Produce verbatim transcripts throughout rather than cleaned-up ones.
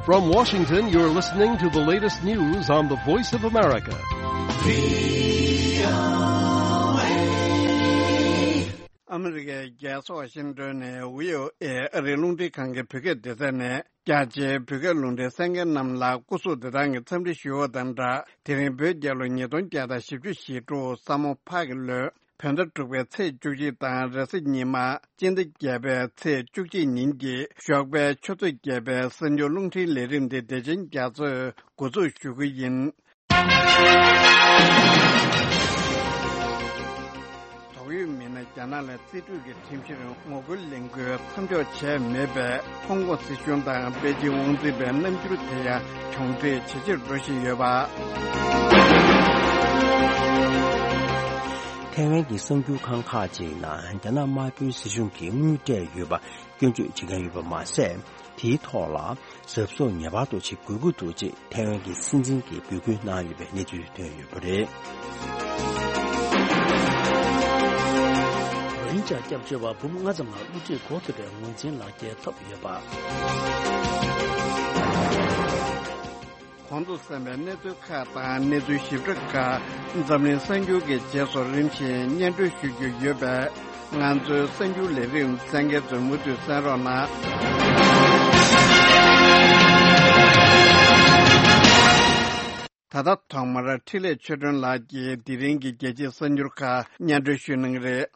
From Washington, you're listening to the latest news on the Voice of America. ཨ་མི་རི་ཀའི་རྒྱལ་ས་ཝ་ཤིང་ཏོན་ནས་བྷི་ཨོ་ཨེ་ཨ་རིའི་རླུང་འཕྲིན་ཁང་གི་བོད་སྐད་སྡེ་ཚན་ནས། རྒྱ་ཆེའི་བོད་སྐད་རླུང་འཕྲིན་གསན་མཁན་རྣམས་ལ་སྐུ་གཟུགས་བདེ་ཐང་གི་འཚམས་འདྲི་ཞུ་བ་དང་སྦྲགས། དེ་རིང་བོད་རྒྱལ་ལོ་ཉིས་སྟོང་བརྒྱ་དང་བཞི་བཅུ་ཞེ་དྲུག་ས་མོ་ཕག་གི་ལོའི་བོད་ཟླ་དྲུག་པའི་ཚེས་བཅུ་གཅིག་དང་རེས་གཟའ་ཉི་མ་སྤྱི་ཟླ་བརྒྱད་པའི་ཚེས་བཅུ་གཅིག་ཉིན་གྱི་ཞོགས་པའི་ཆུ་ཚོད་བརྒྱད་པའི་གསར་འགྱུར་རླུང་འཕྲིན་ལས་རིམ་དེ་བདེ་ཆེན་རྒྱ་མཚོས་འགོ་འཛུགས་ཞུ་གི་ཡིན། དོགས་ཡོད་མི་སྣ་རྒྱ་ནག་ལ་རྩིས་སྤྲོད་ཀྱི་ཁྲིམས་གཞིར་ངོ་རྒོལ་ལས་འགུལ་མཚམས་འཇོག་བྱས་མེད་པས། ཧོང་ཀོང་སྲིད་གཞུང་དང་པེ་ཅིང་དབང་འཛིན་པའི་རྣམ་འགྱུར་དེ་ཡང་གྱོང་འཕྲད་ཇེ་ཆེར་འགྲོ་བཞིན་ཡོད་པ། ཐའེ་ཝན་གྱི་གསར་འགྱུར་ཁང་ཁག་ཅིག་ནང་རྒྱ་ནག་དམར་པོའི་སྲིད་གཞུང་གིས་དངུལ་སྤྲད་ཡོད་པ་སྐྱོན་བརྗོད་བྱེད་མཁན་ཡོད་པ་མ་ཟད། དེའི་ཐོག་ལ་གཟབ་གཟབ་ངེས་པར་དུ་བྱེད་དགོས་ཀྱི་འདུག་ཅེས་ཐའེ་ཝན་གྱི་སྲིད་འཛིན་གྱིས་འབོད་སྐུལ་གནང་ཡོད་པའི་གནས་ཚུལ་ཐོན་ཡོད་པ་རེད། རོ་ཧིན་ཇཱ་སྐྱབས་བཅོལ་བ་འབུམ་ལྔ་ཙམ་ལ་དབུ་ཁྲིད་འགོ་ཚུགས་པའི་ངོས་འཛིན་ལག་འཁྱེར་ཐོབ་ཡོད་པ། གོང་དུ་གསན་པའི་གནས་ཚུལ་ཁག་དང་གནས་ཚུལ་ཞིབ་ཕྲ་ཁག་འཛམ་གླིང་གསར་འགྱུར་གྱི་རྗེས་སུ་རིམ་བཞིན་སྙན་སྒྲོན་ཞུ་རྒྱུ་ཡོད་པས། ང་ཚོའི་གསར་འགྱུར་ལས་རིམ་གསན་མཁན་ཚོས་མུ་མཐུད་གསན་རོགས་གནང་། ད་ལྟ་ཐོག་མར་འཕྲིན་ལས་ཆོས་སྒྲོན་ལགས་ཀྱིས་དེ་རིང་གི་རྒྱལ་སྤྱིའི་གསར་འགྱུར་ཁག་སྙན་སྒྲོན་ཞུ་གནང་གི་རེད།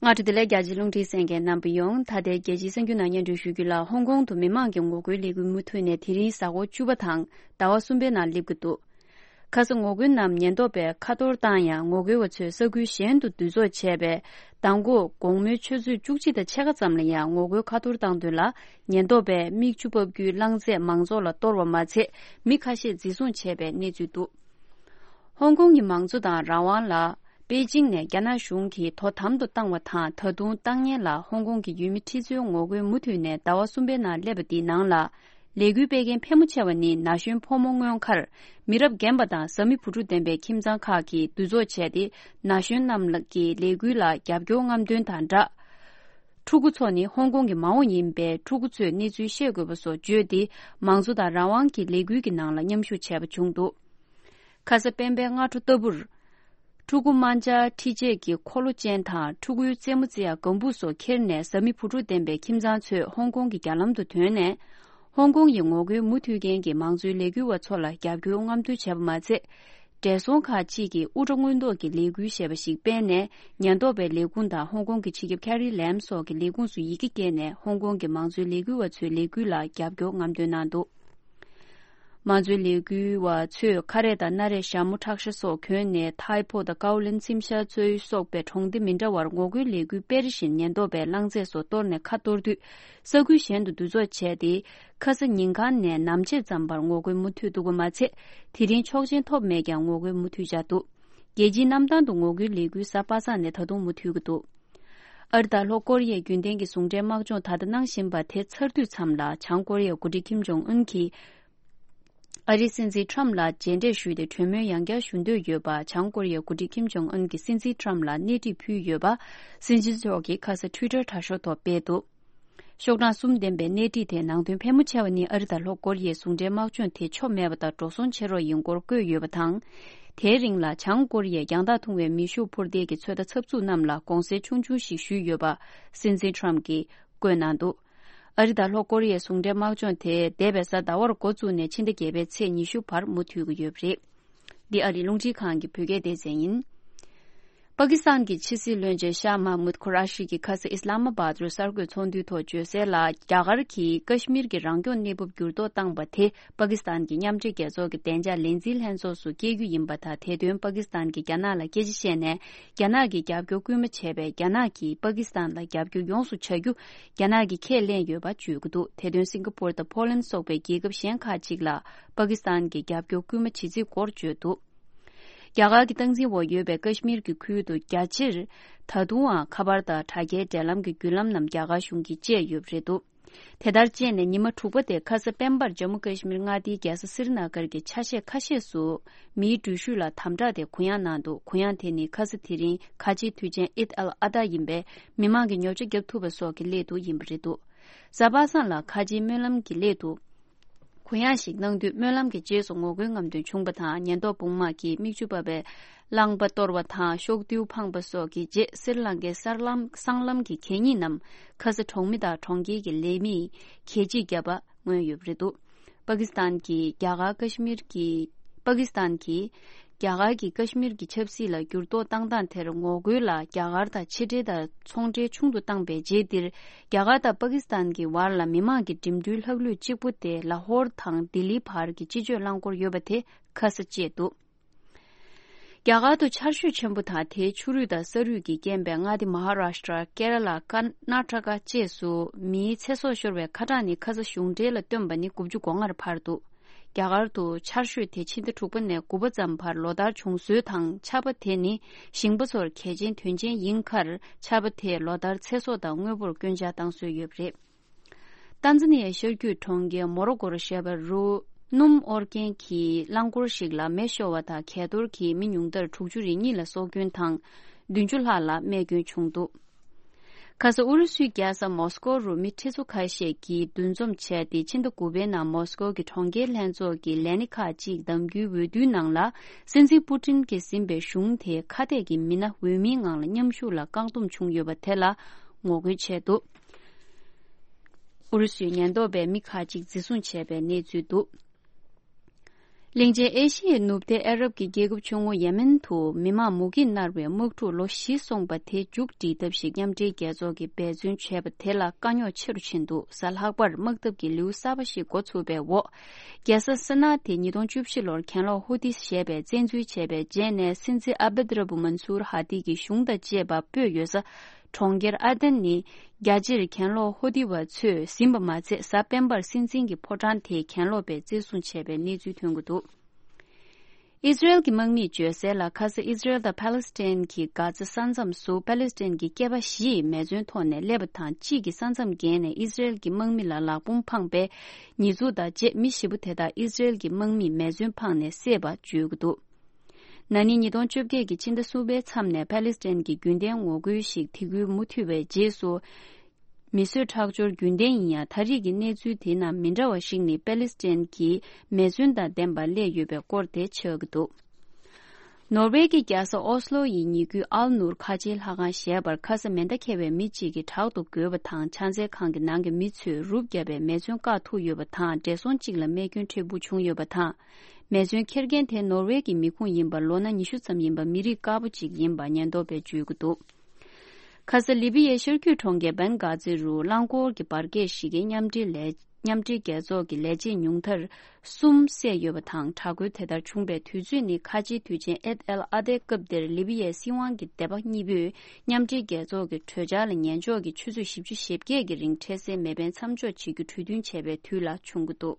སྔ་དྲོ་བདེ་ལེགས། རྒྱ་ཆེའི་རླུང་འཕྲིན་གསན་མཁན་རྣམ་པ་ཡོངས། ད་ལྟའི་རྒྱལ་སྤྱིའི་གསར་འགྱུར་ནང་སྙན་སྒྲོན་ཞུ་རྒྱུ་ལ། ཧོང་ཀོང་དུ་མི་མང་གི་ངོ་རྒོལ་ལས་འགུལ་མུ་མཐུད་ནས་དེ་རིང་གཟའ་འཁོར་བཅུ་པ་དང་ཟླ་བ་གསུམ་པའི་ནང་སླེབས་ཀྱི་འདུག་ཁ་ས་ངོ་རྒོལ་རྣམས་ཉེན་རྟོག་པས་ཁ་གཏོར་བཏང་ཡང་། ངོ་རྒོལ་བ་ཚོས་ས་ཁུལ་གཞན་དུ་འདུ་ཚོགས་བྱས་པས། མདང་དགོང་དགོང་མོའི་ཆུ་ཚོད་བཅུ་གཅིག་དང་ཕྱེད་ཀ་ཙམ་ལ་ཡང་ངོ་རྒོལ་ཁ་གཏོར་བཏང་དོན་ལ། ཉེན་རྟོག་པས་མིག་ཆུ་ཕབ་རྒྱུའི་རླངས་རྫས་མང་ཚོགས་ལ་གཏོར་བ་མ་ཚད། མི་ཁ་ཤས་འཛིན་བཟུང་བྱས་པའི་གནས་ཚུལ་འདུག་ཧོང་ཀོང་གི་མང་གཙོ་དང་རང་དབང་ལ། པེ་ཅིང་ནས་རྒྱ་ནག་གཞུང་གིས་དོ་དམ་དུ་བཏང་བ་དང་། ད་དུང་བཏང་མཁན་ལ་ཧོང་ཀོང་གི་ཡུལ་མི་ཁྲི་ཚོའི་ངོ་རྒོལ་མུ་མཐུད་ནས་ཟླ་བ་གསུམ་པའི་ནང་སླེབས་པ་འདིའི་ནང་ལ། ལས་འགུལ་སྤེལ་མཁན་ཕལ་མོ་ཆེ་བ་ནི་ན་གཞོན་ཕོ་མོ་མངོན་མཁར། མི་རབས་རྒན་པ་དང་བཟའ་མི་བུ་ཕྲུག་ལྡན་པའི་ཁྱིམ་ཚང་ཁག་གིས་འདུ་ཚོགས་བྱས་ཏེ། ན་གཞོན་རྣམས་ཀྱི་ལས་འགུལ་ལ་རྒྱབ་སྐྱོར་རྔམ་སྟོན་དང་སྦྲགས། ཕྲུ་གུ་ཚོ་ནི་ཧོང་ཀོང་གི་མ་འོངས་ཡིན་པས། ཕྲུ་གུ་ཚོས་གནས་ཚུལ་ཤེས་དགོས་པ་སོགས་བརྗོད་དེ། མང་གཙོ་དང་རང་དབང་གི་ལས་འགུལ་གྱི་ནང་ལ་མཉམ་ཞུགས་བྱས་པ་བྱུང་འདུག་ཁ་ས་སྤེན་པའི་སྔ་དྲོ་ལྟ་བུར། ཕྲུ་གུ་དམར་འབྱར་མཁྲིས་ཆས་ཀྱི་འཁོར་ལོ་ཅན་དང་། ཕྲུ་གུའི་རྩེད་མོ་རྩེ་ཡག་སྒམ་པོ་སོགས་ཁྱེར་ནས། བཟའ་མི་བུ་ཕྲུག་ལྡན་པའི་ཁྱིམ་ཚང་ཚོས་ཧོང་ཀོང་གི་རྒྱ་ལམ་དུ་ཐོན་ནས། ཧོང་ཀོང་ཡི་ངོ་རྒོལ་མུ་མཐུད་མཁན་གྱི་མང་གཙོའི་ལས་འགུལ་བ་ཚོ་ལ་རྒྱབ་སྐྱོར་རྔམ་སྟོན་བྱས་པ་མ་ཚད། བགྲེས་སོང་ཁག་ཅིག་གིས་དབུ་སྐྲ་སྔོན་འདོགས་ཀྱི་ལས་འགུལ་ཞེས་པ་ཞིག་སྤེལ་ནས། ཉེན་རྟོག་པའི་ལས་ཁུངས་དང་ཧོང་ཀོང་གི་སྤྱི་ཁྱབ་ཁེ་རི་ལེམ་སོགས་ཀྱི་ལས་ཁུངས་སུ་ཡི་གེ་བསྐྱལ་ནས། ཧོང་ཀོང་གི་མང་གཙོའི་ལས་འགུལ་བ་ཚོའི་ལས་འགུལ་ལ་རྒྱབ་སྐྱོར་རྔམ་སྟོན་གནང་འདུག་མང་གཙོའི་ལས་འགུལ་བ་ཚོས་ཁ་རས་དང་སྣ་རས་ཞྭ་མོ་ཁྲག་ཤ་སོགས་གྱོན་ནས། ཐའི་པོ་དང་ཀའོ་ལིན་ཚིམ་ཤ་ཚོའི་སོགས་པའི་གྲོང་སྡེ་མི་འདྲ་བར་ངོ་རྒོལ་ལས་འགུལ་སྤེལ་བཞིན། ཉེན་རྟོག་པས་རླངས་རྫས་སོགས་གཏོར་ནས་ཁ་གཏོར་དུས། ས་ཁུལ་གཞན་དུ་འདུ་ཚོགས་བྱས་ཏེ། ཁ་ས་ཉིན་གང་ནས་ནམ་ཕྱེད་ཙམ་བར་ངོ་རྒོལ་མུ་མཐུད་འདུག་པ་མ་ཚད། དེ་རིང་ཆོག་མཆན་ཐོབ་མེད་ཀྱང་། ངོ་རྒོལ་མུ་མཐུད་བྱས་འདུག་རྒྱལ་སྤྱིའི་གནམ་ཐང་དུ་ངོ་རྒོལ་ལས་འགུལ་གཟའ་པ་སངས་ནས་ད་དུང་མུ་མཐུད་ཀྱི་འདུག་ཨ་རི་དང་ལྷོ་ཀོ་རི་ཡའི་རྒྱུན་ལྡན་གྱི་ཟུང་འབྲེལ་དམག་སྦྱོང་ད་ལྟ་གནང་བཞིན་པ་དེ་ཚར་དུས་མཚམས་ལ། བྱང་ཀོ་རི་ཡའི་འགོ་ཁྲིད་ཁིམ་ཇོང་ཨུན་གྱིས་ཨ་རིའི་སྲིད་འཛིན་ཁྲམ་ལ་མཇལ་འཕྲད་ཞུས་ཏེ། གྲོས་མོལ་ཡང་བསྐྱར་ཞུ་འདོད་ཡོད་པ། བྱང་ཀོ་རི་ཡའི་འགོ་ཁྲིད་ཁིམ་ཇོང་ཨུན་གྱིས་སྲིད་འཛིན་ཁྲམ་ལ་སྣེ་ཁྲིད་ཕུལ་ཡོད་པ། སྲིད་འཛིན་མཆོག་གིས་ཁ་ས་ཊུའི་ཊར་དྲ་ཤོག་ཐོག་སྤེལ་འདུག་ཤོག་གྲངས་གསུམ་ལྡན་པའི་སྣེ་ཁྲིད་དེའི་ནང་དོན་ཕལ་མོ་ཆེ་བ་ནི། ཨ་རི་དང་ལྷོ་ཀོ་རི་ཡའི་ཟུང་འབྲེལ་དམག་སྦྱོང་དེ་ཆོ་མེད་པ་དང་། འགྲོ་སོང་བྱེད་རོགས་ཡིན་སྐོར་བཀོད་ཡོད་པ་དང་། དེའི་རིང་ལ་བྱང་ཀོ་རི་ཡས་རྒྱང་ཐག་ཐུང་བའི་མེ་ཤུགས་འཕུར་མདེལ་གྱི་ཚོད་ལྟ་འཚབ་འཚུབ་རྣམས་ལ་དགོངས་སེལ་ཆུང་ཆུང་ཞིག་ཞུས་ཡོད་པ། སྲིད་འཛིན་ཁྲམ་གྱིས་བཀོད་གནང་འདུག་ཨ་རི་དང་ལྷོ་ཀོ་རི་ཡའི་ཟུང་འབྲེལ་དམག་སྦྱོང་དེ་འདས་པའི་གཟའ་ཟླ་བར་འགོ་བཙུགས་ནས། ཕྱི་ཟླ་བརྒྱད་པའི་ཚེས་ཉི་ཤུ་བར་མུ་མཐུད་ཀྱི་ཡོད་པ་རེད། འདི་ཨ་རིའི་རླུང་འཕྲིན་ཁང་གི་བོད་སྐད་སྡེ་ཚན་ཡིན། པ་ཀི་སི་ཐན་གྱི་ཕྱི་སྲིད་བློན་ཆེན་ཤཱ་མཱ་མུད་ཁུ་ར་ཤི་གིས་ཁ་སང་ཨི་སི་ལ་མ་བཱད་རུ་གསར་འགོད་ཚོགས་འདུའི་ཐོག་བརྗོད་གསལ་ལ། རྒྱ་གར་གྱིས་ཀ་ཤི་མིར་གྱི་རང་སྐྱོང་གནས་བབ་འགྱུར་ལྡོག་བཏང་པ་དེ། པ་ཀི་སི་ཐན་གྱི་མཉམ་འབྲེལ་རྒྱལ་ཚོགས་ཀྱི་བདེ་འཇགས་ལས་འཛིན་ལྷན་ཚོགས་སུ་སྐྱེལ་རྒྱུ་ཡིན་པ་དང་། དེ་དོན་པ་ཀི་སི་ཐན་གྱིས་རྒྱ་ནག་ལ་སྐད་ཆ་བཤད་ནས། རྒྱ་ནག་གིས་རྒྱབ་སྐྱོར་སྐུལ་མ་བྱས་པས། རྒྱ་ནག་གིས་པ་ཀི་སི་ཐན་ལ་རྒྱབ་སྐྱོར་ཡོངས་སུ་བྱ་རྒྱུ། རྒྱ་ནག་གིས་ཁས་ལེན་ཡོད་པ་བརྗོད་ཀྱི་འདུག་དེ་དོན་སིང་ག་པོར་དང་ཕོ་ལན་སོགས་པའི་རྒྱལ་ཁབ་གཞན་ཁག་ཅིག་ལ་པ་ཀི་སི་ཐན་གྱིས་རྒྱབ་སྐྱོར་སྐུལ་མ་བྱེད་རྩིས་སྐོར་བརྗོད་འདུག་རྒྱ་གར་གྱི་སྟངས་འཛིན་འོག་ཡོད་པའི་ཀ་ཤི་མིར་གྱི་ཁུལ་དུ་རྒྱ་ཆེར་ད་དུང་ཡང་ཁ་པར་དང་དྲ་རྒྱའི་འབྲེལ་ལམ་གྱི་བརྒྱུད་ལམ་རྣམས་རྒྱ་གར་གཞུང་གིས་བཅད་ཡོད་པ་རེད་འདུག་དེ་ལྟར་བྱས་ནས་ཉི་མ་དྲུག་པ་དེ་ཁ་ས་སྤེན་པར་ཇམ་མུ་ཀ་ཤི་མིར་མངའ་སྡེའི་རྒྱལ་ས་སི་རི་ན་གར་གྱི་ཆ་ཤས་ཁ་ཤས་སུ་མིའི་འགྲུལ་བཞུད་ལ་དམ་དྲག་དེ་གུ་ཡངས་གནང་འདུག་གུ་ཡངས་དེ་ནི་ཁ་ས་དེ་རིང་ཁ་ཆེའི་དུས་ཆེན་ཨིད་ཨལ་ཨ་ད་ཡིན་པས་མི་མང་གིས་ཉོ་ཆ་བརྒྱབ་ཐུབ་པ་སོགས་ཀྱི་སླད་དུ་ཡིན་པ་རེད་འདུག་གཟའ་པ་སངས་ལ་ཁ་ཆེའི་སྨོན་ལམ་གྱི་སླད་དུ་གུ་ཡངས་ཤིག་གནང་དུས་སྨོན་ལམ་གྱི་རྗེས་སུ་ངོ་རྒོལ་རྔམ་སྟོན་བྱུང་བ་དང་ཉེན་རྟོག་དཔུང་དམག་གིས་མིག་ཆུ་འབབ་པའི་རླངས་པ་གཏོར་བ་དང་ཤོག་རྡུལ་འཕངས་པ་སོགས་ཀྱི་རྗེས་སི་རི་ལང་ཀའི་གསར་ལམ་སྲང་ལམ་གྱི་གད་སྙིགས་རྣམས་ཁ་ས་གྲོང་མི་དང་གྲོང་ཁྱེར་གྱི་ལས་མིས་གད་ཕྱིས་བརྒྱབ་པ་མངོན་ཡོད་པ་རེད་འདུག་པ་ཀི་སི་ཐན་གྱིས་རྒྱ་གར་ཀ་ཤི་མིར་གྱི་པ་ཀི་སི་ཐན་གྱིས་རྒྱ་གར་གྱི་ཀ་ཤི་མིར་གྱི་ཆབ་སྲིད་ལ་འགྱུར་ལྡོག་བཏང་སྟངས་དེར་ངོ་རྒོལ་ལ་རྒྱ་གར་དང་ཕྱི་འབྲེལ་དང་ཚོང་འབྲེལ་ཆུང་དུ་བཏང་པའི་རྗེས་འདིར། རྒྱ་གར་དང་པ་ཀི་སི་ཐན་གྱི་བར་ལ་མི་མང་གི་འགྲིམ་འགྲུལ་ལྷག་ལུས་གཅིག་པུ་དེ་ལ་ཧོར་དང་ལྡི་ལིའི་བར་གྱི་སྤྱི་སྤྱོད་རླངས་འཁོར་ཡོད་པ་དེ་ཁ་ས་བཅད་འདུག་རྒྱ་གར་དུ་ཆར་ཞོད་ཆེན་པོ་དང་དེའི་ཆུ་རུད་དང་ས་རུད་ཀྱིས་རྐྱེན་པས་མངའ་སྡེ་མ་ཧ་རཱ་ཤི་ཏྲ། ཀེ་ར་ལ། ཀར་ནཱ་ཊ་ཀ་བཅས་སུ་མིའི་ཚེ་སྲོག་ཤོར་བའི་ཁ་གྲངས་ནི་ཁ་ས་གཞུང་འབྲེལ་ལ་བཏོན་པ་ནི་དགུ་བཅུ་གོ་ལྔར་འཕར་འདུག་རྒྱ་གར་དུ་ཆར་ཞོད་དེ་ཕྱི་ཟླ་དྲུག་པ་ནས་དགུ་པ་ཙམ་བར་ལོ་ལྟར་བྱུང་སྲོལ་དང་ཆར་པ་དེ་ནི་ཞིང་པ་ཚོར་གལ་ཆེན་དོན་ཆེན་ཡིན་ཁར་ཆར་པ་དེས་ལོ་ལྟར་ཚེ་སྲོག་དང་དངོས་པོར་སྐྱོན་ཆ་བཏང་སྲོལ་ཡོད་པ་རེད། ཏན་ཛ་ནི་ཡའི་ཤར་རྒྱུད་གྲོང་ཁྱེར་མོ་རོ་ཀོ་རུ་བཞད་པ་རུ་སྣུམ་དབོར་མཁན་གྱི་རླངས་འཁོར་ཞིག་ལ་མེ་ཤོར་བ་དང་གས་གཏོར་གྱིས་མི་ཉུང་མཐར་དྲུག་ཅུ་རེ་གཉིས་ལ་སྲོག་སྐྱོན་དང་བདུན་ཅུ་ལྷག་ལ་རྨས་སྐྱོན་བྱུང་འདུག་ཁ་ས་ཨུ་རུ་སུའི་རྒྱལ་ས་མོ་སི་ཀོ་རུ་མི་ཁྲི་ཚོ་ཁ་ཤས་ཀྱིས་འདུ་འཛོམས་བྱས་ཏེ་ཕྱི་ཟླ་དགུ་པའི་ནང་མོ་སི་ཀོ་གི་གྲོང་ཁྱེར་ལྷན་ཚོགས་ཀྱི་ལས་སྣེ་ཁག་ཅིག་གདམ་རྒྱུའི་འོས་བསྡུའི་ནང་ལ་སྲིད་འཛིན་པུ་ཏིན་གྱིས་ཟིན་པའི་གཞུང་དེའི་ཁ་གཏད་ཀྱི་མི་སྣ་འོས་མིའི་ངང་ལ་མཉམ་ཞུགས་ལ་བཀག་སྡོམ་བྱུང་ཡོད་པ་དེ་ལ་ངོ་རྒོལ་བྱས་འདུག་ཨུ་རུ་སུའི་ཉེན་རྟོག་པས་མི་ཁག་ཅིག་འཛིན་བཟུང་བྱས་པའི་གནས་ཚུལ་འདུག་གླིང་ཆེན་ཨེ་ཤི་ཡའི་ནུབ་མཐའི་ཨ་རབ་ཀྱི་རྒྱལ་ཁབ་ཆུང་ངུ་ཡེ་མེན་དུ་མི་མང་མུ་གེས་མནར་བའི་དམག་འཁྲུག་ལོ་བཞི་སོང་པ་དེ་མཇུག་སྒྲིལ་ཐབས་ཤིག་མཉམ་འབྲེལ་རྒྱལ་ཚོགས་ཀྱིས་འབད་བརྩོན་བྱས་པ་དེ་ལ་དཀའ་རྙོག་ཆེ་རུ་ཕྱིན་འདུག་གཟའ་ལྷག་པར་དམག་འཐབ་ཀྱི་ལེའུ་གསར་པ་ཞིག་འགོ་ཚུགས་པའི་འོག་རྒྱལ་ས་སི་ན་དེ་ཉིས་སྟོང་བཅུ་བཞི་ལོར་གྱེན་ལོག་ཧུ་ཏི་ཞེས་པས་བཙན་འཛུལ་བྱས་པའི་རྗེས་ནས་སྲིད་འཛིན་ཨ་བེད་ར་བུ་མན་སུར་ཧ་ཏི་གི་གཞུང་དང་བཅས་པ་སྤོས་ཡོད་ས། གྲོང་ཁྱེར་ཨ་དན་ནི་རྒྱ་ཆེར་གྱེན་ལོག་ཧོ་ཏི་བ་ཚོས་ཟིན་པ་མ་ཚད། གཟའ་སྤེན་པར་སྲིད་འཛིན་གྱི་ཕོ་བྲང་དེ་གྱེན་ལོག་པས་བཙན་བཟུང་བྱས་པའི་གནས་ཚུལ་ཐོན་གྱི་འདུག་ཨི་ཟི་རེལ་གྱི་དམག་མིས་བརྗོད་གསལ་ལ། ཁ་ས་ཨི་ཟི་རེལ་དང་ཕ་ལེ་སི་ཐན་གྱི་གྷ་ཛ་ས་མཚམས་སུ་ཕ་ལེ་སི་ཐན་གྱི་སྐྱེས་པ་བཞི་མེ་མཚོན་ཐོག་ནས་སླེབས་པ་དང་། གཅིག་གིས་ས་མཚམས་བརྒལ་ནས་ཨི་ཟི་རེལ་གྱི་དམག་མི་ལ་ལག་འབོམ་འཕངས་པའི་ཉེས་འཛུགས་དང་བཅས། མི་བཞི་པོ་དེ་དག་ཨི་ཟི་རེལ་གྱི་དམག་མིས་མེ་མཚོན་འཕངས་ནས་བསད་པ་བརྗོད་ཀྱི་འདུག་ན་ནིང་ཉིས་སྟོང་བཅོ་བརྒྱད་ཀྱི་ཕྱི་ཟླ་གསུམ་པའི་མཚམས་ནས་ཕ་ལེ་སི་ཐན་གྱི་རྒྱུན་ལྡན་ངོ་རྒོལ་ཞིག་དེ་ཁུལ་མུ་མཐུད་པའི་རྗེས་སུ། མི་གསོད་ཁྲག་སྦྱོར་རྒྱུན་ལྡན་ཡིན་ཡང་། ད་རེས་ཀྱི་གནས་ཚུལ་དེའི་ནང་མི་འདྲ་བ་ཞིག་ནི་ཕ་ལེ་སི་ཐན་གྱིས་མེ་མཚོན་དང་ལྡན་པ་སླེབས་ཡོད་པའི་སྐོར་དེ་ཆགས་ཀྱི་འདུག་ནོར་ཝེ་གི་རྒྱལ་ས་ཨོ་སི་ལོ་ཡི་ཉེ་ཁུལ་ཨལ་ནུར་ཁ་ཆེའི་ལྷ་ཁང་ཞེས་པར་ཁ་ས་མེ་མདའ་འཁྱེར་བའི་མི་གཅིག་གིས་དྲག་ཏུ་རྒོལ་བ་དང་། ཕྱག་འཚལ་ཁང་གི་ནང་གི་མི་ཚོས་རུབ་བརྒྱབ་པའི་མེ་མཚོན་བཀག་ཐུབ་ཡོད་པ་དང་། བགྲེས་སོང་གཅིག་ལ་རྨས་སྐྱོན་འཕྲད་པོ་བྱུང་ཡོད་པ་དང་། མེ་མཚོན་འཁྱེར་མཁན་དེ་ནོར་ཝེ་གི་མི་ཁུངས་ཡིན་པ། ལོ་ན་ཉི་ཤུ་ཙམ་ཡིན་པ་མི་རིགས་དཀར་པོ་གཅིག་ཡིན་པ་ཉེན་རྟོག་པས་བརྗོད་ཀྱི་འདུག་ཁ་ས་ལི་བི་ཡའི་ཤར་རྒྱུད་གྲོང་ཁྱེར་བན་གྷ་ཛི་རུ་རླངས་འཁོར་གྱི་འབར་གས་ཤིག་གིས་མཉམ་འབྲེལ་ལས་མཉམ་འབྲེལ་རྒྱལ་ཚོགས་ཀྱི་ལས་བྱེད་ཉུང་མཐར་གསུམ་བསད་ཡོད་པ་དང་། དྲག་རྒོལ་དེ་ལྟར་བྱུང་པའི་དུས་ཚོད་ནི་ཁ་ཆེའི་དུས་ཆེན་ཨེད་ཨལ་ཨ་དའི་སྐབས་དེར་ལི་བི་ཡའི་སྲིད་དབང་གི་སྡེ་པ་གཉིས་པོས་མཉམ་འབྲེལ་རྒྱལ་ཚོགས་ཀྱི་གྲོས་འཆར་ལ་ཉན་འཇོག་གིས་ཆུ་ཚོད་བཞི་བཅུ་ཞེ་བརྒྱད་ཀྱི་རིང་འཕྲལ་སེལ་མེ་འཕེན་མཚམས་འཇོག་བྱེད་རྒྱུ་གྲོས་མཐུན་བྱས་པའི་དུས་ལ་བྱུང་གི་འདུག་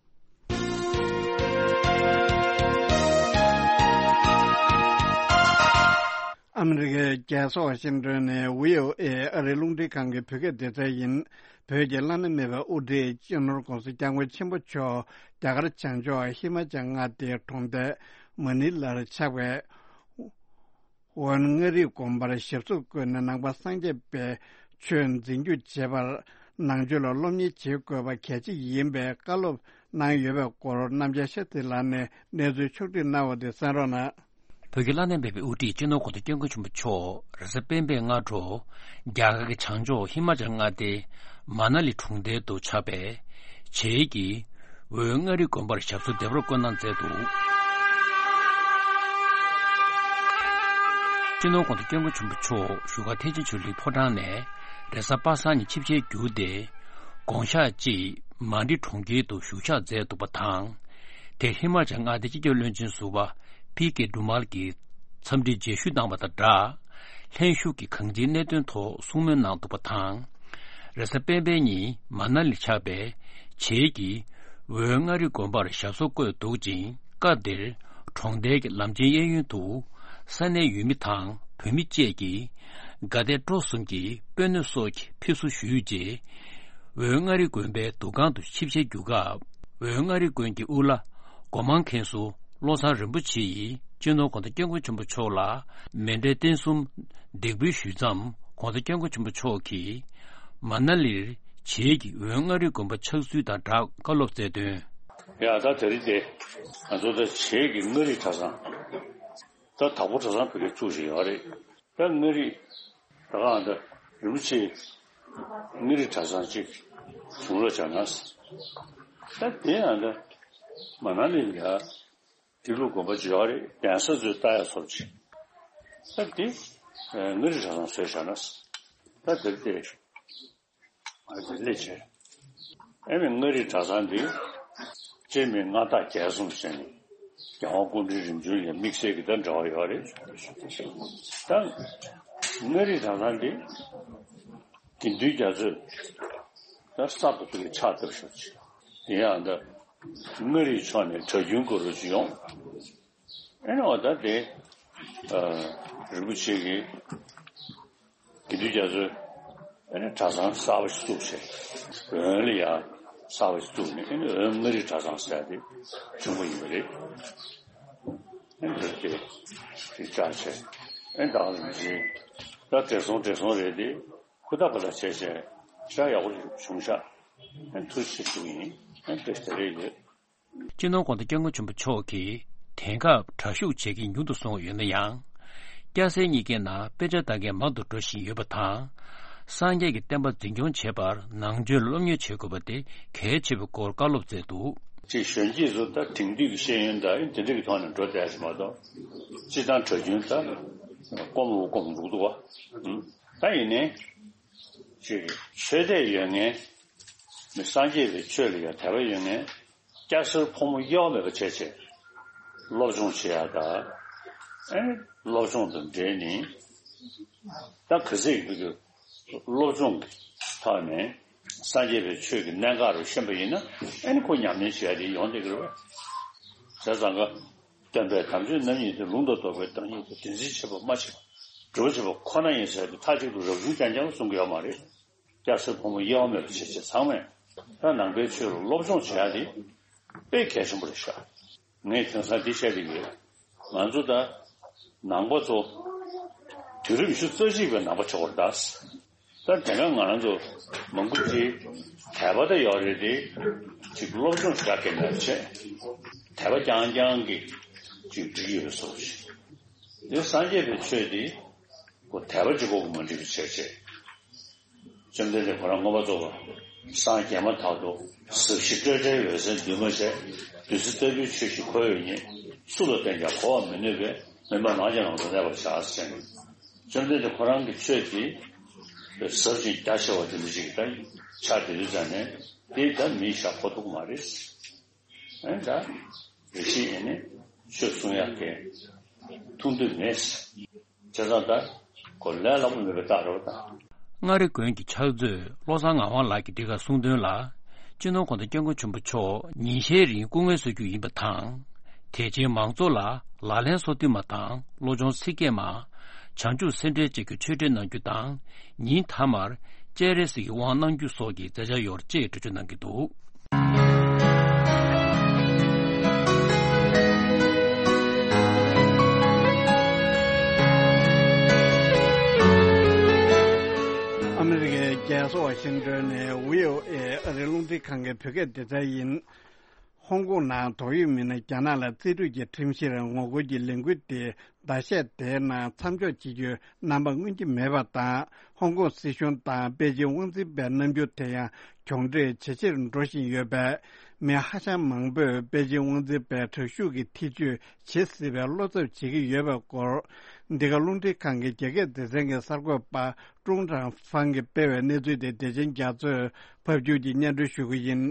ཨ་མི་རི་ཀའི་རྒྱལ་ས་ཝ་ཤིང་ཏོན་ནས་བྷི་ཨོ་ཨེ་ཨ་རིའི་རླུང་འཕྲིན་ཁང་གི་བོད་སྐད་སྡེ་ཚན་ཡིན། བོད་ཀྱི་བླ་ན་མེད་པའི་དབུ་ཁྲིད་སྤྱི་ནོར་༧གོང་ས་༧སྐྱབས་མགོན་ཆེན་པོ་མཆོག་རྒྱ་གར་བྱང་ཕྱོགས་ཧི་མ་ཅལ་མངའ་སྡེའི་གྲོང་རྡལ་མ་ནི་ལར་ཆགས་པའི་ཝན་མངའ་རིས་དགོན་པར་ཞབས་སོར་བཀོད་ནས་ནང་པ་སངས་རྒྱས་པའི་ཆོས་འཛིན་སྐྱོང་བྱེད་པར་ནང་ཆོས་ལ་སློབ་གཉེར་བྱེད་དགོས་པ་གལ་ཆེ་ཡིན་པའི་བཀའ་སློབ་གནང་ཡོད་པའི་སྐོར་རྣམ་རྒྱལ་ཤཱསྟྲི་ལགས་ནས་གནས་ཚུལ་ཕྱོགས་བསྒྲིགས་གནང་བ་དེ་གསན་རོགས་གནང་། བོད་ཀྱི་བླ་ན་མེད་པའི་དབུ་ཁྲིད་སྤྱི་ནོར་༧གོང་ས་༧སྐྱབས་མགོན་ཆེན་པོ་མཆོག་རེས་གཟའ་སྤེན་པའི་སྔ་དྲོ་རྒྱ་གར་གྱི་བྱང་ཕྱོགས་ཧི་མ་ཅལ་མངའ་སྡེའི་མ་ན་ལི་གྲོང་རྡལ་དུ་ཆགས་པའི་བྱེས་ཀྱི་ཝན་མངའ་རིས་དགོན་པར་ཞབས་སོར་བདེ་བར་བཀོད་གནང་མཛད་འདུག་སྤྱི་ནོར་༧གོང་ས་༧སྐྱབས་མགོན་ཆེན་པོ་མཆོག་བཞུགས་སྒར་ཐེག་ཆེན་ཆོས་གླིང་ཕོ་བྲང་ནས་རེས་གཟའ་པ་སངས་ཉིན་ཆིབས་ཞལ་བསྒྱུར་ཏེ། དགོངས་ཞག་ཅིག་མན་ཌི་གྲོང་ཁྱེར་དུ་བཞུགས་ཞག་མཛད་འདུག་པ་དང་། དེར་ཧི་མ་ཅལ་མངའ་སྡེའི་སྤྱི་ཁྱབ་བློན་ཆེན་ཟུར་པ་ཕི་ཀེ་སྒྲོལ་མ་གིས་འཚམས་འདྲི་མཇལ་ཞུ་གནང་བ་དང་སྦྲགས། ལྷན་བཞུགས་ཀྱིས་གང་ཅིའི་གནད་དོན་ཐོག་གསུང་མོལ་གནང་འདུག་པ་དང་། རེས་གཟའ་སྤེན་པའི་ཉིན་མ་ན་ལི་ཆགས་པའི་བྱེས་ཀྱིས་ཝན་མངའ་རིས་དགོན་པར་ཞབས་སོར་བཀོད་འདུག་ཅིང་། སྐབས་དེར་གྲོང་རྡལ་གྱི་ལམ་ཆེན་གཡས་གཡོན་དུ་ས་གནས་ཡུལ་མི་དང་བོད་མི་བཅས་ཀྱིས་དགའ་དད་སྤྲོ་གསུམ་གྱིས་སྤོས་སྣེ་སོགས་ཀྱི་ཕེབས་བསུ་ཞུས་རྗེས། འོལ་མངའ་རིས་དགོན་པའི་འདུ་ཁང་དུ་ཆིབས་ཞལ་བསྒྱུར་སྐབས། འོལ་མངའ་རིས་དགོན་གྱི་དབུ་བླ་སྒོ་མང་མཁན་ཟུར་བློ་བཟང་རིན་པོ་ཆེ་ཡིས་སྤྱི་ནོར་གོང་ས་སྐྱབས་མགོན་ཆེན་པོ་མཆོག་ལ་མཎྜལ་རྟེན་གསུམ་འདེགས་འབུལ་ཞུས་མཚམས། གོང་ས་སྐྱབས་མགོན་ཆེན་པོ་མཆོག་གིས་མ་ན་ལིར་བྱེས་ཀྱི་འོལ་མངའ་རིས་དགོན་པ་ཆགས་ཚུལ་དང་སྦྲགས་བཀའ་སློབ་སྩལ་དོན། ཡ་ད་དེ་རིང་དེ་ང་ཚོ་ད་བྱེས་ཀྱི་མངའ་རིས་གྲྭ་ཚང་། ད་དྭགས་པོ་གྲྭ་ཚང་བོད་སྐད་བཙུགས་བཞིན་ཡོད་རེད། ད་མངའ་རིས་ད་ག་ཨ་ད་རིན་པོ་ཆེ་མངའ་རིས་གྲྭ་ཚང་གཅིག་བྱུང་རོགས་བྱ་ན། ད་དེ་ཨ་ད་མ་ན་ལི་ལ་ཡ་ཏི་ལོ་དགོན་པ་ཅིག་ཡོད་རེད། གདན་ས་ཚོས་ལྟ་ཡ་ཚོར་ཅིག་ད་དེ་མངའ་རིས་གྲྭ་ཚང་བཟོས་བཞག་ན། ད་དེར་དེ། ཨ་ཙི་སླེབས་བྱས། ཨེ་མི་མངའ་རིས་གྲྭ་ཚང་འདི། སྤྱིར་མི་མངའ་བདག་རྒྱལ་གསུམ་ཟེར་ནས། རྒྱལ་དབང་སྐུ་ཕྲེང་རིམ་བྱོན་ལ་དམིགས་བསལ་གྱི་ད་འབྲེལ་བ་ཡོད་རེད། ད། མངའ་རིས་གྲྭ་ཚང་འདི། དགེ་འདུན་རྒྱ་མཚོས། ད་གསར་དུ་ཕ་གིར་ཕྱག་བཏབ་ཤོག་ཅིག་དེ་ཡང་ད། མངའ་རིས་ཕྱོགས་ནས་གྲྭ་རྒྱུན་དགོས་རོགས་ཅིག་ཡོང་། ཨེ་ནི་འོ་ད་དེ། ཨ། རིན་པོ་ཆེ་གིས། དགེ་འདུན་རྒྱ་མཚོས། ཨེ་ནི་གྲྭ་ཚང་གསར་པ་ཞིག་བཙུགས་བྱས། འོན་ལ་ཡང་གསར་པ་ཞིག་བཙུགས་ནས་ཨེ་ནི་འོན་མངའ་རིས་གྲྭ་ཚང་ཟེར་ཡ་དེ་བྱུང་བ་ཡིན་པ་རེད། ཨེ་ནི་དེ་དེ་བཅར་བྱས། ཨེ་ནི་ད་ག་ནང་བཞིན་ད་བགྲེས་སོང་བགྲེས་སོང་རེད་དེ་ཧུར་ཐག་པ་ལ་བྱས་བྱས་ཞག་ཡག་པོ་ཞིག་བྱུང་ཤག་ཨེ་ནི་ཐུགས་རྗེ་ཆེ་ཞུ་གི་ཡིན། ཨེ་ནི་དེ་དེ་རེད་ཡོད། སྤྱི་ནོར་གོང་ས་སྐྱབས་མགོན་ཆེན་པོ་མཆོག་གིས་དེང་སྐབས་དྲག་ཤུགས་བྱེད་མཁན་ཉུང་དུ་སོང་ཡོད་ན་ཡང་། སྐྱ་སེར་གཉིས་ཀའི་ནང་དཔེ་ཆ་ལྟ་མཁན་མང་དུ་འགྲོ་བཞིན་ཡོད་པ་དང་། སངས་རྒྱས་ཀྱི་བསྟན་པ་འཛིན་སྐྱོང་བྱེད་པར་ནང་ཆོས་སློབ་གཉེར་བྱེད་དགོས་པ་དེ་གལ་ཆེ་བའི་སྐོར་བཀའ་སློབ་སྩལ་འདུག་ཅིག་གཞོན་སྐྱེས་ཚོ་ད་དེང་དུས་ཀྱི་ཤེས་ཡོན་དང་དེ་འདྲ་གི་ཐོག་ནས་འགྲོ་བསྡད་ཞིག་མ་གཏོགས། སྤྱིར་བཏང་གྲྭ་རྒྱུན་ད་ཀོམ་འུ་ཀོམ་འགྲོ་གི་འདུག་བ། ད་ཡིན་ནའི། ཅིག་ཆོས་དད་ཡོད་མཁན། མི་སངས་རྒྱས་པའི་ཆོས་ལ་ཡང་དད་པ་ཡོད་མཁན། སྐྱ་སེར་ཕོ་མོ་དབྱེ་བ་མེད་པ་བྱས་བྱས། སློབ་སྦྱོང་བྱེད་ཡ་ད། ཨེ་ནི་སློབ་སྦྱོང་དང་འབྲེལ་ནས། ད་ག་ཚད་ཀྱི་སློབ་སྦྱོང་གི་ཐོག་ནས་སངས་རྒྱས་པའི་ཆོས་ཀྱི་གནད་འགག་རུ་ཤེས་པ་ཡིན་ན་ཨེ་ནི་ཁོ་ཉམས་ལེན་བྱེད་ཡ་དེ་ཡོང་བསྡད་ཀྱི་རེད་པ། བྱས་ཙང་ཀ་སྟོན་པའི་དམ་ཆོས་རྣམ་གཉིས་དེ་ལུང་དང་རྟོགས་པའི་བདག་ཉིད་དེ་བདེན་འཛིན་བྱེད་པ་མ་བྱེད་པ་སྒྲུབ་པ་བྱེད་པ་ཁོ་ན་ཡིན་ཟེར་ཏེ་མཐའ་གཅིག་ཏུ་རབ་བྱུང་རྐྱང་རྐྱང་གསུང་གི་ཡོད་མ་རེད། སྐྱ་སེར་ཕོ་མོ་དབྱེ་བ་མེད་པ་བྱེད་བྱེད་ཚང་མས་ད་ནང་པའི་ཆོས་ལ་སློབ་སྦྱོང་བྱེད་ཡ་དེ་དཔེ་གལ་ཆེན་པོ་རེད་ཤག་ངས་དེང་སང་འདི་བཤད་ཀྱི་ཡོད། ང་ཚོ་ད་ནང་པ་ཚོ་དུས་རབས་ཉི་ཤུ་རྩ་གཅིག་པའི་ནང་པ་ཆགས་པ་རེད་ད། ད་དེ་སྔ་ང་རང་ཚོ་མང་པོ་ཅིག་དད་པ་ད་ཡོད་རེད་དེ། ཅིག་སློབ་སྦྱོང་ཞེ་དྲག་གི་མེད་པ་བྱས། དད་པ་རྐྱང་རྐྱང་གིས་ཅིག་འགྲིག་ཡོད་པའི་བཟོ་འདྲ་ཞིག་དེ་སངས་རྒྱས་པའི་ཆོས་དེ་ཁོ་དད་པ་གཅིག་པོ་གིས་མ་འགྲིག་པ་བྱས་བྱས། བཅོམ་ལྡན་འདས་ཁོ་རང་མངོན་པར་རྫོགས་པར་སངས་རྒྱས་མ་ཐག་ཏུ་ཟབ་ཞི་སྤྲོས་བྲལ་འོད་གསལ་འདུས་མ་བྱས། བདུད་རྩི་ལྟ་བུའི་ཆོས་ཤིག་ཁོ་བོས་ཉིད་སུ་ལ་བསྟན་ཀྱང་གོ་བར་མི་ནུས་པས། མི་སྨྲ་ནགས་ཀྱི་ནང་དུ་གནས་པར་བྱ་ཟེར་ནས། བཅོམ་ལྡན་འདས་ཁོ་རང་གི་ཆོས་དེ་ཟབ་ཅིང་རྒྱ་ཆེ་བ་དེ་འདྲ་ཞིག་ད་ཆགས་བསྡད་དུས་ཙང་ནས་དེ་ད་མིས་བཞག་གོ་ཐུབ་མ་རེད། ཨེ་ད་རེ་ཞིག་ཡིན་ནས་ཆོས་གསུང་ཡག་གི་ཐུགས་འདུན་མེད། བྱས་ཙང་ད་ཁོ་ལས་སླ་པོ་མེད་པའི་རྟགས་རེད་པ་ད། མངའ་རིས་དགོན་གྱི་ཕྱག་མཛོད་བློ་བཟང་ངག་དབང་ལགས་ཀྱིས་འདི་གར་གསུངས་དོན་ལ། སྤྱི་ནོར་གོང་ས་སྐྱབས་མགོན་ཆེན་པོ་མཆོག་ཉིན་ཤས་རིང་སྐུ་ངལ་གསོ་རྒྱུ་ཡིན་པ་དང་། དད་ཅན་མང་ཚོགས་ལ་ལག་ལེན་སོ་བདུན་མ་དང་བློ་སྦྱོང་ཚིག་བརྒྱད་མ། བྱང་ཆུབ་སེམས་འགྲེལ་བཅས་ཀྱི་ཆོས་འབྲེལ་གནང་རྒྱུ་དང་། ཉིན་མཐའ་མར་སྤྱན་རས་གཟིགས་ཀྱི་དབང་གནང་རྒྱུ་སོགས་ཀྱི་མཛད་འཆར་ཡོད་ཅེས་འགྲེལ་བརྗོད་གནང་གི་འདུག་ཨ་མི་རི་ཀའི་རྒྱལ་ས་ཝ་ཤིང་ཏོན་ནས་བྷི་ཨོ་ཨེ་ཨ་རིའི་རླུང་འཕྲིན་ཁང་གི་བོད་སྐད་སྡེ་ཚན་ཡིན། ཧོང་ཀོང་ནང་དོགས་ཡོད་མི་སྣ་རྒྱ་ནག་ལ་རྩིས་སྤྲོད་ཀྱི་ཁྲིམས་གཞིར་ངོ་རྒོལ་གྱི་ལས་འགུལ་དེ་ཟླ་ཤས་དེའི་ནང་མཚམས་འཇོག་བྱེད་རྒྱུའི་རྣམ་པ་མངོན་གྱི་མེད་པ་དང་། ཧོང་ཀོང་སྲིད་གཞུང་དང་པེ་ཅིང་དབང་འཛིན་པའི་རྣམ་འགྱུར་དེ་ཡང་གྱོང་འཕྲད་ཇེ་ཆེར་འགྲོ་བཞིན་ཡོད་པས། མི་ཧ་ཅང་མང་པོས་པེ་ཅིང་དབང་འཛིན་པས་དྲག་ཤུགས་ཀྱི་ཐེ་བྱུས་བྱེད་སྲིད་པའི་བློ་འཚབ་བྱེད་ཀྱི་ཡོད་པའི་སྐོར། འདི་ག་རླུང་འཕྲིན་ཁང་གི་རྒྱ་སྐད་སྡེ་ཚན་གྱི་གསར་འགོད་པ་ཀྲུང་ཀྲང་ཧྥང་གིས་སྤེལ་བའི་གནས་ཚུལ་དེ་བདེ་ཆེན་རྒྱ་མཚོས་ཕབ་སྒྱུར་གྱིས་སྙན་སྒྲོན་ཞུ་གི་ཡིན།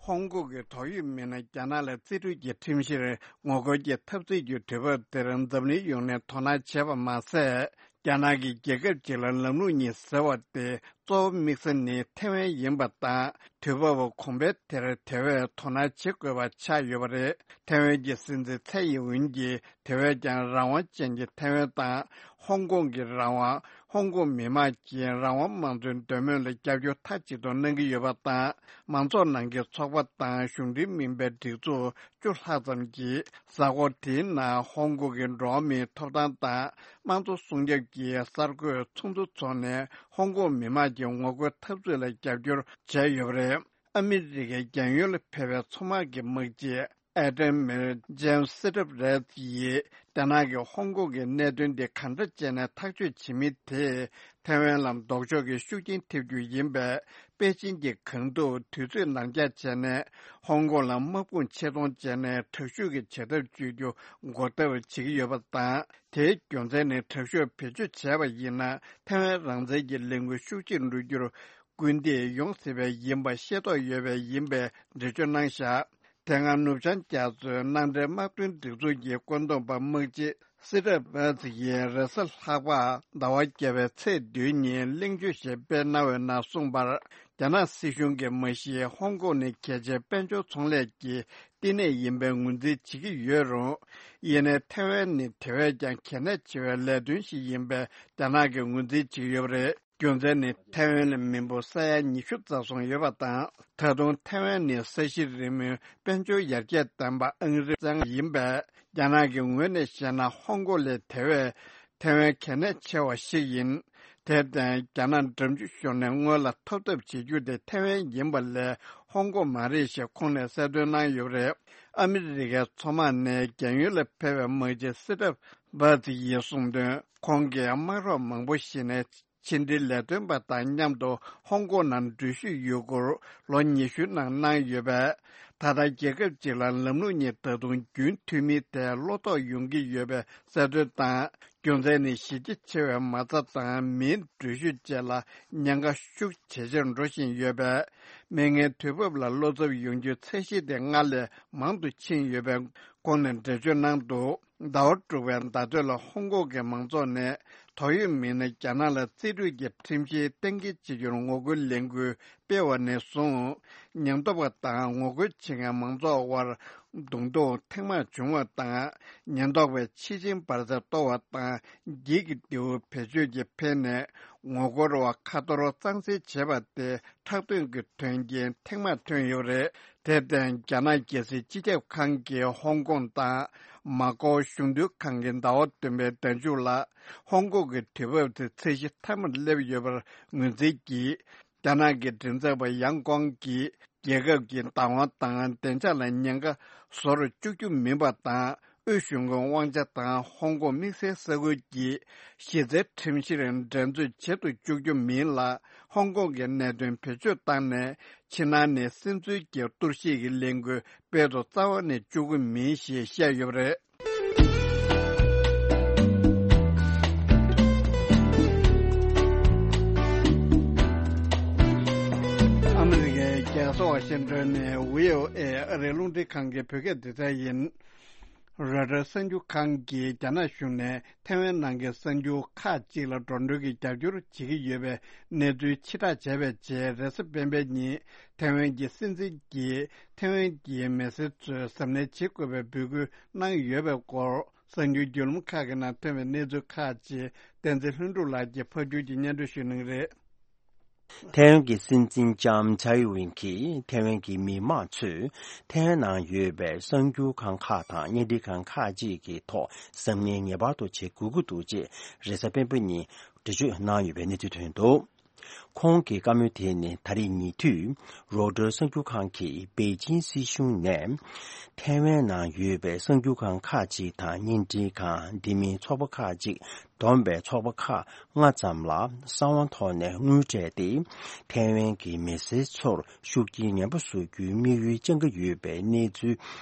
ཧོང་ཀོང་གི་དོགས་ཡོད་མི་སྣ་རྒྱ་ནག་ལ་རྩིས་སྤྲོད་ཀྱི་ཁྲིམས་གཞིར་ངོ་རྒོལ་གྱི་འཐབ་རྩོད་ཀྱི་དུས་བབ་དེར་འཛམ་གླིང་ཡོངས་ནས་དོ་སྣང་བྱས་པ་མ་ཟད། རྒྱ་ནག་གིས་རྒྱལ་ཁབ་ཅིག་ལ་ལམ་ལུགས་གཉིས་ཟེར་བ་དེ་གཙོ་བོ་དམིགས་ས་ནི་ཐེ་ཝན་ཡིན་པ་དང་། དུས་བབ་གོང་འཕེལ་དེར་དེ་བས་དོ་སྣང་བྱེད་དགོས་པ་ཆགས་ཡོད་པ་རེད། ཐེ་ཝན་གྱི་སྲིད་འཛིན་ཚའེ་ཡིན་ཝུན་གྱིས་དེ་བས་ཀྱང་རང་དབང་ཅན་གྱི་ཐེ་ཝན་དང་། ཧོང་ཀོང་གི་རང་དབང་། ཧོང་ཀོང་མི་མང་གིས་རང་དབང་དམངས་གཙོའི་འདོད་མོས་ལ་རྒྱབ་སྐྱོར་མཐའ་གཅིག་ཏུ་གནང་གི་ཡོད་པ་དང་། མང་ཚོགས་ནང་གི་ཚོགས་པ་དང་གཞུང་འབྲེལ་མིན་པའི་སྒྲིག་འཛུགས་བཅུ་ལྷག་ཙམ་གྱིས་གཟའ་འཁོར་དེའི་ནང་ཧོང་ཀོང་གི་འགྲོ་བ་མིའི་ཐོབ་ཐང་དང་དམངས་གཙོ་སྲུང་སྐྱོབ་ཀྱི་གསར་འགོད་ཚོགས་འདུ་འཚོགས་ནས། ཧོང་ཀོང་མི་མང་གི་ངོ་རྒོལ་འཐབ་རྩོད་ལ་རྒྱབ་སྐྱོར་བྱས་ཡོད་པ་རེད། ཨ་མི་རི་ཀའི་རྒན་ཡོལ་ལ་ཕེབས་པའི་མཚོ་དམག་གི་དམག་སྤྱི་ཨེ་ཏན་མེར་ཇེམ་སི་ཊི་རེད་ཡིས། རྒྱ་ནག་གིས་ཧོང་ཀོང་གི་གནད་དོན་འདི་གང་འདྲ་བྱས་ནས་ཐག་གཅོད་བྱེད་མིན་དེས་ཐའེ་ཝན་ལ་ལྡོག་ཕྱོགས་ཀྱི་ཤུགས་རྐྱེན་ཐེབས་རྒྱུ་ཡིན་པས། པེ་ཅིན་གྱིས་གང་ཐུབ་དུས་ཚོད་ནར་འགྱངས་བྱས་ནས་ཧོང་ཀོང་ལ་དམག་དཔུང་ཆེད་གཏོང་བྱས་ནས་དྲག་ཤུགས་ཀྱི་བྱེད་ཐབས་སྤྱོད་རྒྱུ་འགོག་ཐབས་བྱེད་ཀྱི་ཡོད་པ་དང་། དེའི་རྒྱུ་མཚན་ནི་དྲག་ཤུགས་བེད་སྤྱོད་བྱས་པ་ཡིན་ན། ཐའེ་ཝན་རང་བཙན་གྱི་ལས་འགུལ་ཤུགས་ཆེར་འགྲོ་རྒྱུར་སྐུལ་འདེད་ཡོང་སྲིད་པས་ཡིན་པ་ཤེས་རྟོགས་ཡོད་པས་ཡིན་པའི་འགྲེལ་བརྗོད་གནང་བཞག་དེ་སྔ་ནུབ་བྱང་རྒྱ་མཚོའི་མནའ་འབྲེལ་དམག་དོན་སྒྲིག་འཛུགས་ཀྱི་བཀོད་འདོམས་པ་དམག་སྤྱི་སི་ཏྲ་བྷ་ཛི་ཡིས་རེས་གཟའ་ལྷག་པ་ཟླ་བ་བརྒྱད་པའི་ཚེས་བདུན་ཉིན་གླེང་བརྗོད་ཞིག་སྤེལ་གནང་བའི་ནང་གསུངས་པར། རྒྱ་ནག་སྲིད་གཞུང་གིས་མ་གཞི་ཧོང་ཀོང་ནི་གལ་ཆེའི་དཔལ་འབྱོར་ཚོང་ལས་ཀྱི་བསྟི་གནས་ཡིན་པའི་ངོས་འཛིན་བྱེད་ཀྱི་ཡོད་རུང་། ཡིན་ནའི་ཐའེ་ཝན་ནི་དེ་བས་ཀྱང་གལ་གནད་ཆེ་བའི་ལས་དོན་ཞིག་ཡིན་པས་རྒྱ་ནག་གིས་ངོས་འཛིན་བྱེད་ཀྱི་ཡོད་པ་རེད། རྒྱུ་མཚན་ནི་ཐའེ་ཝན་ལ་མི་འབོར་ས་ཡ་ཉི་ཤུ་རྩ་གསུམ་ཡོད་པ་དང་། ད་དུང་ཐའེ་ཝན་ནི་ས་གཞི་རིལ་མོའི་དཔལ་འབྱོར་ཡར་རྒྱས་ལྡན་པ་ཨང་རིམ་བཙན་ཡིན་པས། རྒྱ་ནག་གི་ངོས་ནས་བཤད་ན་ཧོང་ཀོང་ལས་དེ་བས་ཐའེ་ཝན་གལ་གནད་ཆེ་བ་ཞིག་ཡིན། དེར་བརྟེན་རྒྱ་ནག་འགྲམ་ཆུ་ཤོར་ནས་སྔོན་ལ་ཐོབ་ཐབས་བྱེད་རྒྱུ་དེ་ཐའེ་ཝན་ཡིན་པ་ལས་ཧོང་ཀོང་མ་རེད་ཞེས་ཁོང་ནས་གསལ་སྟོན་གནང་ཡོད་པ་རེད། ཨ་མི་རི་ཀའི་མཚོ་དམག་ནས་རྒན་ཡོལ་ལ་ཕེབས་པའི་དམག་སྤྱི་སི་ཏྲ་བྷ་ཛི་ཡིས་གསུངས་དོན། ཁོང་གིས་དམག་རོགས་མང་པོ་ཞིག་ནས་ཕྱི་འབྲེལ་ལས་དོན་པ་དང་མཉམ་དུ་ཧོང་ཀོང་ནང་འགྲུལ་བཞུད་ཡོད་སྐོར་ལོ་ཉི་ཤུའི་ནང་གནང་ཡོད་པས། ད་ལྟ་རྒྱལ་ཁབ་ཅིག་ལ་ལམ་ལུགས་གཉིས་ད་དུང་རྒྱུན་མཐུད་མིན་ཐད་བློ་དོགས་ཡོང་གི་ཡོད་པའི་གསལ་སྟོན་དང་། རྒྱུ་མཚན་ནི་གཞི་རྒྱ་ཆེ་བའི་མ་རྩ་དང་མིའི་འགྲུལ་བཞུད་བཅས་ལ་ཉེན་ཁ་ཤུགས་ཇེ་ཆེར་འགྲོ་བཞིན་ཡོད་པས། མི་ངན་དུས་བབ་ལ་བློ་འཚབ་ཡོང་རྒྱུའི་ཚད་གཞི་དེ་སྔར་ལས་མང་དུ་ཕྱིན་ཡོད་པས། ཁོང་ནས་འགྲེལ་བརྗོད་གནང་འདུག་ཟླ་བ་དྲུག་པའི་ཟླ་སྟོད་ལ་ཧོང་ཀོང་གི་མང་ཚོགས་ནས་དོགས་ཡོད་མི་སྣས་རྒྱ་ནག་ལ་རྩིས་སྤྲོད་ཀྱི་ཁྲིམས་གཞི་གཏན་འཁེལ་བྱེད་རྒྱུར་ངོ་རྒོལ་ལས་འགུལ་སྤེལ་བ་ནས་བཟུང་། ཉེན་རྟོག་པ་དང་ངོ་རྒོལ་བྱེད་མཁན་མང་ཚོགས་དབར་བརྡུང་རྡོག་ཐེངས་མང་བྱུང་བ་དང་། ཉེན་རྟོག་པས་ཕྱི་ཆིངས་འབར་རྫས་གཏོར་བ་དང་། འགྱིག་གི་རྡེའུ་བེད་སྤྱོད་ཀྱིས་འཕེན་ནས་ངོ་རྒོལ་བ་ཁ་ཐོར་གཙང་སེལ་བྱས་པ་དེ་ཁྲག་འདོན་གྱི་དོན་རྐྱེན་ཐེངས་མང་ཐོན་ཡོད་པ་རེད། དེར་བརྟེན་རྒྱ་ནག་རྒྱལ་སྲིད་སྤྱི་ཁྱབ་ཁང་གིས་ཧོང་ཀོང་དང་མ་ཀའོ་གཞུང་དོན་ཁང་གིས་ཟླ་བ་བདུན་པའི་ཟླ་མཇུག་ལ་ཧོང་ཀོང་གི་དུས་བབ་དེ་ཚད་གཞི་མཐའ་མར་སླེབས་ཡོད་པར་ངོས་འཛིན་གྱིས། རྒྱ་ནག་གི་མགྲིན་ཚབ་པ་ཡང་ཀོང་གིས་རྒྱལ་ཁབ་ཀྱི་བདག་དབང་དང་བདེ་འཇགས་ལ་ཉེན་ཁ་བཟོ་རུ་བཅུག་རྒྱུ་མིན་པ་དང་། དབུས་གཞུང་གི་དབང་ཆ་དང་ཧོང་ཀོང་དམིགས་བསལ་ས་ཁུལ་གྱི་གཞི་རྩའི་ཁྲིམས་གཞིར་འགྲན་རྩོད་བྱེད་དུ་བཅུག་རྒྱུ་མིན་ལ། ཧོང་ཀོང་གི་གནད་དོན་བེད་སྤྱོད་བཏང་ནས་ཕྱི་ནང་ནས་སིམ་འཛུལ་གྱི་གཏོར་བཤིག་གི་ལས་འགུལ་སྤེལ་དུ་རྩ་བ་ནས་བཅུག་གི་མིན་ཞེས་བཤད་ཡོད་པ་རེད། ཨ་མི་རི་ཀའི་རྒྱལ་ས་ཝ་ཤིང་ཏོན་ནས་བྷི་ཨོ་ཨེ་ཨ་རིའི་རླུང་འཕྲིན་ཁང་གི་བོད་སྐད་སྡེ་ཚན་ཡིན། རོའི་ཊར་གསར་འགྱུར་ཁང་གིས་རྒྱ་ནག་གཞུང་ནས་ཐའེ་ཝན་ནང་གི་གསར་འགྱུར་ཁག་ཅིག་ལ་འགྲོ་གྲོན་གྱི་རྒྱབ་སྐྱོར་བྱེད་ཀྱི་ཡོད་པའི་གནས་ཚུལ་ཕྱིར་བསྒྲགས་བྱས་པའི་རྗེས། རེས་གཟའ་སྤེན་པའི་ཉིན་ཐའེ་ཝན་གྱི་སྲིད་འཛིན་གྱིས་ཐའེ་ཝན་གྱི་མི་སེར་ཚོས་གཟབ་ནན་བྱེད་དགོས་པའི་འབོད་སྐུལ་གནང་ཡོད་པའི་སྐོར། གསར་འགྱུར་བརྒྱུད་ལམ་ཁག་གི་ནང་ཐོན་པའི་གནས་ཚུལ་ཁག་ཅིག་བསྟན་འཛིན་ལྷུན་གྲུབ་ལགས་ཀྱིས་ཕབ་སྒྱུར་གྱིས་སྙན་སྒྲོན་ཞུ་གནང་གི་རེད། ཐའེ་ཝན་གྱི་སྲིད་འཛིན་ལྕམ་ཚའེ་ཝེན་གྱིས་ཐའེ་ཝན་གྱི་མི་མང་ཚོས་ཐའེ་ཝན་ནང་ཡོད་པའི་གསར་འགྱུར་ཁང་ཁག་དང་བརྙན་འཕྲིན་ཁང་ཁག་ཅིག་གི་ཐོག་གཟབ་ནན་ངེས་པར་དུ་བྱེད་དགོས་ཀྱི་འདུག་ཅེས་རེས་གཟའ་སྤེན་པ་ཉིན་འགྲེལ་བརྗོད་གནང་ཡོད་པའི་གནས་ཚུལ་ཐོན་འདུག་ཁོང་གི་བཀའ་མོལ་དེ་ནི་ད་རེས་ཉེ་དུས་རོའི་ཊར་གསར་འགྱུར་ཁང་གིས་པེ་ཅིན་སྲིད་གཞུང་ནས་ཐའེ་ཝན་ནང་ཡོད་པའི་གསར་འགྱུར་ཁང་ཁག་ཅིག་དང་བརྙན་འཕྲིན་ཁང་དེ་མིན་ཚོགས་པ་ཁག་ཅིག་བསྡོམས་པའི་ཚོགས་པ་ཁག་ལྔ་ཙམ་ལ་གསང་བ་ཐོག་ནས་དངུལ་སྤྲད་དེ། ཐའེ་ཝན་གྱི་མི་སེར་ཚོར་ཤུགས་རྐྱེན་ངན་པ་བཟོ་རྒྱུའི་དམིགས་ཡུལ་བཅངས་ཀྱི་ཡོད་པའི་གནས་ཚུལ་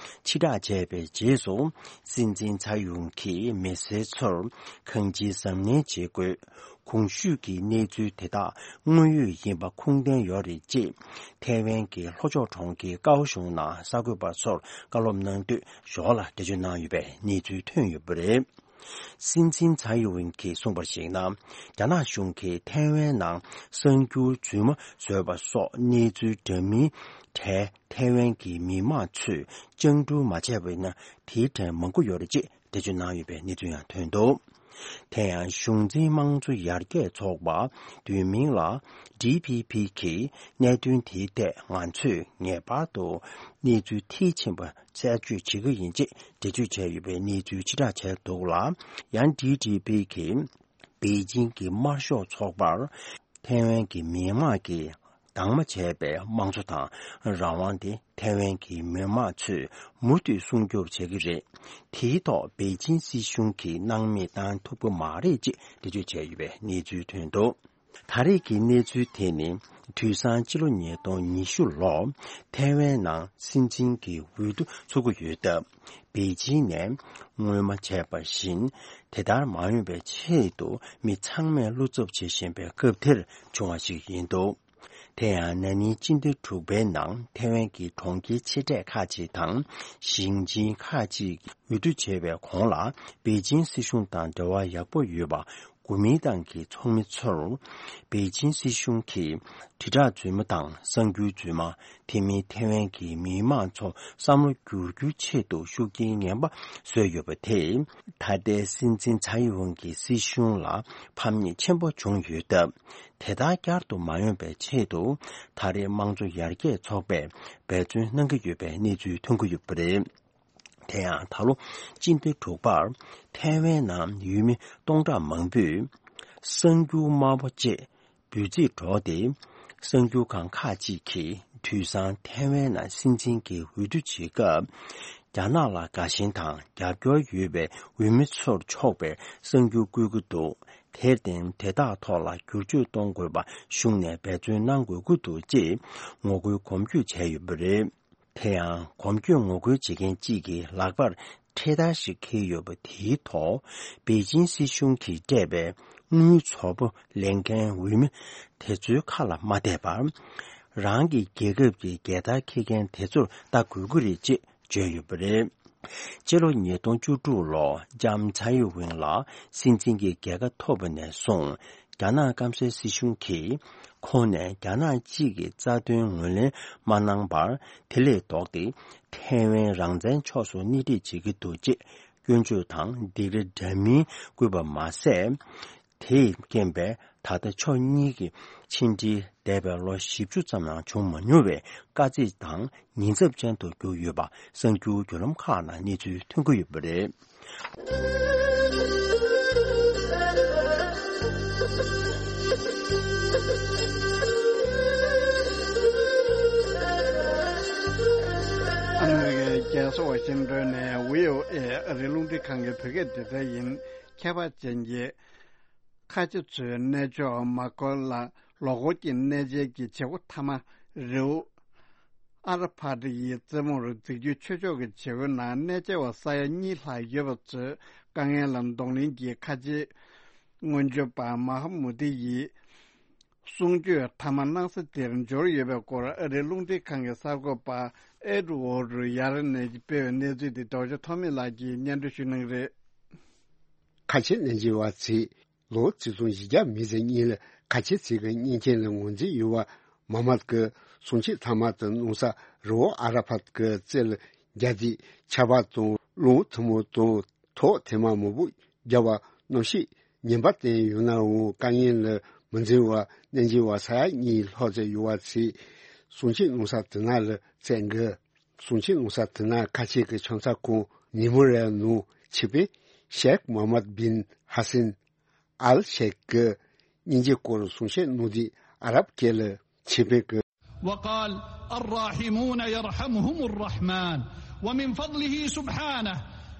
ཕྱིར་བསྒྲགས་བྱས་པའི་རྗེས་སུ། སྲིད་འཛིན་ཚའེ་ཡུང་གིས་མི་སེར་ཚོར་གང་ཅིའི་གཟབ་ནན་བྱེད་དགོས། གོང་ཞུས་ཀྱི་གནས་ཚུལ་དེ་དག་དངོས་ཡོད་ཡིན་པ་ཁུངས་ལྡན་ཡོད་རེད་ཅེས། ཐའེ་ཝན་གྱི་ལྷོ་ཕྱོགས་གྲོང་ཁྱེར་ཀའོ་ཤུང་ནང་གསར་འགོད་པ་ཚོར་བཀའ་སློབ་གནང་དུས་ཞོར་ལ་འགྲེལ་བརྗོད་གནང་ཡོད་པའི་གནས་ཚུལ་ཐོན་ཡོད་པ་རེད། སྲིད་འཛིན་ཚའེ་ཝེན་གྱིས་གསུངས་པར་གཞིགས་ན། རྒྱ་ནག་གཞུང་གིས་ཐའེ་ཝན་ནང་གསར་འགྱུར་རྫུན་མ་བཟོས་པ་སོགས་གནས་ཚུལ་འདྲ་མིན་གྲས་ཐའེ་ཝན་གྱི་མི་མང་ཚོས་བཅིངས་འགྲོལ་མ་བྱས་པ་ཡིན་ན། དེའི་གྲས་མང་པོ་ཡོད་རེད་ཅེས་འགྲེལ་བརྗོད་གནང་ཡོད་པའི་གནས་ཚུལ་ཡང་ཐོན་འདུག་དེ་ཡང་གཞུང་འཛིན་དམངས་གཙོ་ཡར་རྒྱས་ཚོགས་པ་བསྡུས་མིང་ལ་ཌི་ཕི་ཕི་གིས་གནད་དོན་དེའི་ཐད་ང་ཚོས་ངེས་པར་དུ་གནས་ཚུལ་མཐིལ་ཕྱིན་པ་རྩད་གཅོད་བྱེད་ཀྱི་ཡིན་ཅེས་འགྲེལ་བརྗོད་བྱས་ཡོད་པའི་གནས་ཚུལ་ཕྱིར་བསྒྲགས་བྱས་འདུག་ལ། ཡང་ཌི་ཕི་ཕི་གིས་པེ་ཅིང་གི་དམར་ཤོག་ཚོགས་པར་ཐའེ་ཝན་གྱི་མི་དམངས་ཀྱིས་དྭངས་མ་བྱས་པའི་དམངས་གཙོ་དང་རང་དབང་དེ་ཐའེ་ཝན་གྱི་མི་དམངས་ཚོས་མུ་མཐུད་སྲུང་སྐྱོབ་བྱེད་ཀྱི་རེད། དེའི་ཐོག་པེ་ཅིང་སྲིད་གཞུང་གིས་སྣང་མེད་བཏང་ཐུབ་ཀྱི་མ་རེད་ཅེས་འགྲེལ་བརྗོད་བྱས་ཡོད་པའི་གནས་ཚུལ་ཐོན་འདུག་ད་རེས་ཀྱི་གནས་ཚུལ་དེ་ནི་དུས་སང་ཕྱི་ལོ་ཉིས་སྟོང་ཉི་ཤུ་ལོར་ཐའེ་ཝན་ནང་སྲིད་འཛིན་གྱི་འོས་བསྡུ་ཚུགས་ཀྱི་ཡོད་སྟབས། པེ་ཅིང་ནས་སྔོན་མ་བྱས་པ་བཞིན་དེ་ལྟར་མ་ཡོང་བའི་ཆེད་དུ་མི་ཚང་མས་བློ་འཚབ་བྱེད་བཞིན་པའི་སྐབས་དེར་བྱུང་བ་ཞིག་ཡིན་འདུག་དེ་ཡང་ན་ནིང་སྤྱི་ཟླ་དྲུག་པའི་ནང་ཐའེ་ཝན་གྱི་གྲོང་ཁྱེར་ཆེ་གྲས་ཁག་ཅིག་དང་ཞིང་ཆེན་ཁག་ཅིག་འོས་བསྡུ་བྱས་པའི་གོང་ལ་པེ་ཅིང་སྲིད་གཞུང་དང་འབྲེལ་བ་ཡག་པོ་ཡོད་པ། གོ་མིན་ཏང་གི་ཚོགས་མི་ཚོར་པེ་ཅིང་སྲིད་གཞུང་གིས་དྲིལ་བསྒྲགས་རྫུན་མ་དང་གསར་འགྱུར་རྫུན་མ། དེ་མིན་ཐའེ་ཝན་གྱི་མི་དམངས་ཚོ་བསམ་བློ་བསྒྱུར་རྒྱུའི་ཆེད་དུ་ཤུགས་རྐྱེན་ངན་པ་བཟོས་ཡོད་པ་དེས། ད་ལྟའི་སྲིད་འཛིན་ཚའེ་ཝེན་གྱི་སྲིད་གཞུང་ལ་ཕམ་ཉེས་ཆེན་པོ་བྱུང་ཡོད་སྟབས། དེ་ལྟར་བསྐྱར་དུ་མ་ཡོང་བའི་ཆེད་དུ་ད་རེས་དམངས་གཙོ་ཡར་རྒྱས་ཚོགས་པས་འབད་བརྩོན་གནང་གི་ཡོད་པའི་གནས་ཚུལ་ཐོན་གྱི་ཡོད་པ་རེད། དེ་ཡང་ད་ལོ་སྤྱི་ཟླ་དྲུག་པར་ཐའེ་ཝན་ནང་ཡུལ་མི་སྟོང་ཕྲག་མང་པོས་གསར་འགྱུར་དམར་པོ་བཅས་འབོད་ཚིག་སྒྲོག་སྟེ། གསར་འགྱུར་ཁང་ཁག་ཅིག་གིས་དུས་སང་ཐའེ་ཝན་ནང་སྲིད་འཛིན་གྱི་འོས་བསྡུ་བྱེད་སྐབས། རྒྱ་ནག་ལ་དགའ་ཞེན་དང་རྒྱབ་སྐྱོར་ཡོད་པའི་འོས་མི་ཚོར་ཕྱོགས་པའི་གསར་འགྱུར་བཀོད་ཀྱི་འདུག་དེར་བརྟེན་དེ་དག་ཐོག་ལ་བསྒྱུར་བཅོས་གཏོང་དགོས་པ་གཞུང་ནས་འབད་བརྩོན་གནང་དགོས་ཀྱི་འདུག་ཅེས་ངོ་རྒོལ་གོམ་བགྲོད་བྱས་ཡོད་པ་རེད། དེ་ཡང་གོམ་བགྲོད་ངོ་རྒོལ་བྱེད་མཁན་གཅིག་གིས་ལག་པར་འཕྲེད་དར་ཞིག་འཁྱེར་ཡོད་པ་དེའི་ཐོག་པེ་ཅིང་སྲིད་གཞུང་གིས་སྤྲད་པའི་དངུལ་ཚོ་པོ་ལེན་མཁན་འོས་མི་དེ་ཚོའི་ཁ་ལ་མ་གཏད་པར། རང་གི་རྒྱལ་ཁབ་ཀྱི་རྒྱལ་དར་འཁྱེར་མཁན་དེ་ཚོར་ལྟ་དགོས་ཀྱི་རེད་ཅེས་བརྗོད་ཡོད་པ་རེད། སྤྱི་ལོ་ཉིས་སྟོང་བཅུ་དྲུག་ལོ་ལྕམ་ཚའེ་ཝེན་ལགས་སྲིད་འཛིན་གྱི་རྒྱལ་ཁ་ཐོབ་པ་ནས་བཟུང་། རྒྱ་ནག་སྐམ་སའི་སྲིད་གཞུང་གིས་ཁོང་ནས་རྒྱ་ནག་གཅིག་གི་རྩ་དོན་ངོས་ལེན་མ་གནང་བར། དེ་ལས་ལྡོག་སྟེ་ཐའེ་ཝན་རང་བཙན་ཕྱོགས་སུ་སྣེ་ཁྲིད་བྱེད་ཀྱི་འདུག་ཅེས་སྐྱོན་བརྗོད་དང་སྡིགས་ར་འདྲ་མིན་བསྐུལ་བ་མ་ཟད། དེས་རྐྱེན་པས་ད་ལྟ་ཕྱོགས་གཉིས་ཀྱི་ཕྱི་འབྲེལ་འདས་པའི་ལོ་བཞི་བཅུ་ཙམ་ནང་བྱུང་མ་མྱོང་བའི་དཀའ་ཚེགས་དང་ཉེན་ཚབས་ཅན་དུ་གྱུར་ཡོད་པ་གསར་འགྱུར་བརྒྱུད་ལམ་ཁག་ནང་གནས་ཚུལ་ཐོན་གྱི་ཡོད་པ་རེད། ཨ་མི་རི་ཀའི་རྒྱལ་ས་ཝ་ཤིང་ཏོན་ནས་བྷི་ཨོ་ཨེ་ཨ་རིའི་རླུང་འཕྲིན་ཁང་གི་བོད་སྐད་སྡེ་ཚན་ཡིན། ཁྱད་པར་ཅན་གྱི་ཁ་ཆེ་ཚོའི་གནས་མཆོག་མ་ཀ་ལ་ལོ་འཁོར་གྱི་གནས་མཇལ་གྱི་བྱེད་སྒོ་མཐའ་མ་རི་བོ་ཨ་ར་ཕ་ཏི་ཡི་རྩེ་མོར་འཛེགས་རྒྱུའི་ཆོས་ཕྱོགས་ཀྱི་བྱེད་སྒོའི་ནང་གནས་མཇལ་བ་ས་ཡ་གཉིས་ལྷག་ཡོད་པ་ཚོས་དཀའ་ངལ་ལ་གདོང་ལེན་གྱིས་ཁ་ཆེའི་སྔོན་བྱོན་པ་མ་ཧ་མུ་ཏི་ཡི་གསུང་ཆོས་མཐའ་མ་གནང་ས་དེར་འབྱོར་ཡོད་པའི་སྐོར་ཨ་རིའི་རླུང་འཕྲིན་ཁང་གི་གསར་འགོད་པ་ཨེ་ཌི་ཝར་ཌི་ཡར་ནས་སྤེལ་བའི་གནས་ཚུལ་དེ་རྡོ་རྗེ་ཐོགས་མེད་ལགས་ཀྱིས་སྙན་སྒྲོན་ཞུ་གནང་གི་རེད། ཁ་ཆེ་གནས་མཇལ་བ་ཚོས་ལོ་ཆིག་སྟོང་བཞི་བརྒྱ་མེད་ཟེར་གཉིས་ལ་ཁ་ཆེ་ཚོ་གི་གཉེན་ཆེན་ལ་ངོས་འཛིན་ཡོད་པ་མ་མད་ཀྱི་གསུང་ཆོས་མཐའ་མ་དང་གནང་ས་རི་བོ་ཨ་ར་ཕད་ཀྱི་རྩེ་ལ་རྒྱ་དེ་ཆར་པ་དང་རླུང་ཐུང་མོ་དང་ཐོག་ཐེངས་མ་མང་པོ་བརྒྱབ་པ་གནམ་གཤིས་ཉེན་པ་བསྟན་ཡོད་ནའང་དཀའ་ངལ་ལ་མི་འཛེམ་པར་གནས་མཇལ་བ་ས་ཡ་གཉིས་ལྷག་ཙམ་ཡོད་པ་ཚོས་གསུང་ཆོས་གནང་ས་དེ་ན་ལ་བཙལ་གི། གསུང་ཆོས་གནང་ས་དེ་ན་ཁ་ཆེ་གི་ཆང་ས་ཁང་ནི་མོ་རའི་ནང་ཆོས་དཔོན་ཤེག་མོ་ཧམ་མད་བིན་ཧ་སན་ཨལ་ཤེག་གི་སྙིང་རྗེ་སྐོར་གསུང་བཤད་གནང་དུས་ཨ་རབ་སྐད་ལ་ཆོས་དཔོན་གྱིས། وقال: الراحمون يرحمهم الرحمن. ومن فضله سبحانه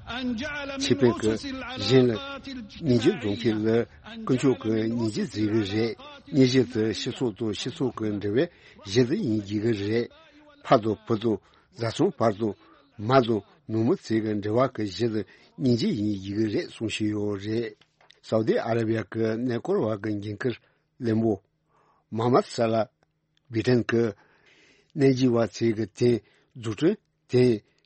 أن جعل من أسس العلاقات الاجتماعية أن جعل من أسس العلاقات الاجتماعية. སྙིང་རྗེ་འཛིན་མཁན་ལ་དཀོན་མཆོག་གིས་སྙིང་རྗེ་འཛིན་གྱི་རེད། སྙིང་རྗེ་དེ་སྤྱི་ཚོགས་དང་སྤྱི་ཚོགས་ཀྱི་འབྲེལ་བའི་གཞི་དེ་ཡིན་དགོས་ཀྱི་རེད། ཕ་དང་བུ་དང་བཟའ་ཚང་བར་དང་མ་དང་ནུ་མོ་བཅས་ཀྱི་འབྲེལ་བ་གི་གཞི་དེ་སྙིང་རྗེ་ཡིན་དགོས་ཀྱི་རེད་གསུངས་བཞིན་ཡོད་རེད། སའུ་ཏི་ཨ་ར་བི་ཡ་གི་གནས་སྐོར་བ་གི་འགན་འཁུར་བློན་པོ་མོ་ཧམ་མད་ས་ལ་བྷི་ཊན་གྱིས་གནས་མཇལ་བ་ཚོ་གི་དེང་འཛུགས་སྐྲུན་དེ་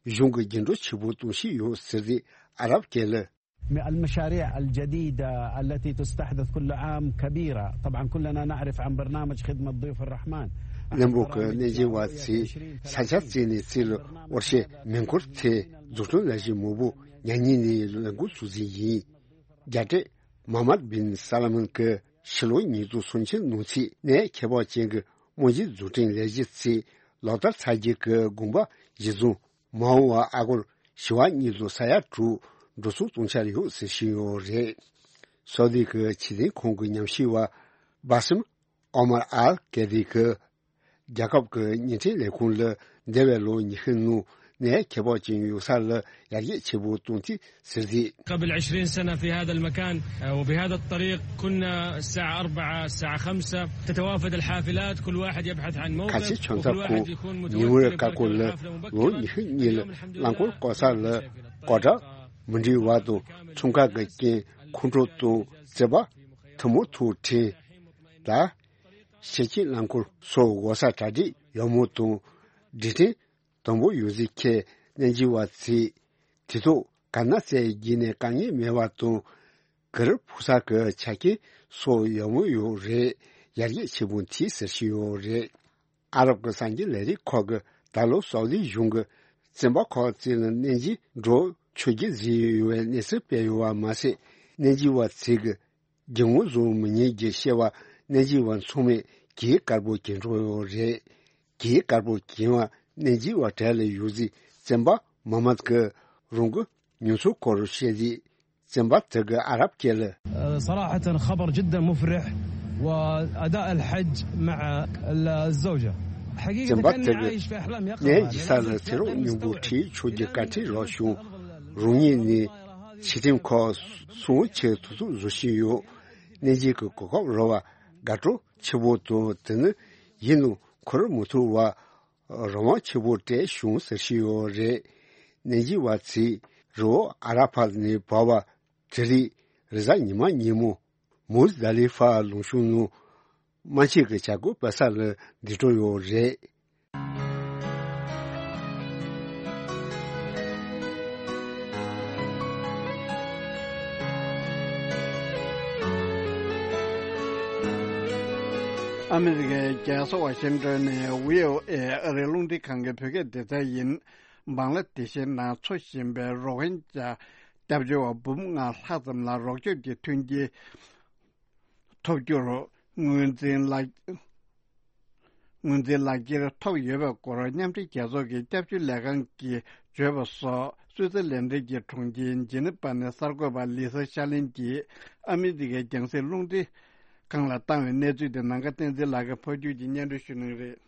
གཞུང་གི་རྒྱུན་འགྲོ་ཆེན་པོ་གཏོང་བཞིན་ཡོད་ཟེར་ཏེ་ཨ་རབ་སྐད་ལ། المشاريع الجديدة التي تستحدث كل عام كبيرة. طبعا كلنا نعرف عن برنامج خدمة ضيوف الرحمن. བློན་པོ་གིས་གནས་མཇལ་བ་ཚོས་ས་ཆ་བཙལ་ནས་བཙལ་ལ་འོར་ཤེས་མེ་འཁོར་ཐད་འཛུགས་སྐྲུན་ལས་གཞི་མང་པོ་ཉག་ཉིན་ནས་ལས་འགུལ་ཚུགས་ཟིན་ཡིན། རྒྱ་སྤྲད་ མ་མར་བིན་ས་ལ་མན་གྱི་ཕྱི་ལོ་ཉིས་སྟོང་སུམ་ཅུ་ནང་ཚུད་གནས་ཁྱད་འཕགས་ཅན་གྱི་རྨང་གཞི་འཛུགས་སྐྲུན་ལས་གཞི་གཙོས་ལག་བསྟར་ཚར་རྗེས་ཀྱི་དགོངས་པ་གཞིར་བཟུང་མ་འོངས་པར་ཨ་སྒོར་བྱེ་བ་གཉིས་དང་ས་ཡ་དྲུག་འགྲོ་སོང་གཏོང་འཆར་ཡོད་ཟེར་བཞིན་ཡོད་རེད། སོག་ལིག་གི་ཆེད་དོན་ཁང་གི་ཉམས་ཞིབ་པ་སྦ་སེམ་ཨོ་མར་ཨལ་ཀེ་རི་གིས་རྒྱལ་ཁབ་ཀྱི་བརྙན་འཕྲིན་ལས་ཁུངས་ལ་འདས་པའི་ལོ་ཉི་ཤུ་ནང་གནས་ཁྱད་འཕགས་ཅན་ཡོད་ས་ལ་ཡར་རྒྱས་ཆེན་པོ་བཏང་སྟེ་ཟེར་ཏེ། قبل عشرين سنة في هذا المكان، آه، وبهذا الطريق كنا الساعة أربعة، الساعة خمسة تتوافد الحافلات، كل واحد يبحث عن موقف، ཁ་ཆེ་ཆོས་ཚབ་ཁོང་ཉི་ཧོང་ཀ་ཀོ་ལ་ལོ་ཉི་ཤུ་གཉིས་ལ་རླངས་འཁོར་བཀོལ་ས་ལ་སྐོར་གྲངས་མི་འདྲ་བ་དང་འཚོང་ཁང་གི་རྐྱེན་ཁོང་ཁྲོ་དང་བརྩེ་བ་ཐུན་མོང་ཐོག་དྲན་ལ། ཤེས་བྱའི་རླངས་འཁོར་སོགས་འགོ་ས་གྲ་སྒྲིག་ཡག་མོ་དང་སྒྲིག་ཁྲིམས་དམ་པོ་ཡོད་ཟེར་མཁན་གནས་འཇིགས་པ་ཚོས་དུས་ཐོག་ག་ན་རྩེ་བརྒྱུད་ནས་དཀའ་ངལ་མེད་པ་དང་གུ་རུབ་ཕུག་ས་གི་ཆ་རྐྱེན་སོགས་ཡག་མོ་ཡོད་རེད། ཡར་རྒྱས་ཆེན་པོ་མཐིལ་ཟེར་བཞིན་ཡོད་རེད། ཨ་རབ་ཀྱི་གསར་འགྱུར་ལས་རིགས་ཁག་གིས་ད་ལོ་སའུ་དི་གཞུང་གིས་བཙོན་པ་ཁག་ཅིག་ལ་གནས་འཇིགས་འགྲོ་ཆོག་རྒྱུ་བཟོས་ཡོད་པའི་གནས་ཚུལ་སྤེལ་ཡོད་པ་མ་ཟད། གནས་འཇིགས་པ་ཚོས་ཀྱི་སྒྱུ་རྔུབ་བཟོ་མི་ཉན་རྒྱུ་བཤད་པ་གནས་འཇིགས་པ་ཚང་མས་གྱིས་དཀར་པོ་གྱོན་འགྲོ་ཡོད་རེད། གྱིས་དཀར་པོ་གྱོན་པ་གནས་འཇིགས་པ་གྲས་ལ་ཡོད་ཚེ་བཙོན་པ་མ་མ་གི་རང་གི་མྱོང་ཚོར་སྐོར་བཤད་རྗེས་བཙོན་པ་དེ་གི་ཨ་རབ་སྐད་ལ། صراحة خبر جدا مفرح، وأداء الحج مع الزوجة. حقيقة བཙོན་པ་དེ་གི་གནས་འཇིགས་ས་ལ་ཚེ་རབས་སྙིང་པོ་ཁྲིད་ཆོག་རྒྱུ་བཀའ་ཁྲིད་རག་བྱུང་། རང་ཉིད་ནི་ཕྱི་ཐེམ་ཁག་སོང་ཆེད་ཐུགས་ཚོད་བཟོ་བཞིན་ཡོད། གནས་འཇིགས་ཀྱི་གོ་སྐབས་རག་པ་དགའ་སྤྲོ་ཆེ་བོ་དང་དེ་ནི་ཡིན་ནོ་འཁོར་མི་ཐུབ་པ་རང་དབང་ཆེ་བོ་སྤྲད་བྱུང་ཟེར་བཞིན་ཡོད་རེད། གནས་འཇིགས་པ་ཚོས་རི་བོ་ཨ་ར་ཕ་ནས་བབས་པ་དེ་རིང་རེས་གཟའ་ཉི་མ་ཉིན་མོ་མུ་ཛ་ལི་ཕ་ལུང་གཤོང་ནང་དམག་ཆས་ཀྱི་བྱ་སྒོ་སྤེལ་ས་ལ་འདུག་འགྲོ་ཡོད་རེད། ཨ་མི་རི་ཀའི་རྒྱལ་ས་ཝ་ཤིང་ཏོན་ནས་ཝི་ཨོ་ཨེ་ཨ་རིའི་རླུང་འཕྲིན་ཁང་གི་བོད་སྐད་སྡེ་ཚན་ཡིན། བང་ལ་དེ་ཤའི་ནང་འཚོ་བཞིན་པའི་རོ་ཧིན་ཇཱ་སྐྱབས་བཅོལ་བ་འབུམ་ལྔ་ལྷག་ཙམ་ལ་རོགས་སྐྱོབ་ཀྱི་མཐུན་རྐྱེན་ཐོབ་རྒྱུར་ངོས་འཛིན་ལག་ངོས་འཛིན་ལག་འཁྱེར་ཐོབ་ཡོད་པའི་སྐོར་མཉམ་འབྲེལ་རྒྱལ་ཚོགས་ཀྱི་སྐྱབས་བཅོལ་ལས་ཁང་གིས་བརྗོད་པ་སོགས། སུད་སི་ལན་ཌན་གྱི་གྲོང་ཁྱེར་ཇི་ནི་ཝ་ནས་གསར་འགོད་པ་ལི་ས་ཤར་ལིན་གྱིས་ཨ་མི་རི་ཀའི་རྒྱང་སྲིང་རླུང་འཕྲིན་ཁང་ལ་བཏང་བའི་གནས་ཚུལ་དེ་ནམ་མཁའ་བསྟན་འཛིན་ལགས་ཀྱིས་ཕབ་སྒྱུར་གྱིས་སྙན་སྒྲོན་ཞུ་གནང་རེད།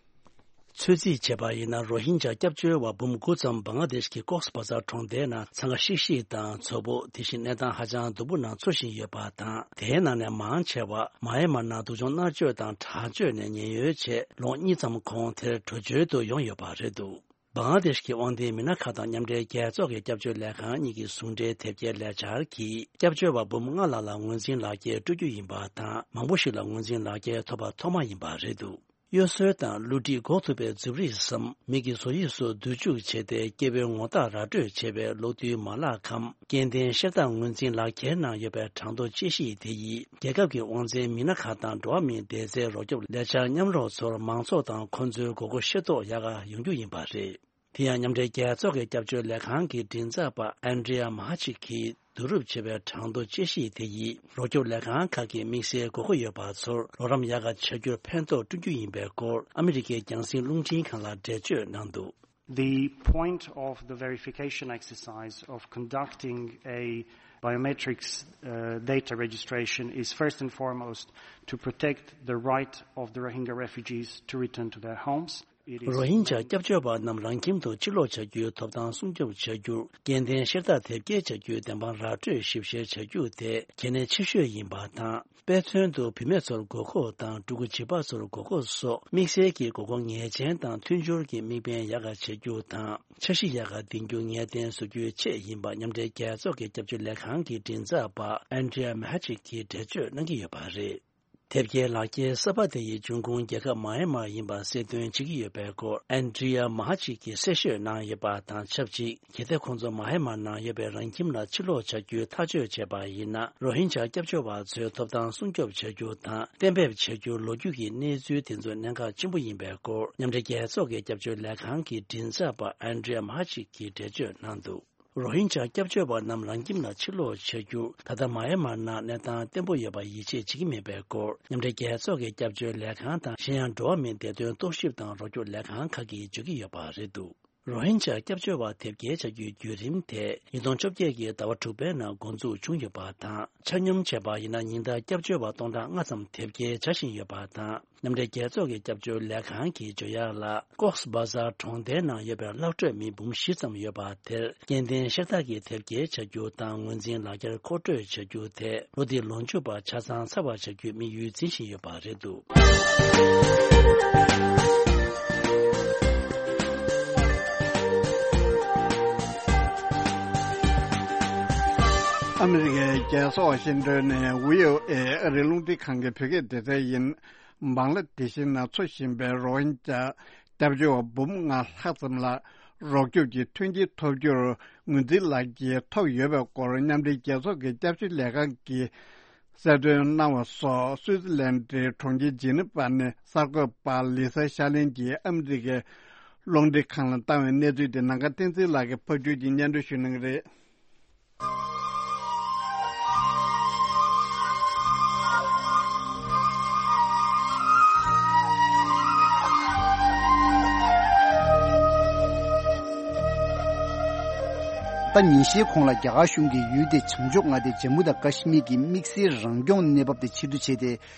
ཚོད་རྩིས་བྱས་པ་ཡིན་ན། རོ་ཧིན་ཇཱ་སྐྱབས་བཅོལ་བ་འབུམ་དགུ་ཙམ་བང་ལ་དེཤ་གི་ཀོག་སི་བ་ཛར་གྲོང་རྡལ་ནང་འཚང་ཁ་ཤིག་ཤིག་དང་འཚོ་བོ། དེ་བཞིན་གནས་སྟངས་ཧ་ཅང་སྡུག་པོ་ནང་འཚོ་བཞིན་ཡོད་པ་དང་། དེའི་ནང་ནས་མང་ཆེ་བ་མ་ཡན་མར་ནང་སྡུག་སྦྱོང་མནར་གཅོད་དང་དྲག་སྤྱོད་ནས་ཉེན་གཡོལ་ཆེད་ལོ་གཉིས་ཙམ་གོང་དེར་བྲོས་བྱོལ་དུ་ཡོང་ཡོད་པ་རེད་འདུག་བང་ལ་དེཤ་གི་དབང་ལྡན་མི་སྣ་ཁག་དང་མཉམ་འབྲེལ་རྒྱལ་ཚོགས་ཀྱི་སྐྱབས་བཅོལ་ལས་ཁང་གཉིས་ཀྱི་ཟུང་འབྲེལ་དེབ་སྐྱེལ་ལས་འཆར་གྱིས། སྐྱབས་བཅོལ་བ་འབུམ་ལྔ་ལྷག་ལ་ངོས་འཛིན་ལག་འཁྱེར་སྤྲོད་རྒྱུ་ཡིན་པ་དང་། མང་པོ་ཞིག་ལ་ངོས་འཛིན་ལག་འཁྱེར་ཐོབ་པ་ཐོག་མ་ཡིན་པ་རེད་འདུག་གཡོ་ཟོལ་དང་བསླུ་བྲིད་འགོག་ཐུབ་པའི་རྫུ་རིགས་སམ། མི་གི་བཟོ་དབྱིབས་སུ་བསྡུ་འཇུག་བྱས་ཏེ། སྐྱེ་བོའི་ངོ་རྟགས་ར་སྤྲོད་བྱེད་པའི་གློག་རྡུལ་མ་ལག་གམ། སྐྱེ་ལྡན་ཤེལ་རྟ་ངོས་འཛིན་ལག་འཁྱེར་ནང་ཡོད་པའི་གྲངས་ཐོ་དཔྱད་གཞི་དེ་ཡིས། རྒྱལ་ཁབ་ཀྱི་དབང་འཛིན་མི་སྣ་ཁག་དང་འགྲོ་བ་མིའི་བདེ་རྩའི་རོགས་སྐྱོབ་ལས་འཆར་མཉམ་རོགས་ཚོར་མང་ཚོགས་དང་ཁོང་ཚོའི་དགོས་མཁོ་ཤེས་རྟོགས་ཡག་ག་ཡོང་རྒྱུ་ཡིན་པ་རེད། དེ་ཡང་མཉམ་འབྲེལ་རྒྱལ་ཚོགས་ཀྱི་སྐྱབས་བཅོལ་ལས་ཁང་གི་མགྲིན་ཚབ་པ་ཨན་ཌྲི་ཡ་མ་ཧ་ཅིག་གིས་བསྡུ་རུབ་བྱས་པའི་གྲངས་ཐོ་དཔྱད་གཞི་དེ་ཡིས། རོགས་སྐྱོབ་ལས་ཁང་ཁག་གིས་དམིགས་བསལ་དགོས་མཁོ་ཡོད་པ་ཚོར་རོགས་རམ་ཡག་ག་བྱ་རྒྱུར་ཕན་ཐོགས་བསྐྲུན་རྒྱུ་ཡིན་པའི་སྐོར་ཨ་མི་རི་ཀའི་རྒྱང་སྲིང་རླུང་འཕྲིན་ཁང་ལ་འགྲེལ་བརྗོད་གནང་འདུག The point of the verification exercise of conducting a biometrics, uh, data registration is first and foremost to protect the right of the Rohingya refugees to return to their homes. It is རོ་ཧིན་ཇཱ་སྐྱབས་བཅོལ་བ་རྣམས་རང་ཁྱིམ་དུ་ཕྱིར་ལོག་བྱ་རྒྱུའི་ཐོབ་ཐང་སྲུང་སྐྱོབ་བྱ་རྒྱུར། སྐྱེ་ལྡན་ཤེལ་རྟ་དེབ་སྐྱེལ་བྱ་རྒྱུའི་བདེན་དཔང་ར་སྤྲོད་ཞིབ་བཤེར་བྱ་རྒྱུ་དེ་གལ་གནད་ཆེ་ཤོས་ཡིན་པ་དང་། དཔེ་མཚོན་དུ། བུད་མེད་ཚོར་དགོས་མཁོ་དང་། ཕྲུ་གུ་བྱིས་པ་ཚོར་དགོས་མཁོ་སོགས་དམིགས་བསལ་གྱི་དགོས་མཁོ་ངེས་ཅན་དང་མཐུན་སྦྱོར་གྱི་དམིགས་འབེན་ཡག་ག་བྱེད་རྒྱུ་དང་། འཆར་གཞི་ཡག་ག་འདིང་རྒྱུ་ངེས་གཏན་བཟོ་རྒྱུའི་ཆེད་ཡིན་པ་མཉམ་འབྲེལ་རྒྱལ་ཚོགས་ཀྱི་སྐྱབས་བཅོལ་ལས་ཁང་གི་མགྲིན་ཚབ་པ་ཨན་ཌྲི་ཡ་མེ་ཧ་ཅིག་གིས་འགྲེལ་བརྗོད་གནང་གི་ཡོད་པ་རེད། དེབ་སྐྱེལ་ལག་འཁྱེར་གསར་པ་དེ་ཡི་འབྱུང་ཁུངས་རྒྱལ་ཁབ་མ་ཡན་མར་ཡིན་པ་གསལ་སྟོན་བྱེད་ཀྱི་ཡོད་པའི་སྐོར་ཨན་ཌྲི་ཡ་མ་ཧ་ཅིག་གིས་གསལ་བཤད་གནང་ཡོད་པ་དང་ཆབས་ཅིག་གལ་ཏེ་ཁོང་ཚོ་མ་ཧན་མར་ནང་ཡོད་པའི་རང་ཁྱིམ་ལ་ཕྱིར་ལོག་བྱ་རྒྱུའི་ཐག་གཅོད་བྱས་པ་ཡིན་ན། རོ་ཧིན་ཇཱ་སྐྱབས་བཅོལ་བ་ཚོའི་ཐོབ་ཐང་སྲུང་སྐྱོབ་བྱ་རྒྱུ་དང་གཏན་འབེབས་བྱ་རྒྱུ་ལོ་རྒྱུས་ཀྱི་གནས་ཚུལ་དེ་ཚོ་གནད་འགག་ཆེན་པོ་ཡིན་པའི་སྐོར་མཉམ་འབྲེལ་རྒྱལ་ཚོགས་ཀྱི་སྐྱབས་བཅོལ་ལས་ཁང་གི་མགྲིན་ཚབ་པ་ཨན་ཌྲི་ཡ་མ་ཧ་ཅིག་གིས་འགྲེལ་བརྗོད་གནང་འདུག་རོ་ཧིན་ཇཱ་སྐྱབས་བཅོལ་བ་རྣམས་རང་ཁྱིམ་ལ་ཕྱིར་ལོག་བྱ་རྒྱུ། ད་ལྟ་མཱ་ཡན་མར་ནང་གནས་སྟངས་བརྟན་པོ་ཡོད་པར་ཡིད་ཆེས་བྱེད་ཀྱི་མེད་པའི་སྐོར། མཉམ་འབྲེལ་རྒྱལ་ཚོགས་ཀྱི་སྐྱབས་བཅོལ་ལས་ཁང་དང་གཞན་ཡང་འགྲོ་བ་མིའི་བདེ་དོན་རྟོག་ཞིབ་དང་རོགས་སྐྱོར་ལས་ཁང་ཁག་གིས་བརྗོད་ཀྱི་ཡོད་པ་རེད་འདུག་རོ་ཧིན་ཇཱ་སྐྱབས་བཅོལ་བ་དེབ་སྐྱེལ་བྱ་རྒྱུའི་བརྒྱུད་རིམ་དེ་ཉིས་སྟོང་བཅོ་བརྒྱད་ཀྱི་ཟླ་བ་དྲུག་པའི་ནང་འགོ་འཛུགས་བྱུང་ཡོད་པ་དང་། ཆ་སྙོམས་བྱས་པ་ཡིན་ན་ཉིན་ལྟར་སྐྱབས་བཅོལ་བ་སྟོང་ཕྲག་ལྔ་ཙམ་དེབ་སྐྱེལ་བྱ་བཞིན་ཡོད་པ་དང་། མཉམ་འབྲེལ་རྒྱལ་ཚོགས་ཀྱི་སྐྱབས་བཅོལ་ལས་ཁང་གིས་བརྗོད་ཡག་ལ། ཀོགས་བྷ་ཟར་གྲོང་རྡལ་ནང་ཡོད་པའི་གླ་སྤྲོད་མི་འབུམ་བཞི་ཙམ་ཡོད་པ་དེར་སྐྱེ་ལྡན་ཤ་སྟག་གི་དེབ་སྐྱེལ་བྱ་རྒྱུ་དང་ངོས་འཛིན་ལག་འཁྱེར་མཁོ་སྤྲོད་བྱ་རྒྱུ་དེ་ལོ་འདིའི་ལོ་མཇུག་བར་ཆ་ཚང་ཚར་བར་བྱ་རྒྱུའི་དམིགས་ཡུལ་འཛིན་བཞིན་ཡོད་པ་རེད་འདུག་ཨ་མི་རི་ཀའི་རྒྱལ་ས་ཝ་ཤིང་ཏོན་ནས་ཝི་ཨོ་ཨེ་ཨ་རིའི་རླུང་འཕྲིན་ཁང་གི་བོད་སྐད་སྡེ་ཚན་ཡིན། བང་ལ་དེ་བཞིན་ན་འཚོ་བཞིན་པའི་རོ་ཧིན་ཇཱ་སྐྱབས་བཅོལ་བ་འབུམ་ལྔ་ལྷག་ཙམ་ལ་རོགས་སྐྱོབ་ཀྱི་མཐུན་རྐྱེན་ཐོབ་རྒྱུར་ངོས་འཛིན་ལག་འཁྱེར་ཐོབ་ཡོད་པའི་སྐོར་མཉམ་འབྲེལ་རྒྱལ་ཚོགས་ཀྱི་སྐྱབས་བཅོལ་ལས་ཁང་གིས་གསལ་སྟོན་གནང་བ་སོགས། སུའུ་ཙི་ལན་ཌིའི་གྲོང་ཁྱེར་ཇི་ནི་ཝ་ནས་གསར་འགོད་པ་ལི་ས་ཤར་གླིང་གིས་ཨ་མི་རི་ཀའི་རླུང་འཕྲིན་ཁང་ལ་བཏང་བའི་གནས་ཚུལ་དེ་ནམ་མཁའ་བསྟན་འཛིན་ལགས་ཀྱིས་ཕབ་སྒྱུར་གྱིས་སྙན་སྒྲོན་ཞུ་གནང་གི་རེད། ད་ཉིན་ཤས་གོང་ལ་རྒྱ་གར་གཞུང་གིས་ཡུལ་དེའི་བྱང་ཕྱོགས་མངའ་སྡེ་ཇམ་མུ་དང་ཀ་ཤི་མིར་གྱི་དམིགས་བསལ་རང་སྐྱོང་གནས་བབ་དེ་ཕྱིར་བསྡུ་བྱས་ཏེ།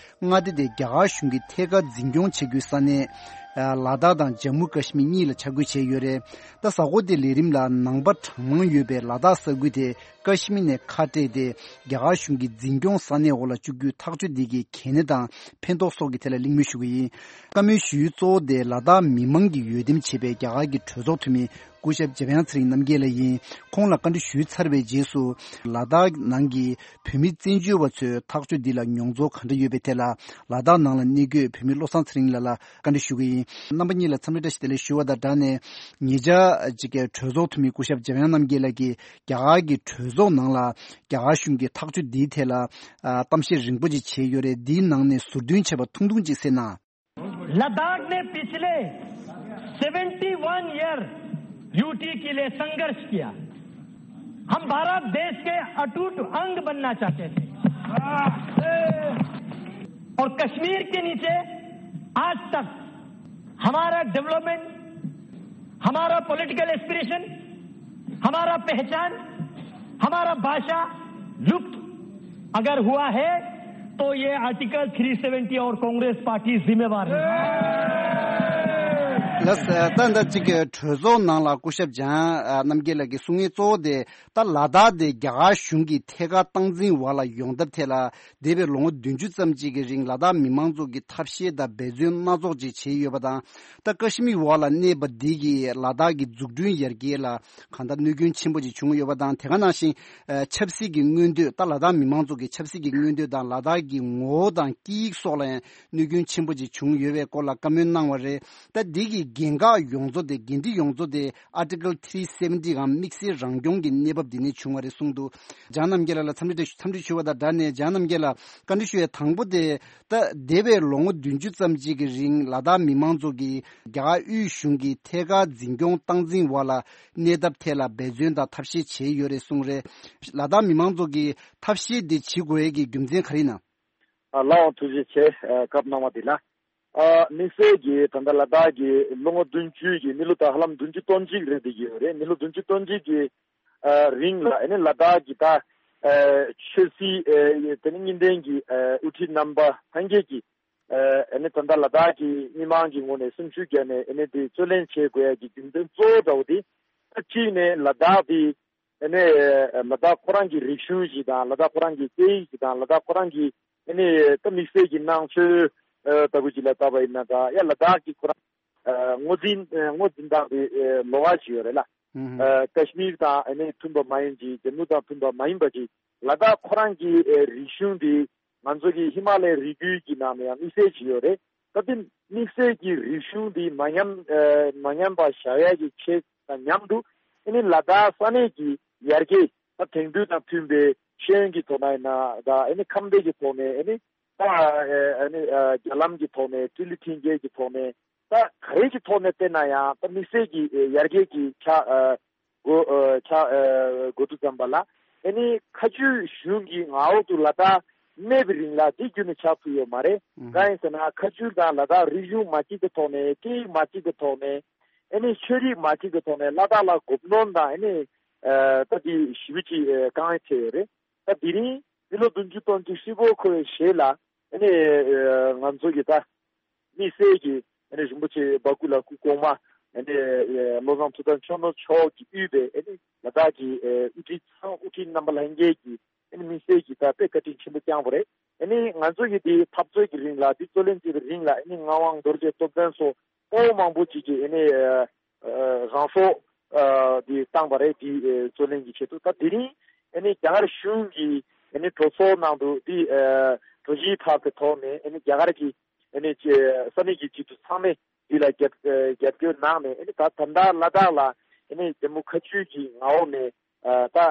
མངའ་སྡེ་དེ་རྒྱ་གར་གཞུང་གིས་ཐད་ཀར་འཛིན་སྐྱོང་བྱེད་རྒྱུའི་ས་གནས་ལ་དྭགས་དང་ཇམ་མུ་ཀ་ཤི་མིར་གཉིས་ལ་ཆ་བགོས་བྱས་ཡོད་རེད། ད་གཟའ་འཁོར་འདིའི་ལས་རིམ་ལ་ནང་པ་གྲངས་མང་ཡོད་པའི་ལ་དྭགས་ས་ཁུལ་དེ་ཀ་ཤི་མིར་ནས་ཁ་བྲལ་ཏེ་རྒྱ་གར་གཞུང་གི་འཛིན་སྐྱོང་ས་གནས་འོག་ལ་བཅུག་རྒྱུའི་ཐག་གཅོད་འདི་གི་གལ་གནད་དང་ཕན་ཐོགས་སོགས་ཀྱི་ཐད་ལ་གླེང་མོལ་ཞུ་གི་ཡིན། བཀའ་མོལ་ཞུ་ཡུལ་གཙོ་བོ་དེ་ལ་དྭགས་མི་མང་གིས་འོས་འདེམས་བྱས་པའི་རྒྱ་གར་གྱི་གྲོས་ཚོགས་འཐུས་མི་སྐུ་ཞབས་འཇམ་དབྱངས་ཚེ་རིང་རྣམ་རྒྱལ་ལགས་ཡིན། ཁོང་ལ་བཀའ་འདྲི་ཞུས་ཚར་བའི་རྗེས་སུ་ལ་དྭགས་ནང་གི་བོད་མི་བཙན་བྱོལ་བ་ཚོའི་ཐག་གཅོད་འདི་ལ་མྱོང་ཚོར་ག་འདྲ་ཡོད་པའི་ཐད་ལ་ལ་དྭགས་ནང་ལ་གནས་འཁོད་བོད་མི་བློ་བཟང་ཚེ་རིང་ལགས་ལ་བཀའ་འདྲི་ཞུ་གི་ཡིན། རྣམ་པ་གཉིས་ལ་འཚམས་འདྲི་བཀྲ་ཤིས་བདེ་ལེགས་ཞུ་བ་དང་སྦྲགས་ནས། ཉེ་ཆར་ཅིག་གི་གྲོས་ཚོགས་འཐུས་མི་སྐུ་ཞབས་འཇམ་དབྱངས་རྣམ་རྒྱལ་ལགས་ཀྱིས་རྒྱ་གར་གྱི་གྲོས་ཚོགས་ནང་ལ་རྒྱ་གར་གཞུང་གི་ཐག་གཅོད་འདིའི་ཐད་ལ་ཨ་གཏམ་བཤད་རིང་པོ་ཅིག་བྱས་ཡོད་རེད། འདིའི་ནང་ནས་ཟུར་འདོན་བྱས་པ་ཐུང་ཐུང་ཅིག་གསན་ན། लद्दाख ने पिछले seventy one year UT के लिए संघर्ष किया। हम भारत देश के अटूट अंग बनना चाहते थे। और कश्मीर के नीचे आज तक हमारा डेवलपमेंट, हमारा पॉलिटिकल एस्पिरेशन, हमारा पहचान, हमारा भाषा लुप्त अगर हुआ है तो ये आर्टिकल थ्री सेवेंटी और कांग्रेस पार्टी जिम्मेवार है। ལགས། ད་ལྟ་ཅིག་གྲོས་ཚོགས་ནང་ལ་སྐུ་ཞབས་འཇམ་དབྱངས་རྣམ་རྒྱལ་ལགས་ཀྱིས་གསུང་མཁན་གཙོ་བོ་དེ་ད་ལ་དྭགས་དེ་རྒྱ་གར་གཞུང་གིས་ཐད་ཀར་སྟངས་འཛིན་འོག་ལ་ཡོང་ཐབས་ཐད་ལ་འདས་པའི་ལོ་ངོ་བདུན་ཅུ་ཙམ་ཅིག་གི་རིང་ལ་དྭགས་མི་མང་ཚོ་གིས་ཐབས་ཤེས་དང་འབད་བརྩོན་སྣ་ཚོགས་ཅིག་བྱས་ཡོད་པ་དང་། ད་ཀ་ཤི་མིར་འོག་ལ་གནས་པ་འདི་གིས་ལ་དྭགས་ཀྱི་འཛུགས་སྐྲུན་ཡར་རྒྱས་ལ་གང་ལྟར་གནོད་སྐྱོན་ཆེན་པོ་ཅིག་བྱུང་ཡོད་པ་དང་། དེ་ག་ནང་བཞིན་ཨ་ཆབ་སྲིད་ཀྱི་མངོན་འདོད། ད་ལ་དྭགས་མི་མང་ཚོ་གི་ཆབ་སྲིད་ཀྱི་མངོན་འདོད་དང་ལ་དྭགས་ཀྱི་ངོ་བོ་དང་སྐད་ཡིག་སོགས་ལ་ཡང་གནོད་སྐྱོན་ཆེན་པོ་ཅིག་བྱུང་ཡོད་པའི་སྐོར་ལ་བཀའ་མོལ་གནང་བ་རེད། ད་འདི་གི་འགན་ཁག་ཡོངས་རྫོགས་དེ། འགན་འཁྲི་ཡོངས་རྫོགས་དེ་ཨར་ཊི་ཀལ་ཐི་རི་སེ་བེན་ཊི་གམ་དམིགས་བསལ་རང་སྐྱོང་གི་གནས་བབ་འདི་ནས་བྱུང་བ་རེད་གསུངས་འདུག་འཇམ་དབྱངས་རྣམ་རྒྱལ་ལགས་ལ་འཚམས་འདྲི་འཚམས་འདྲི་ཞུ་བ་དང་སྦྲགས་ནས། འཇམ་དབྱངས་རྣམ་རྒྱལ་ལགས་བཀའ་འདྲི་ཞུ་ཡའི་དང་པོ་དེ། ད་འདས་པའི་ལོ་ངོ་བདུན་ཅུ་ཙམ་ཅིག་གི་རིང་ལ་དྭགས་མི་མང་ཚོ་གིས་རྒྱ་གར་དབུས་གཞུང་གི་ཐད་ཀར་འཛིན་སྐྱོང་སྟངས་འཛིན་འོག་ལ་གནས་ཐབས་ཐད་ལ་འབད་བརྩོན་དང་ཐབས་ཤེས་བྱས་ཡོད་རེད་གསུངས་རེད། ལ་དྭགས་མི་མང་ཚོ་གིས་ཐབས་ཤེས་འདི་བྱེད་དགོས་ཡས་ཀྱི་རྒྱུ་མཚན་ག་རེ་ཡིན་ན། ཨ། ལགས་འོང་། ཐུགས་རྗེ་ཆེ། ཨ། སྐབས་གནང་བ་འདི་ལ། ཨ། དམིགས་བསལ་གྱིས་ད་ལྟ་ལ་དྭགས་ཀྱི་ལོ་ངོ་བདུན་ཅུ་གི་མི་ལོ་ད་ཧ་ལམ་བདུན་ཅུ་སྟོང་གཅིག་རེད་བསྡད་ཀྱི་ཡོད་རེད། མི་ལོ་བདུན་ཅུ་སྟོང་གཅིག་གི་ཨ། རིང་ལ་ཨ་ནི་ལ་དྭགས་ཀྱི་ད་ཨ་ཆོས་སྲིད་ཨ་དེ་ནི་གཉིས་ལྡན་གྱི་ཨ་དབུ་ཁྲིད་རྣམ་པ་ལྷན་རྒྱས་ཀྱིས་ཨ་ནི་ད་ལྟ་ལ་དྭགས་ཀྱི་མི་མང་གི་ངོས་ནས་སེམས་ཤུགས་བརྒྱབ་ནས་ཨ་ནི་དེ་རྩོད་ལེན་བྱེད་དགོས་ཡ་གི་རྒྱུ་མཚན་གཙོ་བོ་འདྲ་བོ་དེ། ད་གཅིག་ནས་ལ་དྭགས་དེ་ཨ་ནི་ལ་དྭགས་ཁོ་རང་གི་རིག་གཞུང་ཞིག་དང་། ལ་དྭགས་ཁོ་རང་གི་སྐད་ཡིག་ཞིག་དང་། ལ་དྭགས་ཁོ་རང་གི་ཨ་ནི་ད་དམིགས་བསལ་གྱི་ནང་ཆོས་ཨ་ལྟ་བུ་ཅིག་ལ་བལྟས་པ་ཡིན་ན། ད་ཡ་ལ་དྭགས་ཀྱི་ཁོ་རང་ཨ་ངོས་འཛིན་ཨ་ངོས་འཛིན་སྟངས་དེ་ཨ་ལོགས་ཀ་ཞིག་ཡོད་རེད་ལ། ཨ་ཀ་ཤི་མིར་དང་ཨ་ནི་མཐུན་པ་མ་ཡིན་ཅིག་ཇམ་མུ་དང་མཐུན་པ་མ་ཡིན་པ་ཅིག་ལ་དྭགས་ཁོ་རང་གི་ཨ་རིག་གཞུང་དེ་ང་ཚོ་གི་ཧི་མ་ལའི་རི་རྒྱུད་ཀྱི་ནང་ནས་ཡང་དམིགས་བསལ་ཅིག་ཡོད་རེད། ད་དེ་དམིགས་བསལ་གྱི་རིག་གཞུང་འདི་མ་ཉམས་ཨ་མ་ཉམས་པ་བཞག་ཡ་གི་ཆེད་དང་མཉམ་དུ་ཨ་ནི་ལ་དྭགས་ས་གནས་ཀྱི་ཡར་རྒྱས། ད་དེང་དུས་དང་མཐུན་པའི་ཤེས་ཡོན་གྱི་ཐོག་ནས་ཡིན་ན། ད་ཨ་ནི་ཁམས་བདེ་གི་ཐོག་ནས། ཨ་ནི་ད་ཨ་ནི་ཨ་རྒྱ་ལམ་གྱི་ཐོག་ནས། ཏི་ལི་ཐིང་གེ་གི་ཐོག་ནས། ད་ག་རེ་གི་ཐོག་ནས་བལྟས་ན་ཡང་ད་དམིགས་བསལ་གྱི་ཡར་རྒྱས་ཀྱི་ཆ་ཨ་ འགོ་ཨ་ཆགས་ཨ་འགོ་དུས་ཙམ་པ་ལ་ཨ་ནི་མཁའ་སྤྱོད་གཞུང་གི་མངའ་འོག་ཏུ་ལ་དྭགས་གནས་པའི་རིང་ལ་དེ་བརྒྱུད་ནས་ཆགས་ཐུབ་ཡོད་མ་རེད། ཨུ་གང་ཡིན་ཟེར་ན་མཁའ་སྤྱོད་དང་ལ་དྭགས་རིག་གཞུང་མ་གཅིག་གི་ཐོག་ནས་སྐད་ཡིག་མ་གཅིག་གི་ཐོག་ནས་ཨ་ནི་ཆོས་རིག་མ་གཅིག་གི་ཐོག་ནས་ལ་དྭགས་ལ་གོ་གནོན་དང་ཨ་ནི་ཨ་ད་དེ་ཞེ་པོ་ཅིག་ཨ་དཀའ་ངལ་འཕྲད་ཡོད་རེད། ད་དེ་རིང་འདི་ལོ་བདུན་ཅུ་སྟོང་ཅུ་ཧྲིལ་པོ་འཁོར་བའི་རྗེས་ལ་ཨ་ནི་ཨ་ང་ཚོ་གི་ད་དམིགས་བསལ་གྱི་ཨ་ནི་རིན་པོ་ཆེ་འབའ་ཁུག་ལ་སྐུ་གོང་མ་ཨ་ནི་ཨ་བློ་བཟང་ཐུབ་བསྟན་ཆོས་ནོར་མཆོག་གིས་དབུས་པའི་ཨ་ནི་ལ་དྭགས་ཀྱི་ཨ་དབུ་ཁྲིད་ཚང་དབུ་ཁྲིད་རྣམ་པ་ལྷན་རྒྱས་ཀྱིས་ཨ་ནི་དམིགས་བསལ་གྱི་ད་དཔེ་བཀའ་དྲིན་ཆེན་པོ་བསྐྱངས་པ་རེད། ཨ་ནི་ང་ཚོ་གི་དེ་འཐབ་རྩོད་ཀྱི་རིང་ལ་དེ་རྩོད་ལེན་བྱེད་པའི་རིང་ལ་ཨ་ནི་ངག་དབང་རྡོ་རྗེ་སྟོབས་ལྡན་སོགས་སྤོ་བོ་མང་པོ་ཅིག་གིས་ཨ་ནི་ཨ་ཨ་རང་སྲོག་ཨ་དེ་བཏང་བ་རེད། དེ་ཨ་རྩོད་ལེན་གྱི་ཆེད་དུ། ད་དེ་རིང་ཨ་ནི་རྒྱ་གར་གཞུང་གིས་ཨ་ནི་གྲོས་ཚོགས་ནང་དུ་དེ་ཨ་གྲོས་གཞི་ཕབ་པའི་ཐོག་ནས་ཨ་ནི་རྒྱ་གར་གྱི་ཨ་ནི་ཅེ་ས་གནས་ཀྱི་སྤྱི་འཐུས་ཚང་མས་འདི་ལ་རྒྱབ་ཨ་རྒྱབ་སྐྱོར་གནང་ནས་ཨ་ནི་ད་ད་ལྟ་ལ་དྭགས་ལ་ཨ་ནི་ཇམ་མུ་ཁ་ཆུ་གི་མངའ་འོག་ནས་ཨ་ད་ཨ་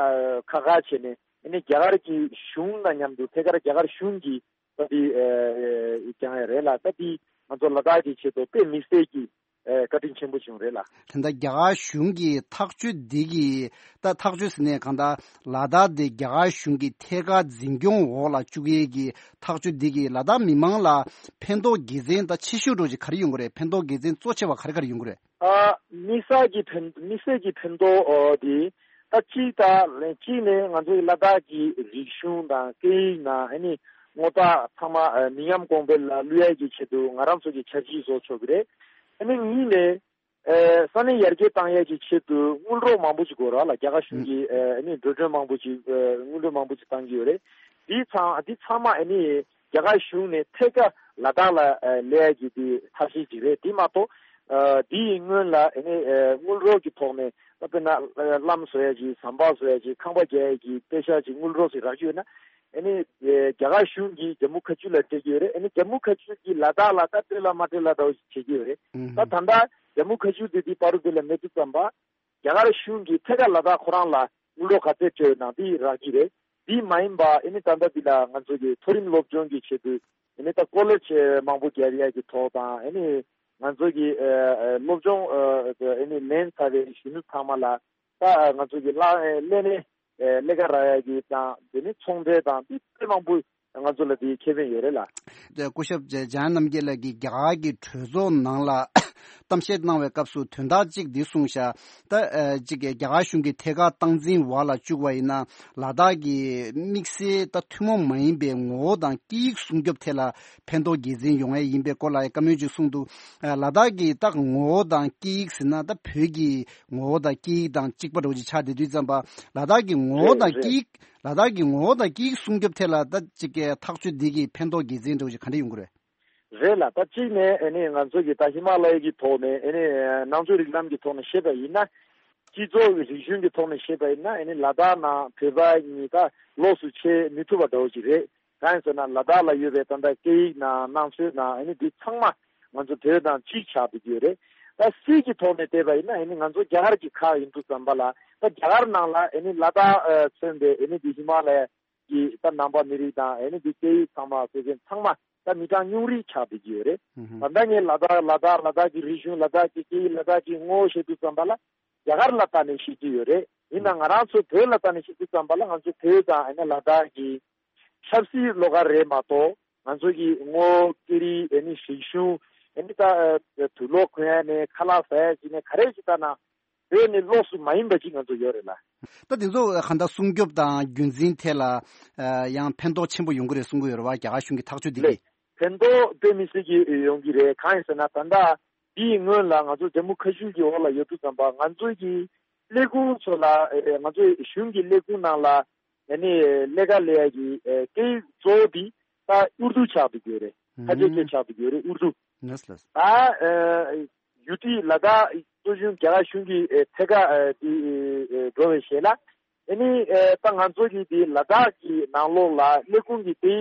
ཁག་ཁག་བྱས་ནས་ཨ་ནི་རྒྱ་གར་གྱི་གཞུང་དང་མཉམ་དུ་ཐད་ཀར་རྒྱ་གར་གཞུང་གིས་ད་འདི་ཨ་ཨ་བསྐྱངས་ཡ་རེད་ལ། ད་འདི་ང་ཚོ་ལ་དྭགས་ཀྱི་ཆེད་དུ་དཔེ་དམིགས་བསལ་གྱི་ཨ་བཀའ་དྲིན་ཆེན་པོ་བྱུང་རེད་ལ། ད་ལྟ་རྒྱ་གར་གཞུང་གི་ཐག་གཅོད་འདི་གི་ད་ཐག་གཅོད་ཟེར་ནས་གང་ལྟར་ལ་དྭགས་དེ་རྒྱ་གར་གཞུང་གི་ཐད་ཀར་འཛིན་སྐྱོང་འོག་ལ་བཅུག་ཡས་ཀྱི་ཐག་གཅོད་འདི་གིས་ལ་དྭགས་མི་མང་ལ་ཕན་ཐོགས་དགེ་མཚན་ད་ཆེ་ཤོས་འདྲ་ཅིག་ག་རེ་ཡོང་གི་རེད། ཕན་ཐོགས་དགེ་མཚན་གཙོ་ཆེ་བ་ག་རེ་ག་རེ་ཡོང་གི་རེད། ཨ་དམིགས་བསལ་གྱི་ཕན་དམིགས་བསལ་གྱི་ཕན་ཐོགས་ཨོ་དེ་ད་གཅིག་ད་གཅིག་ནས་ང་ཚོའི་ལ་དྭགས་ཀྱི་རིག་གཞུང་དང་སྐད་ཡིག་དང་ཨ་ནི་དངོས་རྟགས་ཚང་མ་ཨ་མི་ཉམས་གོང་འཕེལ་ལ་བསླུ་ཡས་ཀྱི་ཆེད་དུ་ང་རང་ཚོ་གི་འཆར་གཞི་བཟོ་ཆོག་གི་རེད། ཨ་ནི་གཉིས་ནས་ཨ་ས་གནས་ཡར་རྒྱས་བཏང་ཡས་ཀྱི་ཆེད་དུ་དངུལ་རོགས་མང་པོ་ཞིག་དགོས་ར་ལ། རྒྱ་གར་གཞུང་གིས་ཨ་ནི་འགྲོ་གྲོན་མང་པོ་ཞིག་ཨ་དངུལ་རོགས་མང་པོ་ཞིག་བཏང་གི་ཡོད་རེད། འདི་ཚང་འདི་ཚང་མ་ཨ་ནི་རྒྱ་གར་གཞུང་ནས་ཐད་ཀར་ལ་དྭགས་ལ་ཨ་སླེབས་ཡ་གི་དེ་ཐབས་ཤེས་ཅིག་རེད། དེ་མ་གཏོགས་ཨ་དེ་ཡི་སྔོན་ལ་ཨ་ནི་ཨ་དངུལ་རོགས་ཀྱི་ཐོག་ནས་ད་དཔེར་ན་ཨ་ལམ་བཟོ་ཡ་ཅིག་ཟམ་པ་བཟོ་ཡ་ཅིག་ཁང་པ་རྒྱག་ཡ་གི་པེ་ཤག་ཅིག་དངུལ་རོགས་ཅིག་རག་རྒྱུ་ཡོད་ན་ཨ་ནི་ཨ་རྒྱ་གར་གཞུང་གིས་ཇམ་མུ་ཁ་ཆུ་ལ་སྤྲད་ཀྱི་ཡོད་རེད། ཨ་ནི་ཇམ་མུ་ཁ་ཆུ་གིས་ལ་དྭགས་ལ་ད་སྤྲད་ལ་མ་སྤྲད་ལ་འདྲ་བོ་ཞིག་བྱེད་ཀྱི་ཡོད་རེད། ཨུ་ད་ད་ལྟ་ཇམ་མུ་ཁ་ཆུ་དེ་དེ་བར་དུ་དེ་ལ་མེད་དུས་ཙམ་པ། རྒྱ་གར་གཞུང་གིས་ཐད་ཀར་ལ་དྭགས་ཁོ་རང་ལ་དངུལ་རོགས་ག་ཚད་སྤྲད་ཡོད་ན་འདི་རག་གི་རེད། འདི་མ་ཡིན་པ་ཨ་ནི་ད་ལྟ་འདི་ལ་ང་ཚོ་གི་མཐོ་རིམ་སློབ་སྦྱོང་གི་ཆེད་དུ་ཨ་ནི་ད་ཀོ་ལེཇ་མང་པོ་རྒྱག་ཡག་གི་ཐོག་དང་ཨ་ནི་ང་ཚོ་གི་ཨ་ཨ་སློབ་སྦྱོང་ཨ་ཨ་ནི་ལེན་ཚར་བའི་གཞོན་ནུ་ཚང་མ་ལ་ད་ང་ཚོ་གི་ལ་ཨ་ལས་གནས་ཨ་ལས་ཀ་རག་ཡག་གི་དང་དེ་ནི་ཚོང་འབྲེལ་དང་འདི་དཔེ་མང་པོ་ང་ཚོ་ལ་དེའི་ཁེ་ཕན་ཡོད་རེད་ལ། སྐུ་ཞབས་འཇམ་དབྱངས་རྣམ་རྒྱལ་ལགས་ཀྱིས་རྒྱ་གར་གྱི་གྲོས་ཚོགས་ནང་ལ་གཏམ་བཤད་གནང་བའི་སྐབས་སུ་དོན་དག་གཅིག་འདི་གསུངས་ཤག་ད་ཨ་གཅིག་གི་རྒྱ་གར་གཞུང་གི་ཐད་ཀར་སྟངས་འཛིན་འོག་ལ་བཅུག་པ་ཡིན་ན་ལ་དྭགས་ཀྱི་དམིགས་བསལ་ད་ཐུན་མོང་མ་ཡིན་པའི་ངོ་བོ་དང་སྐད་ཡིག་སྲུང་སྐྱོབ་ཐད་ལ་ཕན་ཐོགས་དགེ་མཚན་ཡོང་ཡས་ཡིན་པའི་སྐོར་ལ་བཀའ་མོལ་ཅིག་གསུངས་འདུག་ཨ་ལ་དྭགས་ཀྱི་ད་ངོ་བོ་དང་སྐད་ཡིག་ཟེར་ན་ད་བོད་ཀྱི་ངོ་བོ་དང་སྐད་ཡིག་དང་གཅིག་པ་འདྲ་བོ་ཅིག་ཆགས་བསྡད་དུས་ཙམ་པ་ལ་དྭགས་ཀྱི་ངོ་བོ་རེད་དང་རེད། སྐད་ཡིག་ལ་དྭགས་ཀྱི་ངོ་བོ་དང་སྐད་ཡིག་སྲུང་སྐྱོབ་ཐད་ལ་ད་ཅིག་གི་ཐག་གཅོད་འདི་གི་ཕན་ཐོགས་དགེ་མཚན་འདྲ་བོ་ཞིག་ག་འདྲ་ཡོང་གི་རེད། རེད་ལ། ད་གཅིག་ནས་ཨ་ནི་ང་ཚོ་གི་ད་ཧི་མ་ལ་ཡ་གི་ཐོག་ནས་ཨ་ནི་ནང་ཆོས་རིགས་ལམ་གྱི་ཐོག་ནས་བཤད་པ་ཡིན་ན། སྤྱི་ཚོགས་ཀྱི་རིག་གཞུང་གི་ཐོག་ནས་བཤད་པ་ཡིན་ན་ཨ་ནི་ལ་དྭགས་ནང་བོད་པ་གཉིས་ད་ལོགས་སུ་ཕྱེ་མི་ཐུབ་པ་འདྲ་བོ་ཞིག་རེད། གང་ཡིན་ཟེར་ན་ལ་དྭགས་ལ་ཡོད་པའི་ད་ལྟ་སྐད་ཡིག་ནང་ནང་ཆོས་ནང་ཨ་ནི་འདི་ཚང་མ་ང་ཚོ་བོད་དང་གཅིག་ཆགས་བསྡད་ཀྱི་ཡོད་རེད། ད་སྲིད་ཀྱི་ཐོག་ནས་བལྟས་པ་ཡིན་ན་ཨ་ནི་ང་ཚོ་རྒྱ་གར་གྱི་ཁག་ཡིན་དུས་ཙམ་པ་ལ་ད་རྒྱ་གར་ནང་ལ་ཨ་ནི་ལ་དྭགས་ཨ་མཚོན་པའི་ཨ་ནི་འདི་ཧི་མ་ལ་ཡ་གི་ད་ནང་པ་མི་རིགས་དང་ཨ་ནི་འདི་སྐད་ཡིག་ཚང་མ་བཟོ་མཁན་ཚང་མ་ད་མི་གྲངས་ཉུང་རིགས་ཆགས་བསྡད་ཀྱི་ཡོད་རེད། ཨུ་ཧུ། ད་ལྟ་ངས་ལ་དྭགས་ལ་དྭགས་ལ་དྭགས་ཀྱི་རིག་གཞུང་ལ་དྭགས་ཀྱི་སྐད་ཡིག་ལ་དྭགས་ཀྱི་ངོ་བོ་བཤད་དུས་ཙམ་པ་ལ་རྒྱ་གར་ལ་ལྟ་ནས་བཤད་ཀྱི་ཡོད་རེད། ཡིན་ནའང་ང་རང་ཚོ་བོད་ལ་ལྟ་ནས་བཤད་དུས་ཙམ་པ་ལ་ང་ཚོ་བོད་དང་ཨ་ནི་ལ་དྭགས་ཀྱི་ཆབ་སྲིད་བློ་དཀར་རེད་མ་གཏོགས་ང་ཚོ་གི་ངོ་བོ་སྐད་རིགས་ཨ་ནི་རིག་གཞུང་ཨ་ནི་ད་དུག་ལོག་གོན་ཡ་ནས་ཁ་ལག་ཟ་ཡ་ཞིག་ནས་ག་རེ་ཞིག་ལྟ་ན། བོད་ནི་ལོགས་སུ་མ་ཡིན་པ་ཅིག་ང་ཚོ་ཡོད་རེད་ལ། ད་དེ་ཚོ་གང་ལྟར་སྲུང་སྐྱོབ་དང་རྒྱུན་འཛིན་ཐད་ལ་ཨ་ཡང་ཕན་ཐོགས་ཆེན་པོ་ཡོང་གི་རེད་གསུང་གི་ཡོད་རེད་བ། རྒྱ་གར་གཞུང་གི་ཐག་གཅོད་འདི་ལས་གིས། ཕན་ཐོགས་དཔེ་མི་སྲིད་ཀྱི་ཡོང་གི་རེད། གང་ཡིན་ཟེར་ན་ད་ལྟ་འདིའི་སྔོན་ལ་ང་ཚོ་ཇམ་མུ་ཁ་ཤུར་གྱི་འོག་ལ་ཡོད་དུས་ཙམ་པ་ང་ཚོའི་གི་ལས་ཁུངས་ཚོ་ལ་ཨེ་ང་ཚོའི་གཞུང་གི་ལས་ཁུངས་ནང་ལ་ཨེ་ནི་ལས་ཀ་ལས་ཡ་གི་ཨེ་སྐད་ཡིག་གཙོ་བོ་འདི་ད་ཨུར་དུ་ཆགས་འདུག་ཡོད་རེད། ཁ་ཆེ་ཁེ་ཆགས་འདུག་ཡོད་རེད་ཨུར་དུ། ལགས་ལགས། ད་ཨེ་ཡུ་ཏི་ལ་དྭགས་གཙོ་གཞུང་རྒྱ་གར་གཞུང་གི་ཨེ་ཐད་ཀ་ཨེ་དེ་ཨེ་འགྲོ་བའི་ཞལ་ལ་ཨེ་ནི་ཨེ་ད་ང་ཚོ་གི་དེ་ལ་དྭགས་ཀྱི་ནང་ལོགས་ལ་ལས་ཁུངས་ཀྱི་དེ་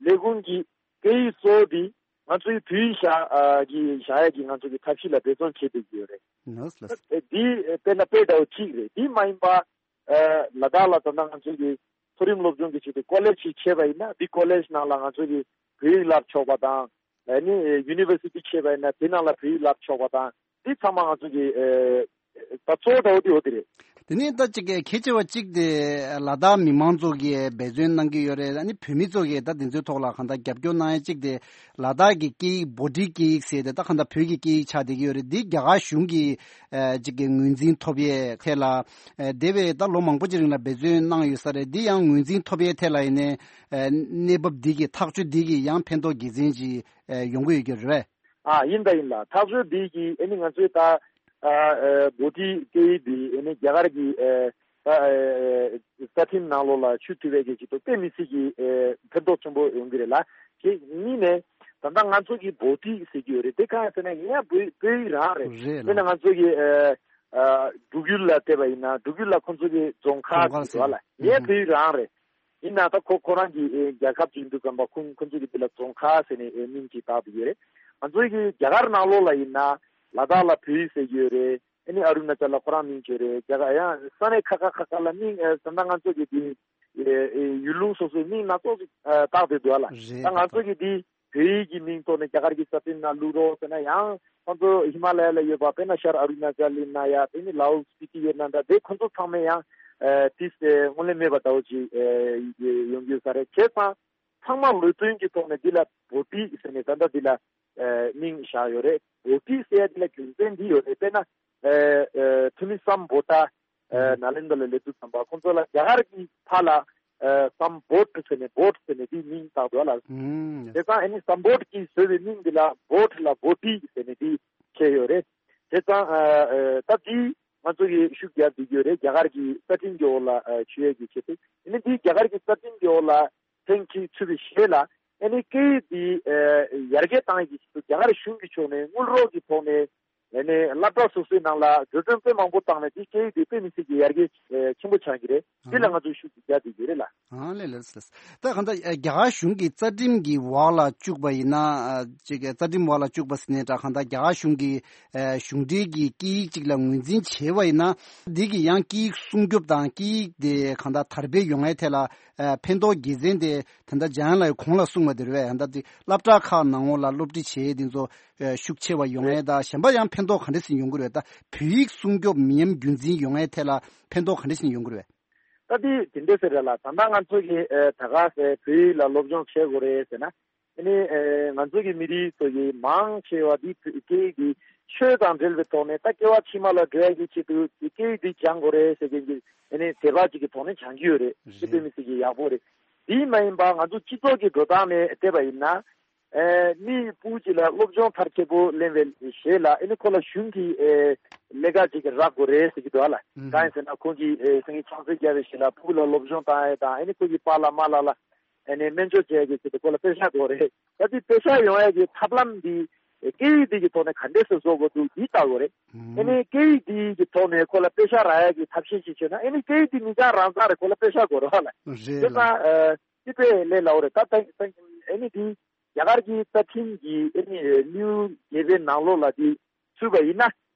ལས་ཁུངས་ཀྱི་སྐད་ཡིག་གཙོ་བོ་དེ་ང་ཚོའི་བོད་ཡིག་བཞག་ཨ་གི་བཞག་ཡ་གི་ང་ཚོ་གི་ཐབས་ཤེས་ལ་འབད་བརྩོན་བྱེད་བསྡད་ཀྱི་ཡོད་རེད། ལགས་ལགས། ཨེ་དེ་ཨེ་དཔེར་ན་དཔེ་འདྲ་བོ་གཅིག་རེད། དེ་མ་ཡིན་པ་ཨེ་ལ་དྭགས་ལ་ད་ལྟ་ང་ཚོ་གི་མཐོ་རིམ་སློབ་སྦྱོང་གི་ཆེད་དུ་ཀོ་ལེཇ་ཞིག་ཕྱེ་བ་ཡིན་ན་དེ་ཀོ་ལེཇ་ནང་ལ་ང་ཚོ་གི་བོད་ཡིག་བསླབ་ཆོག་པ་དང་ཨེ་ནི་ཡུ་ནི་ཝར་སི་ཊི་ཕྱེ་བ་ཡིན་ན་དེ་ནང་ལ་བོད་ཡིག་བསླབ་ཆོག་པ་དང་དེ་ཚང་མ་ང་ཚོ་གི་ཨེ་ ད་གཙོ་བོ་འདྲ་བོ་དེ་འོ་དེ་རེད། དེ་ནས་ད་ཅིག་གལ་ཆེ་བ་གཅིག་དེ་ལ་དྭགས་མི་མང་ཚོ་གིས་འབད་བརྩོན་གནང་གི་ཡོད་རེད། ཨ་ནི་བོད་མི་ཚོ་གིས་ད་དེ་ཚོའི་ཐོག་ལ་གང་ལྟར་རྒྱབ་སྐྱོར་གནང་ཡ་གཅིག་དེ་ལ་དྭགས་ཀྱི་སྐད་ཡིག་བྷོ་ཊིག་སྐད་ཡིག་ཟེར་ཏེ་ད་གང་ལྟར་བོད་ཀྱི་སྐད་ཡིག་ཆགས་བསྡད་ཀྱི་ཡོད་རེད། འདི་རྒྱ་གར་གཞུང་གིས་ཨ་ཅིག་གི་ངོས་འཛིན་ཐོབ་ཡས་ཐད་ལ་ཨ་འདས་པའི་ད་ལོ་མང་པོ་ཅིག་རིང་ལ་འབད་བརྩོན་གནང་ཡོད་ས་རེད། འདི་ཡང་ངོས་འཛིན་ཐོབ་ཡས་ཐད་ལ་ཡིན་ནའི་ཨ་གནས་བབ་འདི་གི་ཐག་གཅོད་འདི་གི་ཡང་ཕན་ཐོགས་དགེ་མཚན་ཅིག་ཨ་ཡོང་གི་ཡོད་ཀྱི་རེད། ཨ་ཡིན་ད་ཡིན་ལ་ཐག་གཅོད་འདི་གི་ཨ་ནི་ང་ཚོའི་ད་ཨ་ཨ་བྷོ་ཊིག་སྐད་ཡིག་འདི་ཨ་ནི་རྒྱ་གར་གྱི་ཨ་ད་ཨ་རྩ་ཁྲིམས་ནང་ལོགས་ལ་ཚུད་ཐུབ་པའི་གི་ཅིག་ཏུ་དཔེ་མི་སྲིད་ཀྱི་ཨ་ཕན་ཐོགས་ཆེན་པོ་ཡོང་གི་རེད་ལ། དེ་གཉིས་ནས་ད་ལྟ་ང་ཚོ་གི་བྷོ་ཊིག་ཟེར་གྱི་ཡོད་རེད། དེ་གང་ཡིན་ཟེར་ན་ཡིན་ཡང་བོད་བོད་ཡིག་རང་རེད། རེད་ལ། དཔེར་ན་ང་ཚོ་གི་ཨ་ཨ་འབྲུག་ཡུལ་ལ་བལྟས་པ་ཡིན་ན་འབྲུག་ཡུལ་ལ་ཁོང་ཚོ་གི་རྫོང་ཁ་རྫོང་ཁ་ཟེར་གྱི་འདུག་ལ། ཟེར་ཡིན་ཡང་བོད་ཡིག་རང་རེད། ཡིན་ན་ད་ཁོ་ཁོ་རང་གི་ཨེ་རྒྱལ་ཁབ་ཅིག་འདུག་གམ་པ་ཁོང་ཁོང་ཚོ་གི་དེ་ལ་རྫོང་ཁ་ཟེར་ནས་ཨེ་མིང་ཅིག་བཏགས་པ་ཡོད་རེད། ང་ཚོ་གི་རྒྱ་གར་ནང་ལོགས་ལ་ཡིན་ན་ལ་དྭགས་ལ་བོད་ཡིག་ཟེར་གྱི་ཡོད་རེད། ཨ་ནི་ཨ་རུ་ན་ཅལ་ལ་ཁོ་རང་མིང་བྱས་རེད། རྒྱ་གར་ཡང་ས་གནས་ཁ་ཁ་ཁ་ཁ་ལ་མིང་ཨེ་ད་ལྟ་ང་ཚོ་གི་དེ་ཨེ་ཨེ་ཡུལ་ལུང་སོ་སོའི་མིང་སྣ་ཚོགས་ཅིག་ཨེ་བཏགས་བསྡད་འདུག་ཨ་ལ། རེད། ད་ང་ཚོ་གི་དེ་བོད་ཡིག་གི་མིང་ཐོག་ནས་རྒྱ་གར་གྱི་རྩ་ཁྲིམས་ནང་བླུག་རོགས་ཟེར་ན་ཡང་ཁོང་ཚོ་ཧི་མ་ལ་ཡ་ལ་ཡོད་པ་དཔེར་ན་ཤར་ཨ་རུ་ན་ཅལ་ཡིན་ན་ཡ་དེ་ནི་ལའོ་སི་པི་ཏི་ཡོད་ན་འདྲ་དེ་ཁོང་ཚོ་ཚང་མས་ཡང་ཨེ་ཏིས་ཨེ་སྔོན་ལས་མེད་པ་འདྲ་བོ་ཅིག་ཨེ་ཡོང་གི་ཡོད་ས་རེད། བྱས་ཙང་ཚང་མ་ལུགས་མཐུན་གྱི་ཐོག་ནས་འདི་ལ་བྷོ་ཊིག་ཟེར་ནས་ད་ལྟ་འདི་ལ་ཨེ་མིང་བཞག་ཡོད་རེད། བྷོ་ཊིག་ཟེར་ཡ་འདི་ལ་རྒྱུ་མཚན་འདི་ཡོད་རེད། དཔེར་ན་ཨེ་ཨེ་ཐོན་མི་སམ་བྷོ་ཊ་ཨ་ནཱ་ལེནྡྲ་ལ་སླེབས་དུས་ཙམ་པ་ཁོང་ཚོ་ལ་རྒྱ་གར་གྱི་ཕར་ལ་ཨ་སམ་བྷོཊ་ཟེར་ནས་བྷོཊ་ཟེར་ནས་དེའི་མིང་བཏགས་འདུག་ལ། ཨུམ། དེ་ཙང་ཨ་ནི་སམ་བྷོཊ་གྱིས་བཟོས་པའི་མིང་འདི་ལ་བྷོཊ་ལ་བྷོ་ཊི་ཟེར་ནས་དེ་བྱས་ཡོད་རེད། དེ་ཙང་ཨ་ཨ་ད་དེ་ང་ཚོ་གིས་ཤུགས་རྒྱག་བསྡད་ཀྱི་ཡོད་རེད། རྒྱ་གར་གྱི་རྩ་ཁྲིམས་ཀྱི་འོག་ལ་ཨ་ཚུད་ཡས་ཀྱི་ཆེད་དུ། ཨ་ནི་དེ་རྒྱ་གར་གྱི་རྩ་ཁྲིམས་ཀྱི་འོག་ལ་ཐེངས་གཅིག་ཚུད་པའི་རྗེས་ལ་ཨ་ནི་སྐད་ཡིག་འདི་ཨ་ཡར་རྒྱས་བཏང་ཡས་ཀྱི་ཆེད་དུ་རྒྱ་གར་གཞུང་གི་ཕྱོགས་ནས་དངུལ་རོགས་ཀྱི་ཐོག་ནས། ཨ་ནི་སློབ་གྲྭ་སོ་སོའི་ནང་ལ་འགྲོ་གྲོན་དཔེ་མང་པོ་བཏང་ནས་དེ་སྐད་ཡིག་དེ་དཔེ་མི་སྲིད་ཀྱི་ཡར་རྒྱས་ཨེ་ཆེན་པོ་ཆགས་ཀྱི་རེད། དེ་ལ་ང་ཚོས་ཤུགས་རྒྱག་བསྡད་ཀྱི་རེད་ལ། ཨང་ལས་ལས་ལས། ད་གང་ལྟར་ཨེ་རྒྱ་གར་གཞུང་གི་རྩ་ཁྲིམས་ཀྱི་འོག་ལ་བཅུག་པ་ཡིན་ན་ཨ་ཅིག་རྩ་ཁྲིམས་འོག་ལ་བཅུག་པ་ཟེར་ནའི་འདྲ། གང་ལྟར་རྒྱ་གར་གཞུང་གི་ཨེ་གཞུང་འབྲེལ་གྱི་སྐད་ཡིག་ཅིག་ལ་ངོས་འཛིན་བྱས་པ་ཡིན་ན་འདི་གི་ཡང་སྐད་ཡིག་སྲུང་སྐྱོབ་དང་སྐད་ཡིག་དེ་གང་ལྟར་དར་སྤེལ་ཡོང་ཡའི་ཐད་ལ་ཨེ་ཕན་ཐོགས་དགེ་མཚན་དེ་ད་ལྟ་འཇམ་དབྱངས་ལགས་གོང་ལ་གསུངས་པ་དེ་རེད་པས། ད་ལྟ་དེ་སློབ་གྲྭ་ཁག་ནང་འོག་ལ་སློབ་ཁྲིད་བྱེད་ཡས་དེ་ཚོ་ཨེ་ཤུགས་ཆེ་བ་ཡོང་ཡས་དང་གཞན་པ་ཡང་ཕན་ཐོགས་ག་འདྲ་ཞིག་ཡོང་གི་རེད། ད་བོད་ཡིག་སྲུང་སྐྱོབ་མི་ཉམས་རྒྱུན་འཛིན་ཡོང་ཡས་ཐད་ལ་ཕན་ཐོགས་ག་འདྲ་ཞིག་ཡོང་གི་རེད། ད་དེ་དེ་འདྲ་ཟེར་རེད་ལ། ད་ལྟ་ང་ཚོ་གི་ཨེ་ད་ག་ཟེ་བོད་ཡིག་ལ་སློབ་སྦྱོང་བྱེད་དགོས་རེད་ཟེར་ན། ཨ་ནི་ཨེ་ང་ཚོ་གི་མི་རིགས་ཚོ་གི་མང་ཆེ་བ་འདི་སྐད་ཡིག་འདི་ཆོས་དང་འབྲེལ་བའི་ཐོག་ནས་ད་སྐྱེ་བ་ཕྱི་མ་ལ་འགྲོ་ཡ་གི་ཆེད་དུ་སྐད་ཡིག་འདི་སྦྱང་དགོས་རེད་ཟེར་མཁན་གྱི་ཨ་ནི་དད་པ་ཅིག་གི་ཐོག་ནས་སྦྱང་གི་ཡོད་རེད། དེ་དཔེ་མི་སྲིད་ཀྱི་ཡག་པོ་རེད། དེ་མ་ཡིན་པ་ང་ཚོ་སྤྱི་ཚོགས་ཀྱི་འགྲོ་སྟངས་ནས་བལྟས་པ་ཡིན་ན། ཨེ་མི་ཕྲུ་གུ་ཅིག་ལ་སློབ་སྦྱོང་མཐར་ཕྱིན་པོ་ལེན་པའི་རྗེས་ལ་ཨ་ནི་ཁོ་ལ་གཞུང་གི་ཨེ་ལས་ཀ་ཅིག་རག་དགོས་རེད་ཟེར་གྱི་འདུག་ཨ་ལ། ཨུམ། གང་ཡིན་ཟེར་ན་ཁོང་གིས་ཨེ་སེང་གེ་ཆང་ས་བརྒྱབ་པའི་རྗེས་ལ་ཕྲུ་གུ་ལ་སློབ་སྦྱོང་བཏང་ཡས་དང་ཨ་ནི་ཁོ་གི་པཱ་ལགས་མ་ལགས་ལ་ཨ་ནི་སྨན་བཅོས་བྱེད་ཡས་ཀྱི་ཆེད་དུ་ཁོ་ལ་པེ་ཤ་དགོས་རེད། ད་དེ་པེ་ཤ་ཡོང་ཡས་ཀྱི་ཐབས་ལམ་འདི་ཨེ་སྐད་ཡིག་འདི་གི་ཐོག་ནས་ག་འདྲས་སེ་བཟོ་དགོས་འདུག་འདི་ལྟ་དགོས་རེད། ཨུམ། ཨ་ནི་སྐད་ཡིག་འདི་གི་ཐོག་ནས་ཁོ་ལ་པེ་ཤ་རག་ཡས་ཀྱི་ཐབས་ཤེས་ཅིག་བྱས་ན་ཨ་ནི་སྐད་ཡིག་འདི་མི་སྦྱང་རང་སྦྱང་རེད། ཁོ་ལ་པེ་ཤ་དགོས་རེད་བ་ལ། རེད་དེ་ལ། ཙང་ཨ་ཅི་དཔེ་ལས་སླ་བོ་རེད། ད་ད་ད་ཨ་ནི་འདི་རྒྱ་གར་གྱི་རྩ་ཁྲིམས་ཀྱི་ཨ་ནི་དངུལ་རྒྱས་པའི་ནང་ལོགས་ལ་འདི་ཚུད་པ་ཡིན་ན།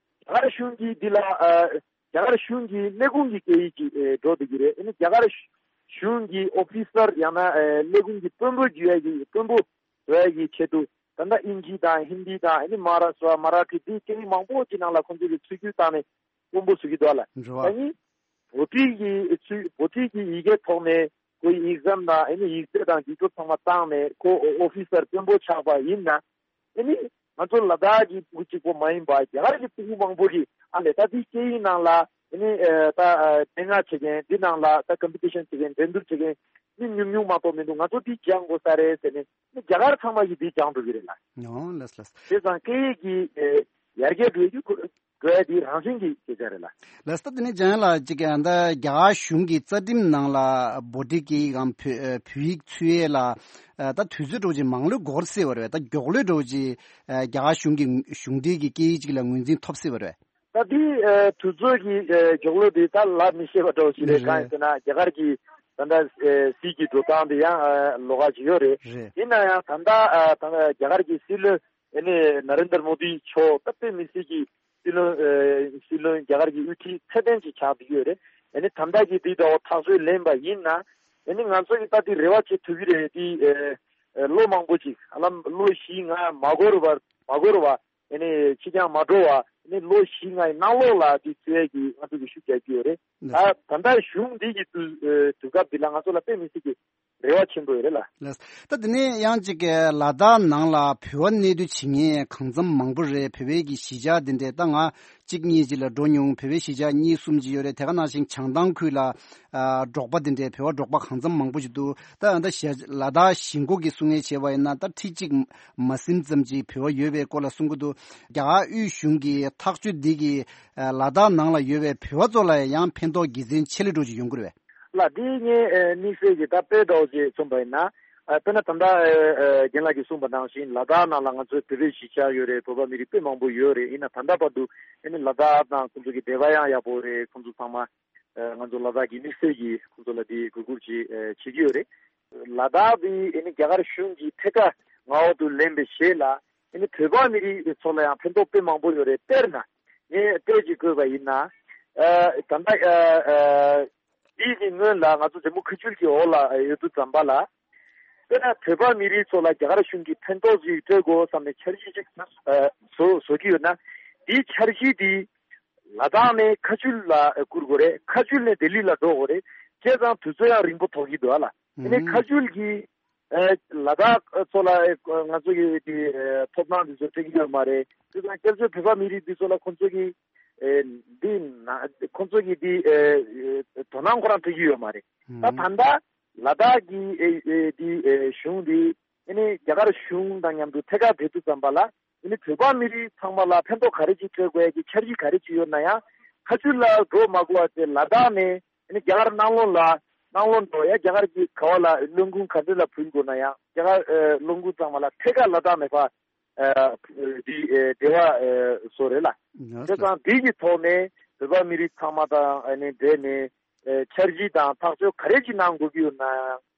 རྒྱ་གར་གཞུང་གིས་འདི་ལ་ཨ་རྒྱ་གར་གཞུང་གི་ལས་ཁུངས་ཀྱི་སྐད་ཡིག་ཅིག་ཨེ་འགྲོ་བསྡད་ཀྱི་རེད། ཨ་ནི་རྒྱ་གར་གཞུང་གི་ཨོ་ཕི་སར་ཡང་ན་ཨེ་ལས་ཁུངས་ཀྱི་དཔོན་པོ་བརྒྱུད་ཡ་གི་དཔོན་པོ་བཟོ་ཡ་གི་ཆེད་དུ་ད་ལྟ་ཨིན་ཇི་དང་ཧིན་དི་དང་ཨ་ནི་མ་ཧཱ་རཱ་ཤྲ་མ་ར་ཐི་འདི་སྐད་ཡིག་མང་པོ་ཅིག་ནང་ལ་ཁོང་ཚོ་གི་ཚུད་རྒྱུ་བཏང་ནས་དཔོན་པོ་བཟོ་གི་འདུག་ལ། འགྲོ་བ། ད་ནི་བྷོ་ཊི་གི་ཚུལ་བྷོ་ཊི་གི་ཡི་གེ་ཐོག་ནས་ཁོའི་ཨེག་ཛམ་དང་ཨ་ནི་ཡིག་ཚད་དང་རྒྱུགས་སྤྲོད་ཚང་མ་བཏང་ནས་ཁོ་ཨོ་ཕི་སར་དཔོན་པོ་ཆགས་པ་ཡིན་ན། ཨ་ནི་ང་ཚོ་ལ་དྭགས་ཀྱི་ཕྲུ་གུ་གཅིག་པོ་མ་ཡིན་པར་རྒྱ་གར་གྱི་ཕྲུ་གུ་མང་པོ་གིས་ཨ་ལས་ད་འདི་སྐད་ཡིག་ནང་ལ་ཨ་ནི་ཨ་ད་ཨ་སྙན་ངག་བྱེད་མཁན་འདི་ནང་ལ་ད་ཀམ་པི་ཊི་ཤན་བྱེད་མཁན་འགྲན་བསྡུར་བྱེད་མཁན་མི་ཉུང་ཉུང་མ་གཏོགས་མི་འདུག་ང་ཚོ་འདི་སྦྱང་དགོས་ས་རེད་ཟེར་ནས་ཨ་ནི་རྒྱ་གར་ཚང་མ་གིས་འདི་སྦྱང་འགྲོ་གི་རེད་ལ། ཨོ་ལགས་ལགས། བྱས་ཙང་སྐད་ཡིག་གི་ཨ་ཡར་རྒྱས་འགྲོ་རྒྱུ་ཁོ་འགྲོ་ཡ་དེ་རང་བཞིན་གྱི་སྐད་ཆ་རེད་ལ། ལགས་སོ། ད་དེ་ནས་འཇམ་དབྱངས་ལགས་ཅིག་ད་རྒྱ་གར་གཞུང་གི་རྩ་ཁྲིམས་ནང་ལ་བྷོ་ཊི་སྐད་ཡིག་གམ་བོད་བོད་ཡིག་ཚུད་ཡས་ལ་ད་དུས་ཚོད་འདྲ་བོ་ཅིག་མང་ལོས་འགོར་སྲིད་པ་རེད། ད་མགྱོགས་ལོས་འདྲ་བོ་ཅིག་རྒྱ་གར་གཞུང་གི་གཞུང་འབྲེལ་གྱི་སྐད་ཡིག་ཅིག་ལ་ངོས་འཛིན་ཐོབ་སྲིད་པ་རེད། ད་དེ་དུས་ཚོད་ཀྱི་མགྱོགས་ལོས་དེ་ད་ལབ་མི་ཤེས་པ་འདྲ་བོ་ཞིག་རེད། རེད། གང་ཡིན་ཟེར་ན་རྒྱ་གར་གྱི་ད་ལྟ་སྲིད་ཀྱི་འགྲོ་སྟངས་དེ་ཡང་ལོགས་ཀ་ཅིག་ཡོད་རེད། རེད། ཡིན་ན་ཡང་ད་ལྟ་ད་ལྟ་རྒྱ་གར་གྱི་སྲིད་བློན་ཨ་ནི་ན་རེན་དར་མོ་དི་མཆོག་ད་དཔེ་མི་སྲིད་ཀྱི་སྲིད་བློན་ཨ་སྲིད་བློན་རྒྱ་གར་གྱི་དབུ་ཁྲིད་ཚད་ལྡན་ཅིག་ཆགས་བསྡད་ཡོད་རེད། ཨ་ནི་ད་ལྟ་གི་འདི་འདྲ་བོ་ཐག་གཅོད་ལེན་པ་ཡིན་ན་ཨ་ནི་ང་ཚོ་གི་ད་འདི་རེ་བ་བྱེད་ཐུབ་ཀྱི་རེད། འདི་ཨ་ཨ་ལོ་མང་པོ་ཅིག་ཨ་ལམ་ལོ་བཞི་ལྔ་མ་འགོར་བར་མ་འགོར་བ་ཨ་ནི་ཕྱི་འགྱངས་མ་འགྲོ་བ་ ནི་ལོ་བཞི་ལྔའི་ནང་ལོགས་ལ་དེ་རྩོད་ཡས་ཀྱི་ང་ཚོ་གི་ཤུགས་རྒྱག་གི་ཡོད་རེད། ད་ད་ལྟ་གཞུང་འདི་གི་དུས་དུས་སྐབས་འདི་ལ་ང་ཚོ་ལ་དཔེ་མི་སྲིད་ཀྱི་རེ་བ་ཆེན་པོ་ཡོད་རེད་ལ། ལགས། ད་དེ་ནས་ཡང་ཅིག་གི་ལ་དྭགས་ནང་ལ་བོད་པ་གནས་སྡོད་བྱེད་མཁན་གང་འཚམ་མང་པོ་རེད། བོད་པའི་གི་གཞིས་ཆགས་འདི་འདྲས་ད་ང་གཅིག་གཉིས་ཅིག་ལ་འགྲོ་མྱོང་། བོད་པའི་གཞིས་ཆགས་གཉིས་གསུམ་ཅིག་ཡོད་རེད། དེ་ག་ནང་བཞིན་བྱང་ཐང་ཁུལ་ལ་ཨ་འབྲོག་པ་འདི་འདྲས་བོད་པ་འབྲོག་པ་གང་འཚམ་མང་པོ་ཞིག་འདུག་ད་ད་ཞལ་ལ་དྭགས་གཞིས་འགོ་གི་གསུང་ངེས་བྱས་པ་ཡིན་ན་ད་ཁྲི་གཅིག་མ་ཟིན་ཙམ་ཅིག་བོད་པ་ཡོད་པའི་སྐོར་ལ་གསུང་གི་འདུག་རྒྱ་གར་དབུས་གཞུང་གི་ཐག་གཅོད་འདི་གིས་ཨ་ལ་དྭགས་ནང་ལ་ཡོད་པའི་བོད་པ་ཚོ་ལ་ཡང་ཕན་ཐོགས་དགེ་མཚན་ཆེ་ལེ་འགྲོ་ཅིག་ཡོང་གི་རེད་པས། ལགས། འདི་ངས་ཨ་དམིགས་བསལ་གྱི་ད་དཔེ་འདྲ་བོ་ཅིག་མཚོན་པ་ཡིན་ན། ཨ་དཔེར་ན་ད་ལྟ་ཨ་ཨ་རྒན་ལགས་ཀྱིས་གསུངས་པ་ནང་བཞིན་ལ་དྭགས་ནང་ལ་ང་ཚོའི་བོད་པའི་གཞིས་ཆགས་ཡོད་རེད། བོད་པ་མི་རིགས་དཔེ་མང་པོ་ཡོད་རེད། ཡིན་ན་ད་ལྟ་བར་དུ་ཨ་ནི་ལ་དྭགས་དང་ཁོང་ཚོ་གི་འབྲེལ་བ་ཡང་ཡག་པོ་རེད། ཁོང་ཚོ་ཚང་མ་ཨ་ང་ཚོ་ལ་དྭགས་ཀྱི་དམིགས་བསལ་གྱིས་ཁོང་ཚོ་ལ་དེ་གུས་བཀུར་ཅིག་ཨ་བྱེད་ཀྱི་ཡོད་རེད། ལ་དྭགས་དེ་ཨ་ནི་རྒྱ་གར་གཞུང་གིས་ཐད་ཀར་མངའ་འོག་ཏུ་ལེན་པའི་རྗེས་ལ་ཨ་ནི་བོད་པ་མི་རིགས་ཚོ་ལ་ཡང་ཕན་ཐོགས་དཔེ་མང་པོ་ཡོད་རེད། དཔེར་ན་ངས་ལྟོས་ཅིག་བཀོད་པ་ཡིན་ན། ཨ་ད་ལྟ་ཨ་ཨ་འདི་གི་སྔོན་ལ་ང་ཚོ་འཛམ་བུ་ཁ་ཆུལ་གྱི་འོག་ལ་ཡོད་དུས་ཙམ་པ་ལ། དཔེར་ན་བོད་པ་མི་རིགས་ཚོ་ལ་རྒྱ་གར་གཞུང་གིས་ཕན་ཐོགས་ཅིག་སྤྲོད་དགོས་བསམ་ནས་འཆར་གཞི་ཅིག་ཨ་བཟོ་བཟོ་གི་ཡོད་ན། དེའི་འཆར་གཞི་དེ་ལ་དྭགས་ནས་ཁ་ཆུལ་ལ་བསྐུར་དགོས་རེད། ཁ་ཆུལ་ནས་ལྡི་ལི་ལ་འགྲོ་དགོས་རེད། བྱས་ཙང་དུས་ཚོད་ཡང་རིང་པོ་ཐོགས་ཀྱི་འདུག་ཨ་ལ། དེ་ནས་ཁ་ཆུལ་གྱི་ཨ་ལ་དྭགས་ཚོ་ལ་ཨ་ང་ཚོ་གི་དེ་ཨ་ཐོབ་ཐང་དེ་ཚོ་སྤྲད་ཀྱི་ཡོད་མ་རེད། དེ་དང་སྐྱབས་བཅོལ་བོད་པ་མི་རིགས་དེ་ཚོ་ལ་ཁོང་ཚོ་གི་ཨེ་འདི་ན་ཁོང་ཚོ་གི་འདི་ཨེ་དོ་སྣང་ཁོ་རང་སྤྲད་ཀྱི་ཡོད་མ་རེད། ད་ད་ལྟ་ལ་དྭགས་ཀྱི་ཨེ་ཨེ་འདི་ཨེ་གཞུང་འདི་ཨེ་ནི་རྒྱ་གར་གཞུང་དང་མཉམ་དུ་ཐད་ཀར་འབྲེལ་མཐུད་ཙམ་པ་ལ་ཨེ་ནི་བོད་པ་མི་རིགས་ཚང་མ་ལ་ཕན་ཐོགས་ག་རེ་ཅིག་སྤྲད་དགོས་ཡ་གི་འཆར་གཞི་ག་རེ་ཅིག་ཡོད་ན་ཡང་། ཁ་ཆུལ་ལ་འགྲོ་མ་དགོས་པ་བྱས་ལ་དྭགས་ནས་ཨེ་ནི་རྒྱ་གར་ནང་ལོགས་ལ་ནང་ལོགས་འགྲོ་ཡ། རྒྱ་གར་གྱི་ག་བ་ལ་སློབ་ཁུངས་ག་འདྲ་ལ་ཕུལ་དགོས་ན་ཡང་རྒྱ་གར་ཨེ་སློབ་ཁུངས་ཚང་མ་ལ་ཐད་ཀར་ལ་དྭགས་ནས་ཕར་ཨ་འདི་ཨེ་འབྲེལ་བ་ཨེ་བཟོ་རེད་ལ། ལགས་སོ། དེ་ཙང་འདི་གི་ཐོག་ནས་བོད་པ་མི་རིགས་ཚང་མ་དང་ཨ་ནི་འབྲེལ་ནས་ཨེ་འཆར་གཞི་དང་ཐག་གཅོད་ག་རེ་ཅིག་གནང་དགོས་ཀྱི་ཡོད་ན་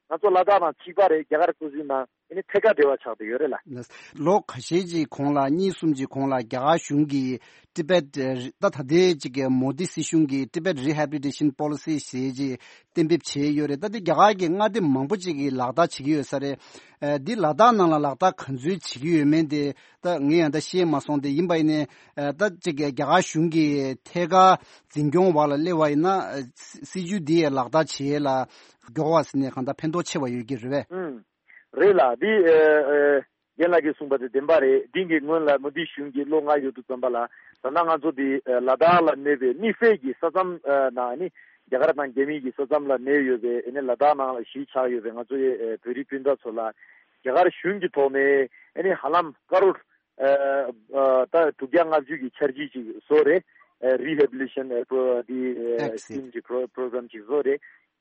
ང་ཚོ་ལ་དྭགས་དང་གཅིག་པ་རེད། རྒྱ་གར་སོ་སོའི་ནང་ཨ་ནི་ཐད་ཀར་འབྲེལ་བ་ཆགས་བསྡད་ཡོད་རེད་ལ། ལགས། ལོ་ཁ་ཤས་ཅིག་གོང་ལ་གཉིས་གསུམ་ཅིག་གོང་ལ་རྒྱ་གར་གཞུང་གིས་ཏི་པེད་ད་ད་ལྟའི་ཅིག་གི་མོ་དི་སྲིད་གཞུང་གིས་Tibet Rehabilitation Policy་ཞེས་ཅིག་གཏན་འབེབས་བྱས་ཡོད་རེད། ད་འདི་རྒྱ་གར་གྱི་མངའ་སྡེ་མང་པོ་ཅིག་གིས་ལག་བསྟར་བྱེད་ཀྱི་ཡོད་ས་རེད། ཨ་འདི་ལ་དྭགས་ནང་ལ་ལག་བསྟར་ག་ཚོད་བྱེད་ཀྱི་ཡོད་མེད་དེ་ད་ངས་ཡང་ད་ཤེས་མ་སོང་། དེ་ཡིན་པ་ཡིན་ནའི་ཨ་ད་ཅིག་གི་རྒྱ་གར་གཞུང་གིས་ཐད་ཀར་འཛིན་སྐྱོང་འོག་ལ་སླེབས་པ་ཡིན་ན་ཨ་སྲིད་སྲིད་ཇུས་འདི་ཡང་ལག་བསྟར་བྱེད་ཡས་ལ་མགྱོགས་པ་ཟེར་ནས་གང་ལྟར་ཕན་ཐོགས་ཆེ་བ་ཡོད་ཀྱི་རེད་པས། ཨང་། རེད་ལ། འདི་ཨ་ཨ་རྒན་ལགས་ཀྱིས་གསུངས་པ་དེ་བདེན་པ་རེད། འདི་གི་སྔོན་ལ་མོ་དི་གཞུང་གིས་ལོ་ལྔ་ཡོད་དུས་ཙམ་པ་ལ་ད་ལྟ་ང་ཚོ་འདི་ཨ་ལ་དྭགས་ལ་གནས་པའི་དམིགས་བསལ་གྱི་ས་མཚམས་ཨ་ནང་ནི་རྒྱ་གར་དང་རྒྱ་མིའི་གི་ས་མཚམས་ལ་གནས་ཡོད་པའི་ཨ་ནི་ལ་དྭགས་ནང་ལ་གཞིས་ཆགས་ཡོད་པའི་ང་ཚོ་ཡི་ཨ་བོད་རིགས་སྤུན་ཟླ་ཚོ་ལ་རྒྱ་གར་གཞུང་གི་ཐོག་ནས་ཨ་ནི་ཧ་ལམ་ཀ་རོར་ཨ་ཨ་ད་དྲུག་བརྒྱ་ལྔ་བཅུ་གི་འཆར་གཞི་ཅིག་བཟོ་རེད། ཨ་rehabilitation་ཨ་པོ་འདི་ཨ་Act་ཟེར། Scheme་གི་པོ་པོ་རོ་གྷ་རམ་ཅིག་བཟོ་རེད།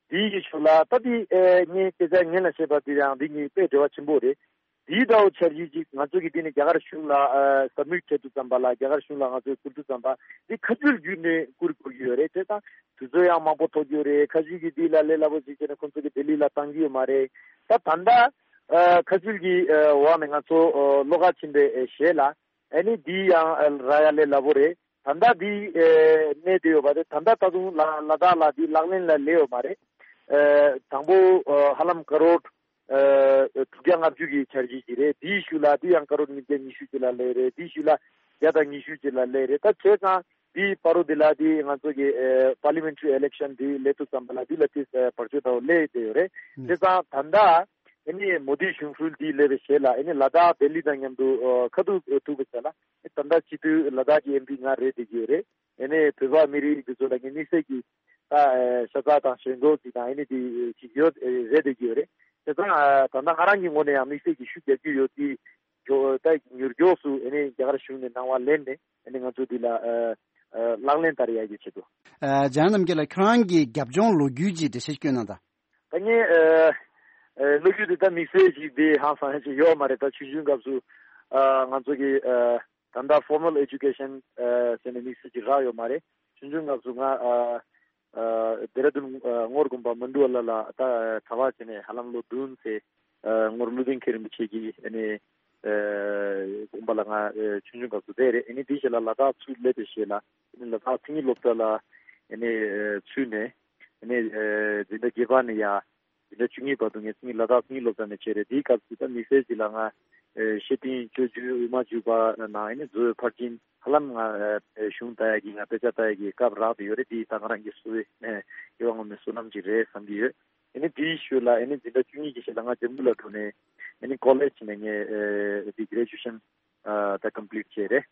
དེའི་གི་ཤུལ་ལ་ད་དེ་ཨེ་ངས་སྐད་ཆ་ངན་ལ་བཤད་པ་དེ་ཡང་འདི་ངའི་དཔེ་འབྲེལ་བ་ཆེན་པོ་རེད། དེའི་འདྲ་བོ་འཆར་གཞི་ཅིག་ང་ཚོ་གི་དེ་ནས་རྒྱ་གར་གཞུང་ལ་ཨ་submit་བྱེད་དུས་ཙམ་པ་ལ་རྒྱ་གར་གཞུང་ལ་ང་ཚོས་བསྐུར་དུས་ཙམ་པ་འདི་ཁ་ཆུལ་བརྒྱུད་ནས་བསྐུར་དགོས་ཀྱི་ཡོད་རེད། དེ་དང་དུས་ཚོད་ཡང་མང་པོ་ཐོགས་ཀྱི་ཡོད་རེད། ཁ་ཆུལ་གྱི་འདི་ལ་ལས་སླ་པོ་ཅིག་བྱས་ནས་ཁོང་ཚོ་གི་ལྡི་ལི་ལ་བཏང་གི་ཡོད་མ་རེད། ད་ད་ལྟ་ཨ་ཁ་ཆུལ་གྱི་ཨ་འོག་ནས་ང་ཚོ་ཨ་བློ་ཁ་ཕྱིན་པའི་ཨེ་གཞས་ལ་ཨ་ནི་འདི་ཡང་ཨ་རག་ཡ་ལས་སླ་པོ་རེད། ད་ལྟ་འདི་ཨེ་གནས་བསྡད་ཡོད་པ་རེད། ད་ལྟ་ད་དུང་ལ་ལ་དྭགས་ལ་འདི་ལག་ལེན་ལ་སླེབས་ཡོད་མ་རེད། ཨེ་དང་པོ་ཨ་ཧ་ལམ་ཀ་རོར་ཨེ་དྲུག་བརྒྱ་ལྔ་བཅུ་གི་འཆར་གཞི་ཅིག་རེད། དེའི་ཤུལ་ལ་འདི་ཡང་ཀ་རོར་ཉིས་བརྒྱ་ཉི་ཤུ་ཅིག་ལ་སླེབས་རེད། དེའི་ཤུལ་ལ་བརྒྱ་དང་ཉི་ཤུ་ཅིག་ལ་སླེབས་རེད། ད་བྱས་ཙང་འདི་བར་དུ་འདི་ལ་འདི་ང་ཚོ་གི་ཨེ་parliamentary election་འདི་སླེབས་དུས་ཙམ་པ་ལ་འདི་ལ་དེ་ཨེ་བར་ཆད་འདྲ་བོ་སླེབས་བསྡད་ཡོད་རེད། ཨུ། བྱས་ཙང་ད་ལྟ་ཨ་ནི་མོ་དི་གཞུང་སྲོལ་འདི་སླེབས་པའི་རྗེས་ལ་ཨ་ནི་ལ་དྭགས་ལྡི་ལི་དང་མཉམ་དུ་ཨ་ཁ་ཐུག་ཐུག་པའི་རྗེས་ལ་ཨ་ད་ལྟ་སྤྱི་འཐུས་ལ་དྭགས་ཀྱི་ཨེམ་པི་ང་རེད་བསྡད་ཀྱི་ཡོད་རེད། ཨ་ནི་བོད་པ་མི་རིགས་འདི་ཚོ་ལ་ངས་དམིགས་བསལ་གྱི་ད་ཨ་ཤ་ཚ་དང་ཞེན་ཁོག་ཅིག་དང་ཨ་ནི་དེ་ཅིག་ཡོད་ཨ་རེད་བསྡད་ཀྱི་ཡོད་རེད། བྱས་ཙང་ཨ་ད་ལྟ་ང་རང་གི་ངོས་ནས་ཡང་དམིགས་བསལ་གྱི་ཤུགས་རྒྱག་རྒྱུ་ཡོད་དེ་ད་མྱུར་མགྱོགས་སུ་ཨ་ནི་རྒྱ་གར་གཞུང་ནས་གནང་བ་ལེན་ནས་ཨ་ནི་ང་ཚོ་འདི་ལ་ཨ་ཨ་ལག་ལེན་བསྟར་ཡག་གི་ཆེད་དུ། ཨ་ལྗང་རྣམ་རྒྱལ་ལགས་ཁྱོད་རང་གི་རྒྱབ་ལྗོངས་ལོ་རྒྱུས་ཀྱི་འགྲེལ་བཤད་སྐྱོན་གནང་དང་། ད་ངས་ཨ་ཨ་ལོ་རྒྱུས་དེ་ད་དམིགས་བསལ་ཅིག་དེ་ཧང་སང་ཡ་ཅིག་ཡོད་མ་རེད། ད་ཆུང་ཆུང་སྐབས་སུ་ཨ་ང་ཚོ་གི་ཨ་ད་ལྟ་formal education་ཨ་ཟེར་ནས་དམིགས་བསལ་ཅིག་རག་ཡོད་མ་རེད། ཆུང་ཆུང་སྐབས་སུ་ང་ཨ་ཨ་ལྡེ་ར་ལྡུན་ཨ་ངོར་དགོན་པ་མན་དུ་ཝ་ལ་ལ་ད་གྲྭ་པ་བྱས་ནས་ཧ་ལམ་ལོ་བདུན་ཙམ་ཨ་ངོར་ཀླུ་ལྡིང་མཁན་རིན་པོ་ཆེ་གི་ཨ་ནི་ཨ་དགོན་པ་ལ་ང་ཨ་ཆུང་ཆུང་སྐབས་སུ་བསྡད་རེད། ཨ་ནི་དེའི་རྗེས་ལ་ལ་དྭགས་ཚུར་སླེབས་པའི་རྗེས་ལ་ཨ་ནི་ལ་དྭགས་མཚན་ཉིད་སློབ་གྲྭ་ལ་ཨ་ནི་ཨ་ཚུད་ནས། ཨ་ནི་ཨ་འཛིན་གྲྭ་བརྒྱད་པ་ནས་ཡ་འཛིན་གྲྭ་བཅུ་གཉིས་བར་དུ་ངས་མཚན་ཉིད་ལ་དྭགས་མཚན་ཉིད་སློབ་གྲྭ་ནས་བྱས་རེད། དེའི་སྐབས་སུ་ད་དམིགས་བསལ་ཅིག་ལ་ང་ ཨེ་ཤེས་ལྡན་སྤྱོད་འཇུག་དབུ་མ་འཇུག་པ་ནང་ཨེ་ནི་མཛོད་ཕར་ཕྱིན་ཧ་ལམ་ང་ཨེ་གཞུང་ལྟ་ཡ་གི་ང་དཔེ་ཆ་ལྟ་ཡ་གི་སྐབས་རག་ཏུ་ཡོད་རེད། འདི་ད་ང་རང་གི་སུ་ཨེ་སྐྱེ་བ་སྔོན་མའི་བསོད་ནམས་ཅིག་རེད་བསམ་གྱི་ཡོད། ཨེ་ནི་དེའི་ཤུལ་ལ་ཨེ་ནི་འཛིན་གྲྭ་བཅུ་གཉིས་ཀྱི་ཤུལ་ལ་ང་ཇམ་མུ་ལ་འགྲོ་ནས་ཨེ་ནི་ཀོ་ལེཇ་ནས་ངས་ཨེ་འདི་གྷི་རེ་ཇུ་ཤན་ཨ་ད་ཀམ་པི་ལིཊ་བྱས་རེད།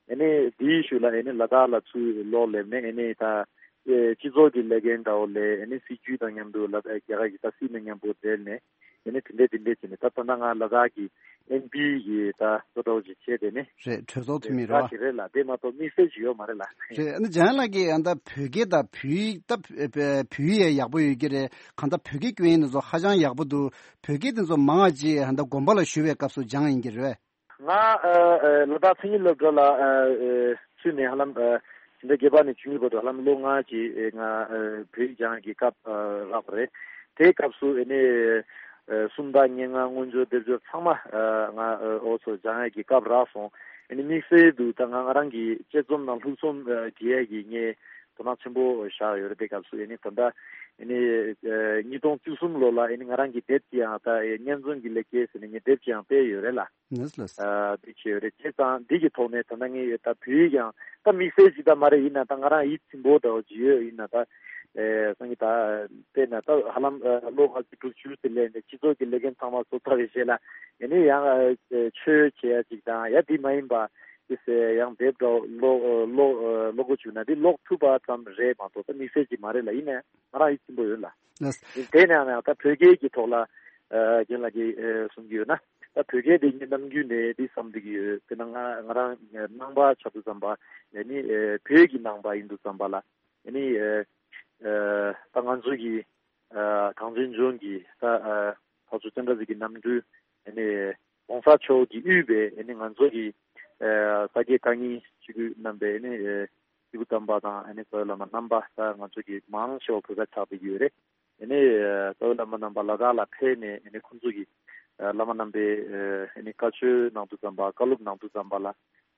ཨེ་ནི་དེའི་ཤུལ་ལ་ཨེ་ནི་ལ་དྭགས་ལ་ཚུར་ལོག་སླེབས་ནས་ཨེ་ནི་ད་ཨེ་སྤྱི་ཚོགས་ཀྱི་ལས་འགན་འདྲ་བོ་ལས་ཨེ་ནི་སྲིད་ཇུས་དང་མཉམ་དུ་ལ་དྭགས་རྒྱ་གར་གྱི་ད་སྲིད་དང་མཉམ་པོ་འབྲེལ་ནས་ཨེ་ནི་དེ་འདྲས་དེ་འདྲས་བྱས་ནས་ད་ད་ལྟ་ང་ལ་དྭགས་ཀྱི་ཨེན་པི་ཡི་ད་གཙོ་འདྲ་བོ་ཞིག་བྱས་དེ་ནི་རེད། གྲོས་ཚོགས་འཐུས་མི་རེད་ད་བ། ཞིག་རེད་ལ། དེ་མ་གཏོགས་དམིགས་བསལ་ཞིག་ཡོད་མ་རེད་ལ། རེད། ཨ་ནི་འཇམ་དབྱངས་ལགས་ཀྱིས་ཨ་ད་བོད་སྐད་དང་བོད་ཡིག་ད་བོད་ཡིག་ཡག་པོ་ཡོད་ཀྱི་རེད། གང་ལྟར་བོད་སྐད་སྐྱོན་ཡིན་ན་ཚོ་ཧ་ཅང་ཡག་པོ་འདུག་བོད་སྐད་དེ་ཚོ་མང་བ་ཅིག་ཨ་ད་དགོན་པ་ལ་ཞུ་བའི་སྐབས་སུ་སྦྱངས་ཡིན་གྱི་རེད། ང་ཨ་ཨ་ལ་དྭགས་མཚན་ཉིད་སློབ་གྲྭ་ལ་ཨ་ཨ་ཚུད་ནས་ཧ་ལམ་ཨ་ཕྱི་ཟླ་བརྒྱད་པ་ནས་བཅུ་གཉིས་བར་དུ་ཧ་ལམ་ལོ་ལྔ་ཅིག་ཨེ་ང་ཨ་བོད་ཡིག་སྦྱང་གི་སྐབས་ཨ་རག་པ་རེད། དེའི་སྐབས་སུ་ཨེ་ནས་ཨ་སུམ་རྟགས་སྙན་ངག་མངོན་བརྗོད་སྡེབ་སྦྱོར་ཚང་མ་ཨ་ང་ཨ་འོ་ཚོ་སྦྱང་ཡ་གི་སྐབས་རག་སོང་། ཨེ་ནས་དམིགས་བསལ་དུ་ད་ང་ང་རང་གི་དཔྱད་རྩོམ་དང་ལྷུག་རྩོམ་ཨ་བྲིས་ཡ་གི་ངས་དོ་སྣང་ཆེན་པོ་བཞག་ཡོད་རེད། དེ་སྐབས་སུ་ཨེ་ནས་ད་ལྟ་ཨེ་ནས་ཨ་ཉིས་སྟོང་བཅུ་གསུམ་ལོ་ལ་ཨེ་ནས་ང་རང་གི་དེབ་ཅིག་ཡང་ད་ཨེ་སྙན་རྩོམ་གྱི་ལེགས་སྐྱེས་ཟེར་ནས་ངས་དེབ་ཅིག་ཡང་སྤེལ་ཡོད་རེད་ལ། ལགས་ལགས། ཨ་འདི་བྱས་ཡོད་རེད། བྱས་ཙང་འདི་གི་ཐོག་ནས་ད་ལྟ་ངས་ད་བོད་ཡིག་ཡང་ད་དམིགས་བསལ་ཅིག་ད་མ་རེད། ཡིན་ན་ད་ང་རང་ཡིད་ཚིམ་པོ་འདྲ་བོ་ཅིག་ཡོད། ཡིན་ན་ད་ཨེ་སང་གི་ད་དཔེར་ན་ད་ཧ་ལམ་ཨ་ལོ་ལྔ་བཅུ་དྲུག་ཅུ་ཙམ་སླེབས་ནས་སྤྱི་ཚོགས་ཀྱི་ལས་འགན་ཚང་མ་བཟོ་ཚར་བའི་རྗེས་ལ་ཨེ་ནས་ཡང་ཨ་ཆོས་བྱེད་ཡ་ཅིག་དང་ཡ་དེ་མ་ཡིན་པ་དེ་ཟེར་ཡང་དེབ་འདྲ་བོ་ཀློག་ཨ་ཀློག་ཨ་ཀློག་དགོས་བྱུང་ན་དེ་ཀློག་ཐུབ་པ་ཙམ་རེད་མ་གཏོགས་ད་དམིགས་བསལ་ཅིག་མ་རེད་ལ། ཡིན་ནའི་ང་རང་ཡིད་ཚིམ་པོ་ཡོད་ལ། ལགས། དེ་ནས་ཡང་ད་བོད་སྐད་ཀྱི་ཐོག་ལ་ཨ་རྒན་ལགས་ཀྱིས་ཨ་གསུང་གི་ཡོད་ན། ད་བོད་སྐད་དེ་ངས་ནམ་རྒྱུན་ནས་འདི་བསམ་བསྡད་ཀྱི་ཡོད། དཔེར་ན་ང་ང་རང་ནང་པ་ཆགས་དུས་ཙམ་པ་ཡ་ནི་ཨ་བོད་ཀྱི་ནང་པ་ཡིན་དུས་ཙམ་པ་ལ་ཡ་ནི་ཨ་ཨ་ད་ང་ཚོ་གི་ཨ་གངས་ཅན་ལྗོངས་ཀྱི་ད་ཨ་འཕགས་མཆོག་སྤྱན་རས་གཟིགས་ཀྱི་རྣམ་སྤྲུལ་ཡ་ནི་༸གོང་ས་མཆོག་གིས་དབུས་པའི་ཡ་ནི་ང་ཚོ་གི་ཨ་ས་སྐྱ་བཀའ་རྙིང་སྤྱི་འཐུས་རྣམ་པའི་ཡ་ནི་ཨ་སྐྱེས་བུ་དམ་པ་དང་ཨ་ནི་རྩ་བའི་བླ་མ་རྣམ་པ་ད་ང་ཚོ་གི་མང་ཆེ་བ་བོད་པ་ཆགས་བསྡད་ཀྱི་ཡོད་རེད། ཨ་ནི་རྩ་བའི་བླ་མ་རྣམ་པ་ལ་དྭགས་ལ་ཕེབས་ནས་ཨ་ནི་ཁོང་ཚོ་གི་བླ་མ་རྣམ་པའི་ཨ་ནི་བཀའ་ཆོས་གནང་དུས་ཙམ་པ་བཀའ་སློབ་གནང་དུས་ཙམ་པ་ལ་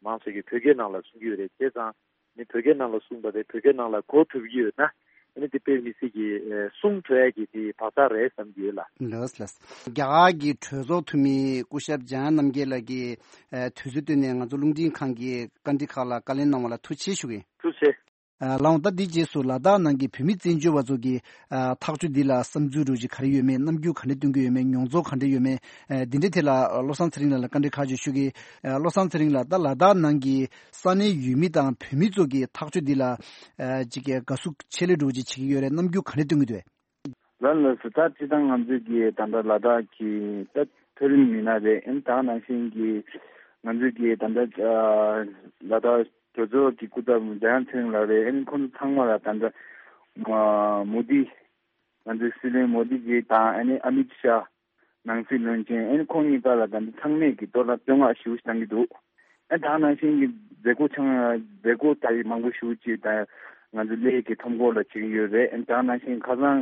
མང་ཆེ་གི་བོད་སྐད་ནང་ལ་གསུང་གི་ཡོད་རེད། བྱས་ཙང་ཨ་ནི་བོད་སྐད་ནང་ལ་གསུངས་པ་དེ་བོད་སྐད་ནང་ལ་གོ་ཐུབ་ཀྱི་ཡོད་ན་ཨ་ནི་དེ་དཔེ་མི་སྲིད་ཀྱི་ཨ་གསུང་ཐུབ་ཡ་གི་དེ་བག་ཆགས་རེད་བསམ་གྱི་ཡོད་ལ། ལགས་ལགས། རྒྱ་གར་གྱི་གྲོས་ཚོགས་འཐུས་མི་སྐུ་ཞབས་འཇམ་དབྱངས་རྣམ་རྒྱལ་ལགས་ཀྱིས་ཨ་དུས་ཚོད་བཏོན་ནས་ང་ཚོ་རླུང་འཕྲིན་ཁང་གི་བཀའ་འདྲི་ཁག་ལ་བཀའ་ལན་གནང་བ་ལ་ཐུགས་རྗེ་ཆེ་ཞུ་གི་ཡིན། ཐུགས་རྗེ་ཆེ། ཨ་ལགས་འོང་། ད་འདིའི་རྗེས་སུ་ལ་དྭགས་ནང་གི་བོད་མི་བཙན་བྱོལ་བ་ཚོ་གི་ཨ་ཐག་གཅོད་འདི་ལ་བསམ་ཚུལ་འདྲ་བོ་ཅིག་ག་རེ་ཡོད་མེད། རྣམ་འགྱུར་ག་འདྲ་སྟོན་གྱི་ཡོད་མེད། མྱོང་ཚོར་ག་འདྲ་ཡོད་མེད། ཨ་འདི་འདྲའི་ཐད་ལ་ཨ་བློ་བཟང་ཚེ་རིང་ལགས་ལ་བཀའ་འདྲི་ཁག་ཅིག་ཞུ་གི་ཡིན། ཨ་བློ་བཟང་ཚེ་རིང་ལགས། ད་ལ་དྭགས་ནང་གི་ས་གནས་ཡུལ་མི་དང་བོད་མི་ཚོ་གི་ཐག་གཅོད་འདི་ལ་ཨ་ཅིག་གི་དགའ་བསུ་ཆེ་ལེ་འདྲ་བོ་ཅིག་བྱེད་ཀྱི་ཡོད་རེད། རྣམ་འགྱུར་ག་འདྲ་སྟོན་གྱི་འདུག་ལགས་ལགས་སོ། ད་སྤྱིར་བཏང་ང་ཚོས་ཀྱི་ད་ལྟ་ལ་དྭགས་ཀྱི་ད་མཐོ་རིམ་མི་སྣ་རེད། ཨ་ནི་ད་ག་ནང་བཞིན་གྱི་ང་ཚོས་ཀྱི་ད་ལྟ་ཨ་ལ་དྭགས་གྲོས་ཚོགས་ཀྱི་སྐུ་ཚབ་འཇམ་དབྱངས་ཚེ་རིང་ལགས་རེད། ཨ་ནི་ཁོང་ཚོ་ཚང་མ་ལ་ད་ལྟ་མ་མོ་དི་ང་ཚོའི་སྲིད་བློན་མོ་དི་ཇི་དང་ཨ་ནི་ཨ་མིད་ཤཱ་ནང་སྲིད་བློན་ཆེན་ཨ་ནི་ཁོང་གཉིས་ཀ་ལ་ད་ལྟ་ཚང་མས་ཀྱི་གཏོར་བརླག་བསྟོད་བསྔགས་ཞེ་པོ་ཞིག་བཏང་གི་འདུག་ཨ་ད་ག་ནང་བཞིན་གྱི་མཛད་སྒོ་ཆང་མཛད་སྒོ་ད་ཡི་མང་པོ་ཞེ་པོ་ཅིག་ད་ང་ཚོ་གླེ་གི་ཁྲོམ་སྐོར་ལ་བྱེད་ཀྱི་ཡོད་རེད། ཨ་ད་ག་ནང་བཞིན་ཁ་སང་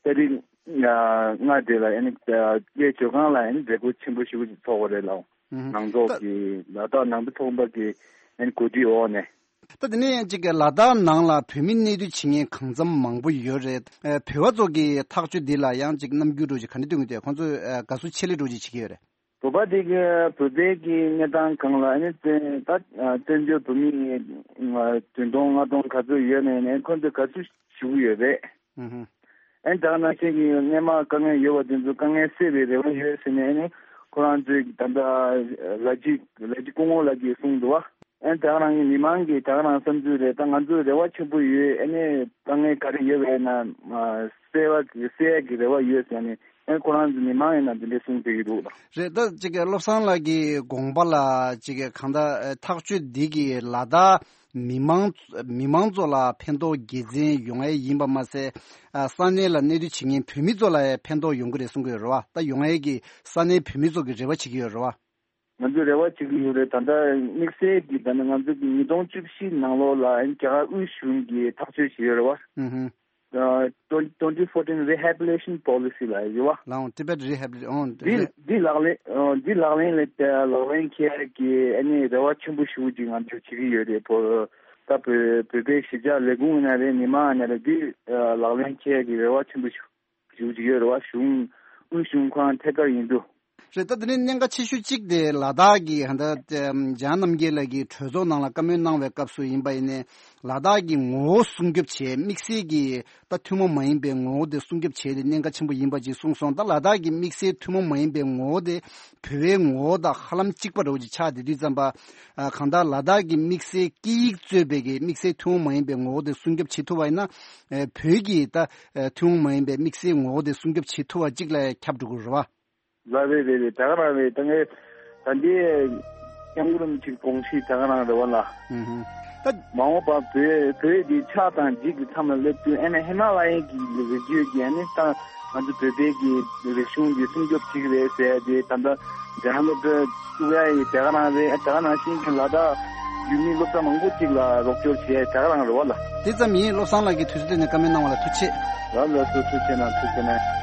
ཏ་རིག་ལྔ་དེ་ལ་ཨ་ནི་གླེ་ཇོ་ཁང་ལ་ཨ་ནི་མཛད་སྒོ་ཆེན་པོ་ཞེ་པོ་ཅིག་ཚོགས་པ་རེད་ལགས། ཨུ་ཧུ། ནང་ཐོག་གི་ལ་དྭགས་ནང་པའི་ཚོགས་པ་གི་ཨ་ནི་གོ་སྒྲིག་འོག་ནས། ད་དེ་ནས་ཅིག་ལ་དྭགས་ནང་ལ་བོད་མི་གནས་སྡོད་བྱེད་མཁན་གང་འཚམ་མང་པོ་ཡོད་རེད། ཨ་བོད་པ་ཚོ་གི་ཐག་གཅོད་འདི་ལ་ཡང་ཅིག་རྣམ་འགྱུར་འདྲ་བོ་ཅིག་ག་འདྲ་སྟོན་གྱི་འདུག་ཁོང་ཚོས་ཨ་དགའ་བསུ་ཆེ་ལེ་འདྲ་བོ་ཅིག་བྱེད་ཀྱི་ཡོད་རེད། བོད་པ་དེ་གི་བོད་པའི་གི་གནས་སྟངས་སྒང་ལ་ཨ་ནི་བཙན་ད་བཙན་བྱོལ་བོད་མི་བདུན་སྟོང་ལྔ་སྟོང་ག་ཚོད་ཡོད་ནའི་ནས་ཁོང་ཚོས་དགའ་བསུ་ཞུ་གི་ཡོད་རེད། ཨུ་ཧུ། ཨ་ནི་ད་ག་ནང་བཞིན་གྱི་སྔས་མ་དཀའ་ངལ་ཡོད་པ་དེ་ཚོ་དཀའ་ངལ་སེལ་བའི་རེ་བ་ཡོད་ཟེར་ནས་ཨ་ནི་ཁོ་རང་ཚོས་ད་ལྟ་ལ་ཅི་ལ་ཅི་སྐུ་ངོ་ལགས་ཀྱིས་གསུངས་འདུག་བ། ཨ་ནི་ད་ག་རང་གི་མི་མང་གི་ད་ག་རང་བསམ་ཚུལ་རེད། ད་ང་ཚོ་རེ་བ་ཆེན་པོ་ཡོད། ཨ་ནི་དཀའ་ངལ་ག་རེ་ཡོད་པ་ཡིན་ན་སེལ་བ་སེལ་ཡག་གི་རེ་བ་ཡོད་ཟེར་ནས་ཨ་ནི་ཁོ་རང་ཚོ་མི་མང་ཡིན་ན་འདི་འདྲས་གསུངས་བསྡད་ཀྱི་འདུག་ལགས། རེད། ད་ཅིག་བློ་བཟང་ལགས་ཀྱི་དགོངས་པ་ལ་ཅིག་གང་ལྟར་ཐག་གཅོད་འདི་གི་ལ་དྭགས་མི་མང་མི་མང་ཚོ་ལ་ཕན་ཐོགས་དགེ་མཚན་ཡོང་ཡས་ཡིན་པ་མ་ཟད། ཨ་ས་གནས་ལ་གནས་སྡོད་བྱེད་མཁན་བོད་མི་ཚོ་ལ་ཡང་ཕན་ཐོགས་ཡོང་གི་རེད་གསུང་གི་ཡོད་རེད་བ། ད་ཡོང་ཡས་ཀྱི་ས་གནས་བོད་མི་ཚོ་གི་རེ་བ་བྱེད་ཀྱི་ཡོད་རེད་བ། ང་ཚོས་རེ་བ་བྱེད་ཀྱི་ཡོད་རེད། ད་ལྟ་དམིགས་བསལ་གྱི་ད་ནི་ང་ཚོ་གི་ཉིས་སྟོང་བཅུ་བཞི་ནང་ལོགས་ལ་རྒྱ་གར་དབུས་གཞུང་གིས་ཐག་གཅོད་བྱས་ཡོད་རེད་བ། ཨུ་ཧུ། ཨ་twenty fourteen rehabilitation policy ལ་ཡོད་བ། ལའང་Tibet rehabilitation འདི་འདི་ལག་ལེན་ཨ་འདི་ལག་ལེན་ལ་ལག་ལེན་འཁེལ་ཡག་གི་ཨ་ནི་རེ་བ་ཆེན་པོ་ཞེ་པོ་ཅིག་ང་ཚོས་བྱེད་ཀྱི་ཡོད་རེད། བོད་ད་བོད་བོད་པའི་གཞིས་ཆགས་ལས་ཁུངས་ཡིན་ན་རེད། མི་མང་ཡིན་ན་རེད། འདི་ཨ་ལག་ལེན་འཁེལ་ཡག་གི་རེ་བ་ཆེན་པོ་ཞེ་ཞུ་གི་ཡོད་རེད་བ། གཞུང་དབུས་གཞུང་ཁོ་རང་ཐད་ཀར་ཡིན་དུས། རེད། ད་དེ་ནས་གནད་འགག་ཆེ་ཤོས་གཅིག་དེ་ལ་དྭགས་ཀྱི་ཧ་ད་འཇམ་དབྱངས་རྣམ་རྒྱལ་ལགས་ཀྱིས་གྲོས་ཚོགས་ནང་ལ་བཀའ་མོལ་གནང་བའི་སྐབས་སུ་ཡིན་པ་ཡིན་ནའི་ལ་དྭགས་ཀྱི་ངོ་བོ་སྲུང་སྐྱོབ་བྱེད་དམིགས་བསལ་གྱི་ད་ཐུན་མོང་མ་ཡིན་པའི་ངོ་བོ་དེ་སྲུང་སྐྱོབ་བྱེད་དེ་གནད་འགག་ཆེན་པོ་ཡིན་པ་ཅིག་གསུངས་སོང་། ད་ལ་དྭགས་ཀྱི་དམིགས་བསལ་ཐུན་མོང་མ་ཡིན་པའི་ངོ་བོ་དེ་བོད་པའི་ངོ་བོ་དང་ཧ་ལམ་གཅིག་པ་འདྲ་བོ་ཅིག་ཆགས་བསྡད་དུས་ཙམ་པ། ཨ་གང་ལྟར་ལ་དྭགས་ཀྱི་དམིགས་བསལ་སྐད་ཡིག་གཙོས་པའི་གི་དམིགས་བསལ་ཐུན་མོང་མ་ཡིན་པའི་ངོ་བོ་དེ་སྲུང་སྐྱོབ་བྱེད་ཐུབ་པ་ཡིན་ན། ཨ་བོད་ཀྱི་ད་ཨ་ཐུན་མོང་མ་ཡིན་པའི་དམིགས་བསལ་ངོ་བོ་དེ་སྲུང་སྐྱོབ་བྱེད་ཐུབ་པ་གཅིག་ལ་ཁྱབ་འགྲོ་གི་རེད་བ། ལགས་རེད་རེད་རེད། ད་ག་རང་རེད། ད་ངས་ད་འདི་སྐྱབས་མགོན་རིན་པོ་ཆེའི་དགོངས་གཞི་ད་ག་རང་རེད་བ་ལ། ཨུ་ཧུ། ད་མ་འོངས་པ་བོད་བོད་འདི་ཆགས་དང་འཇིག་གི་མཚམས་ལ་སླེབས་དུས་ཨ་ནི་ཧི་མ་ལ་ཡའི་གི་རི་རྒྱུད་ཀྱི་ཨ་ནི་ད་ང་ཚོ་བོད་པའི་གི་རིག་གཞུང་འདི་སྲུང་སྐྱོབ་བྱེད་ཀྱི་རེད་ཟེར་ཏེ་ད་ལྟ་རྒྱ་གར་སློབ་གྲྭ་བཙུགས་ཡ་ཡི་ད་ག་རང་རེད། ད་ག་ནང་བཞིན་གྱི་ལ་དྭགས་ཡུལ་མི་སློབ་གྲྭ་མང་པོ་ཅིག་ལ་རོགས་སྐྱོར་བྱས་ད་ག་རང་རེད་བ་ལ། དེ་ཙམ་ཡིན། བློ་བཟང་ལགས་ཀྱིས་དུས་ཚོད་དེ་ནས་བཀའ་མོལ་གནང་བ་ལ་ཐུགས་རྗེ་ཆེ། ལགས་ལགས་སོ། ཐུགས་རྗེ་གནང་། ཐུགས་རྗེ་གནང་།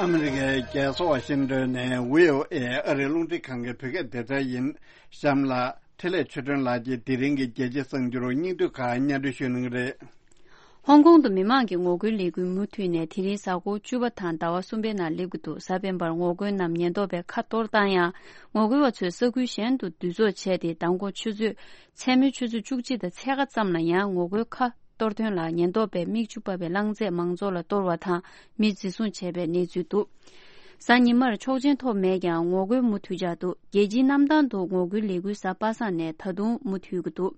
ཨ་མི་རི་ཀའི་རྒྱལ་ས་ཝ་ཤིང་ཏོན་ནས་བྷི་ཨོ་ཨེ་ཨ་རིའི་རླུང་འཕྲིན་ཁང་གི་བོད་སྐད་སྡེ་ཚན་ཡིན། གཤམ་ལ་འཕྲིན་ལས་ཆོས་སྒྲོན་ལགས་ཀྱིས་དེ་རིང་གི་རྒྱལ་སྤྱིའི་གསར་འགྱུར་སྙིང་བསྡུས་ཁག་སྙན་སྒྲོན་ཞུ་གནང་གི་རེད། ཧོང་ཀོང་དུ་མི་མང་གི་ངོ་རྒོལ་ལས་འགུལ་མུ་མཐུད་ནས་དེ་རིང་གཟའ་འཁོར་བཅུ་པ་དང་ཟླ་བ་གསུམ་པའི་ནང་སླེབས་ཀྱི་འདུག་གཟའ་སྤེན་པར་ངོ་རྒོལ་རྣམས་ཉེན་རྟོག་པས་ཁ་གཏོར་བཏང་ཡང་། ངོ་རྒོལ་བ་ཚོས་ས་ཁུལ་གཞན་དུ་འདུ་ཚོགས་བྱས་ཏེ་མདང་དགོང་ཆུ་ཚོད་མཚན་མོའི་ཆུ་ཚོད་བཅུ་གཅིག་དང་ཕྱེད་ཀ་ཙམ་ལ་ཡང་ངོ་རྒོལ་ཁ་གཏོར་དོན་ལ་ཉེན་རྟོག་པས་མིག་ཆུ་ཕབ་པའི་རླངས་རྫས་མང་ཚོགས་ལ་གཏོར་བ་དང་མི་འཛིན་བཟུང་བྱས་པའི་གནས་ཚུལ་འདུག་གཟའ་ཉི་མར་ཆོག་མཆན་ཐོབ་མེད་ཀྱང་ངོ་རྒོལ་མུ་མཐུད་འཆར་འདུག་རྒྱལ་སྤྱིའི་གནམ་ཐང་དུ་ངོ་རྒོལ་ལས་འགུལ་གཟའ་པ་སངས་ནས་ད་དུང་མུ་མཐུད་ཀྱི་འདུག་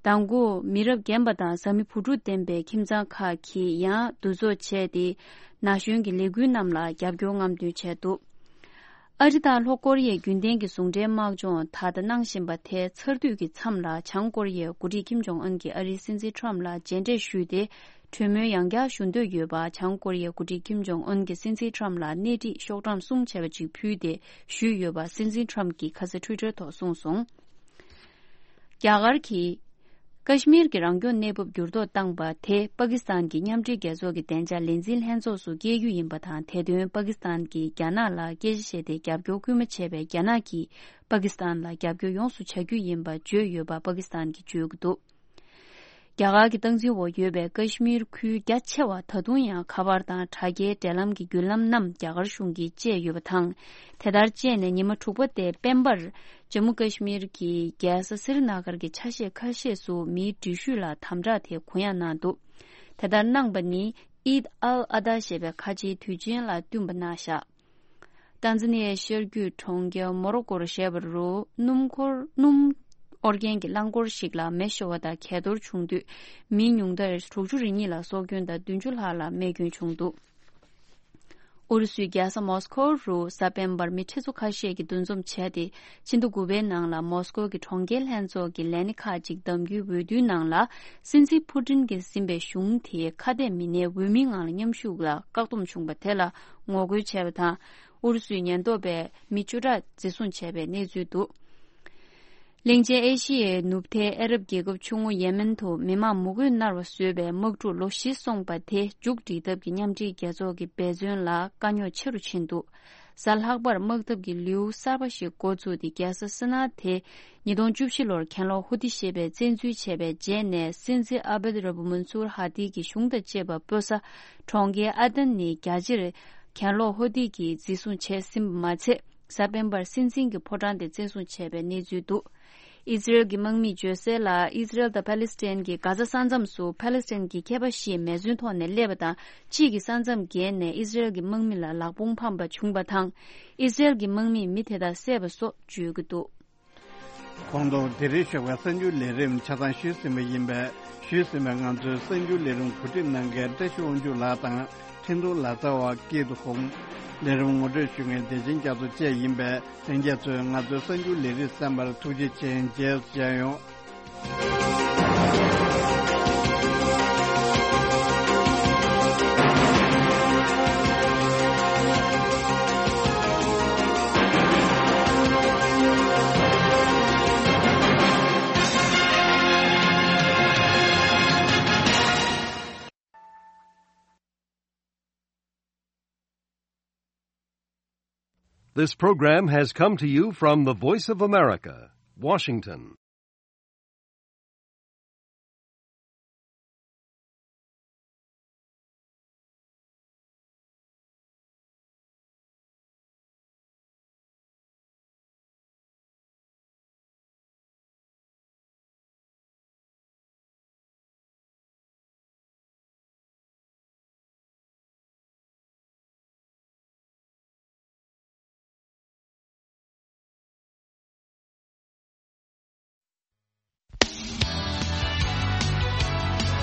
མདང་དགོང་མི་རབས་རྒན་པ་དང་བཟའ་མི་བུ་ཕྲུག་ལྡན་པའི་ཁྱིམ་ཚང་ཁག་གིས་ཡང་འདུ་ཚོགས་བྱས་ཏེ་ན་གཞོན་གྱི་ལས་འགུལ་རྣམས་ལ་རྒྱབ་སྐྱོར་རྔམ་སྟོན་བྱས་འདུག་ཨ་རི་དང་ལྷོ་ཀོ་རི་ཡའི་རྒྱུན་ལྡན་གྱི་ཟུང་འབྲེལ་དམག་སྦྱོང་ད་ལྟ་གནང་བཞིན་པ་དེ་ཚར་དུས་ཀྱི་མཚམས་ལ་བྱང་ཀོ་རི་ཡའི་འགོ་ཁྲིད་ཀིམ་ཇོང་ཨུན་གྱིས་ཨ་རིའི་སྲིད་འཛིན་ཁྲོམ་ལ་མཇལ་འཕྲད་ཞུས་ཏེ། གྲོས་མོལ་ཡང་བསྐྱར་ཞུ་འདོད་ཡོད་པ་བྱང་ཀོ་རི་ཡའི་འགོ་ཁྲིད་ཀིམ་ཇོང་ཨུན་གྱིས་སྲིད་འཛིན་ཁྲོམ་ལ་སྣེ་ཁྲིད་ཤོག་གྲངས་གསུམ་བྱས་པ་ཅིག་ཕུལ་ཏེ་ཞུས་ཡོད་པ་སྲིད་འཛིན་ཁྲོམ་གྱིས་ཁ་སང་ཊུའི་ཊར་ཐོག་གསུངས་སོང་། རྒྱ་གར་གྱིས་ཀ་ཤི་མིར་གྱི་རང་སྐྱོང་གནས་བབ་འགྱུར་ལྡོག་བཏང་པ་དེ་པ་ཀི་སི་ཐན་གྱི་མཉམ་འབྲེལ་རྒྱལ་ཚོགས་ཀྱི་བདེ་འཇགས་ལས་འཛིན་ལྷན་ཚོགས་སུ་སྐྱེལ་རྒྱུ་ཡིན་པ་དང་། དེ་དོན་པ་ཀི་སི་ཐན་གྱིས་རྒྱ་ནག་ལ་སྐད་ཆ་བཤད་དེ་རྒྱབ་སྐྱོར་སྐུལ་མ་བྱས་པས། རྒྱ་ནག་གིས་པ་ཀི་སི་ཐན་ལ་རྒྱབ་སྐྱོར་ཡོངས་སུ་བྱ་རྒྱུ་ཡིན་པ་བརྗོད་ཡོད་པ་པ་ཀི་སི་ཐན་གྱིས་བརྗོད་ཀྱི་འདུག་རྒྱ་གར་གྱི་སྟངས་འཛིན་འོག་ཡོད་པའི་ཀ་ཤི་མིར་ཁུལ་རྒྱ་ཆེ་བ་ད་དུང་ཡང་ཁ་པར་དང་དྲ་རྒྱའི་འབྲེལ་ལམ་གྱི་བརྒྱུད་ལམ་རྣམས་རྒྱ་གར་གཞུང་གིས་བཅད་ཡོད་པ་དང་། དེ་ལྟར་བཅད་ནས་ཉི་མ་དྲུག་པ་སྟེ་སྤེན་པར་ཇམ་མུ་ཀ་ཤི་མིར་གྱི་རྒྱལ་ས་སི་རི་ན་གར་གྱི་ཆ་ཤས་ཁ་ཤས་སུ་མིའི་འགྲུལ་བཞུད་ལ་དམ་དྲག་དེ་གུ་ཡངས་གནང་འདུག་དེ་ལྟར་གནང་པ་ནི་ཨིད་ཨལ་ཨ་དྷ་ཞེས་པའི་ཁ་ཆེའི་དུས་ཆེན་ལ་བསྟུན་པ་གནང་བཞག་ཏན་ཛ་ནི་ཡའི་ཤར་རྒྱུད་གྲོང་ཁྱེར་མོ་རོ་ཀོར་བཞད་པ་རུ་སྣུམ་འཁོར་སྣུམ་དབོར་མཁན་གྱི་རླངས་འཁོར་ཞིག་ལ་མེ་ཤོར་བ་དང་གས་གཏོར་བྱུང་དུས། མི་ཉུང་མཐར་དྲུག་ཅུ་རེ་གཉིས་ལ་སྲོག་སྐྱོན་དང་བདུན་ཅུ་ལྷག་ལ་རྨས་སྐྱོན་བྱུང་འདུག་ཨུ་རུ་སུའི་རྒྱལ་ས་མོ་སི་ཁོ་རུ་གཟའ་སྤེན་པར་མི་ཁྲི་ཚོ་ཁ་ཤས་ཀྱིས་འདུ་འཛོམས་བྱས་ཏེ། ཕྱི་ཟླ་དགུ་པའི་ནང་ལ་མོ་སི་ཁོ་གི་གྲོང་ཁྱེར་ལྷན་ཚོགས་ཀྱི་ལས་སྣེ་ཁག་ཅིག་གདམ་རྒྱུའི་འོས་བསྡུའི་ནང་ལ། སྲིད་འཛིན་ཕུ་ཏིན་གྱིས་ཟིན་པའི་གཞུང་དེའི་ཁ་གཏད་མི་སྣའི་འོས་མིའི་ངང་ལ་མཉམ་ཞུགས་ལ་བཀག་སྡོམ་བྱུང་བ་དེ་ལ་ངོ་རྒོལ་བྱས་པ་དང་། ཨུ་རུ་སུའི་ཉེན་རྟོག་པས་མི་བཅུ་ཕྲག་འཛིན་བཟུང་བྱས་པའི་གནས་ཚུལ་འདུག་གླིང་ཆེན་ཨེ་ཤི་ཡའི་ནུབ་མཐའི་ཨ་རབ་རྒྱལ་ཁབ་ཆུང་ངུ་ཡེ་མེན་དུ་མི་མང་མུ་གེས་མནར་བ་བཟོས་པའི་དམག་འཁྲུག་ལོ་བཞི་སོང་པ་དེ་མཇུག་སྒྲིལ་ཐབས་ཀྱི་མཉམ་འབྲེལ་རྒྱལ་ཚོགས་ཀྱི་འབད་བརྩོན་ལ་དཀའ་རྙོག་ཆེ་རུ་ཕྱིན་འདུག་གཟའ་ལྷག་པར་དམག་འཐབ་ཀྱི་ལེའུ་གསར་པ་ཞིག་འགོ་བཙུགས་ཏེ། རྒྱལ་ས་སི་ན་དེ་ཉིས་སྟོང་བཅུ་བཞི་ལོར་གྱེན་ལོག་ཧུ་ཏི་ཞེས་པས་བཙན་འཛུལ་བྱས་པའི་རྗེས་ནས། སྲིད་འཛིན་ཨ་བེད་ར་བུ་མན་སུར་ཧ་ཏི་གི་གཞུང་དང་བཅས་པ་སྤོ་ས་གྲོང་ཁྱེར་ཨ་དན་ནི་རྒྱ་ཆེར་གྱེན་ལོག་ཧུ་ཏི་གིས་འཛིན་བཟུང་བྱས་ཟིན་པ་མ་ཚད། གཟའ་སྤེན་པར་སྲིད་འཛིན་གྱི་ཕོ་བྲང་དེ་བཙན་བཟུང་བྱས་པའི་གནས་ཚུལ་འདུག་ཨི་ཟི་རེལ་གྱི་དམག་མིས་བརྗོད་གསལ་ལ། ཨི་ཟི་རེལ་དང་ཕཱ་ལེ་སི་ཐན་གྱིས་གྷ་ཛ་ས་མཚམས་སུ་ཕཱ་ལེ་སི་ཐན་གྱི་མཁས་པ་བཞི་མེ་ཟོན་ཐོག་ནས་སླེབས་པ་དང་། གཅིག་གིས་ས་མཚམས་བརྒལ་ནས་ཨི་ཟི་རེལ་གྱི་དམག་མི་ལ་ལག་དཔུང་འཕངས་པ་བྱུང་བ་དང་། ཨི་ཟི་རེལ་གྱི་དམག་མིས་མི་དེ་དག་བསད་པ་སོགས་བརྗོད་ཀྱི་འདུག་ཁོང་དུ་དེ་རིང་ཞོགས་པའི་གསར་འགྱུར་ལས་རིམ་ཆ་ཚང་ཞུས་ཟིན་པ་ཡིན་པས། ཞུས་ཟིན་པའི་ང་ཚོའི་གསར་འགྱུར་ལས་རིམ་གོ་སྒྲིག་གནང་མཁན་བཀྲ་ཤིས་དབང་ཕྱུག་ལགས་དང་། འཕྲིན་གཏོང་ལག་རྩལ་བ་སྐྱིད་སྡུག་ཁོང་། ལས་རིམ་ངོ་སྤྲོད་ཞུ་མཁན་བདེ་ཆེན་རྒྱ་མཚོ་བཅས་ཡིན་པས། ལྷན་རྒྱས་ཚོས་ང་ཚོའི་གསར་འགྱུར་ལས་རིམ་གསན་པར་ཐུགས་རྗེ་ཆེ། མཇལ་མཇལ་ཡོང་། This program has come to you from the Voice of America, Washington.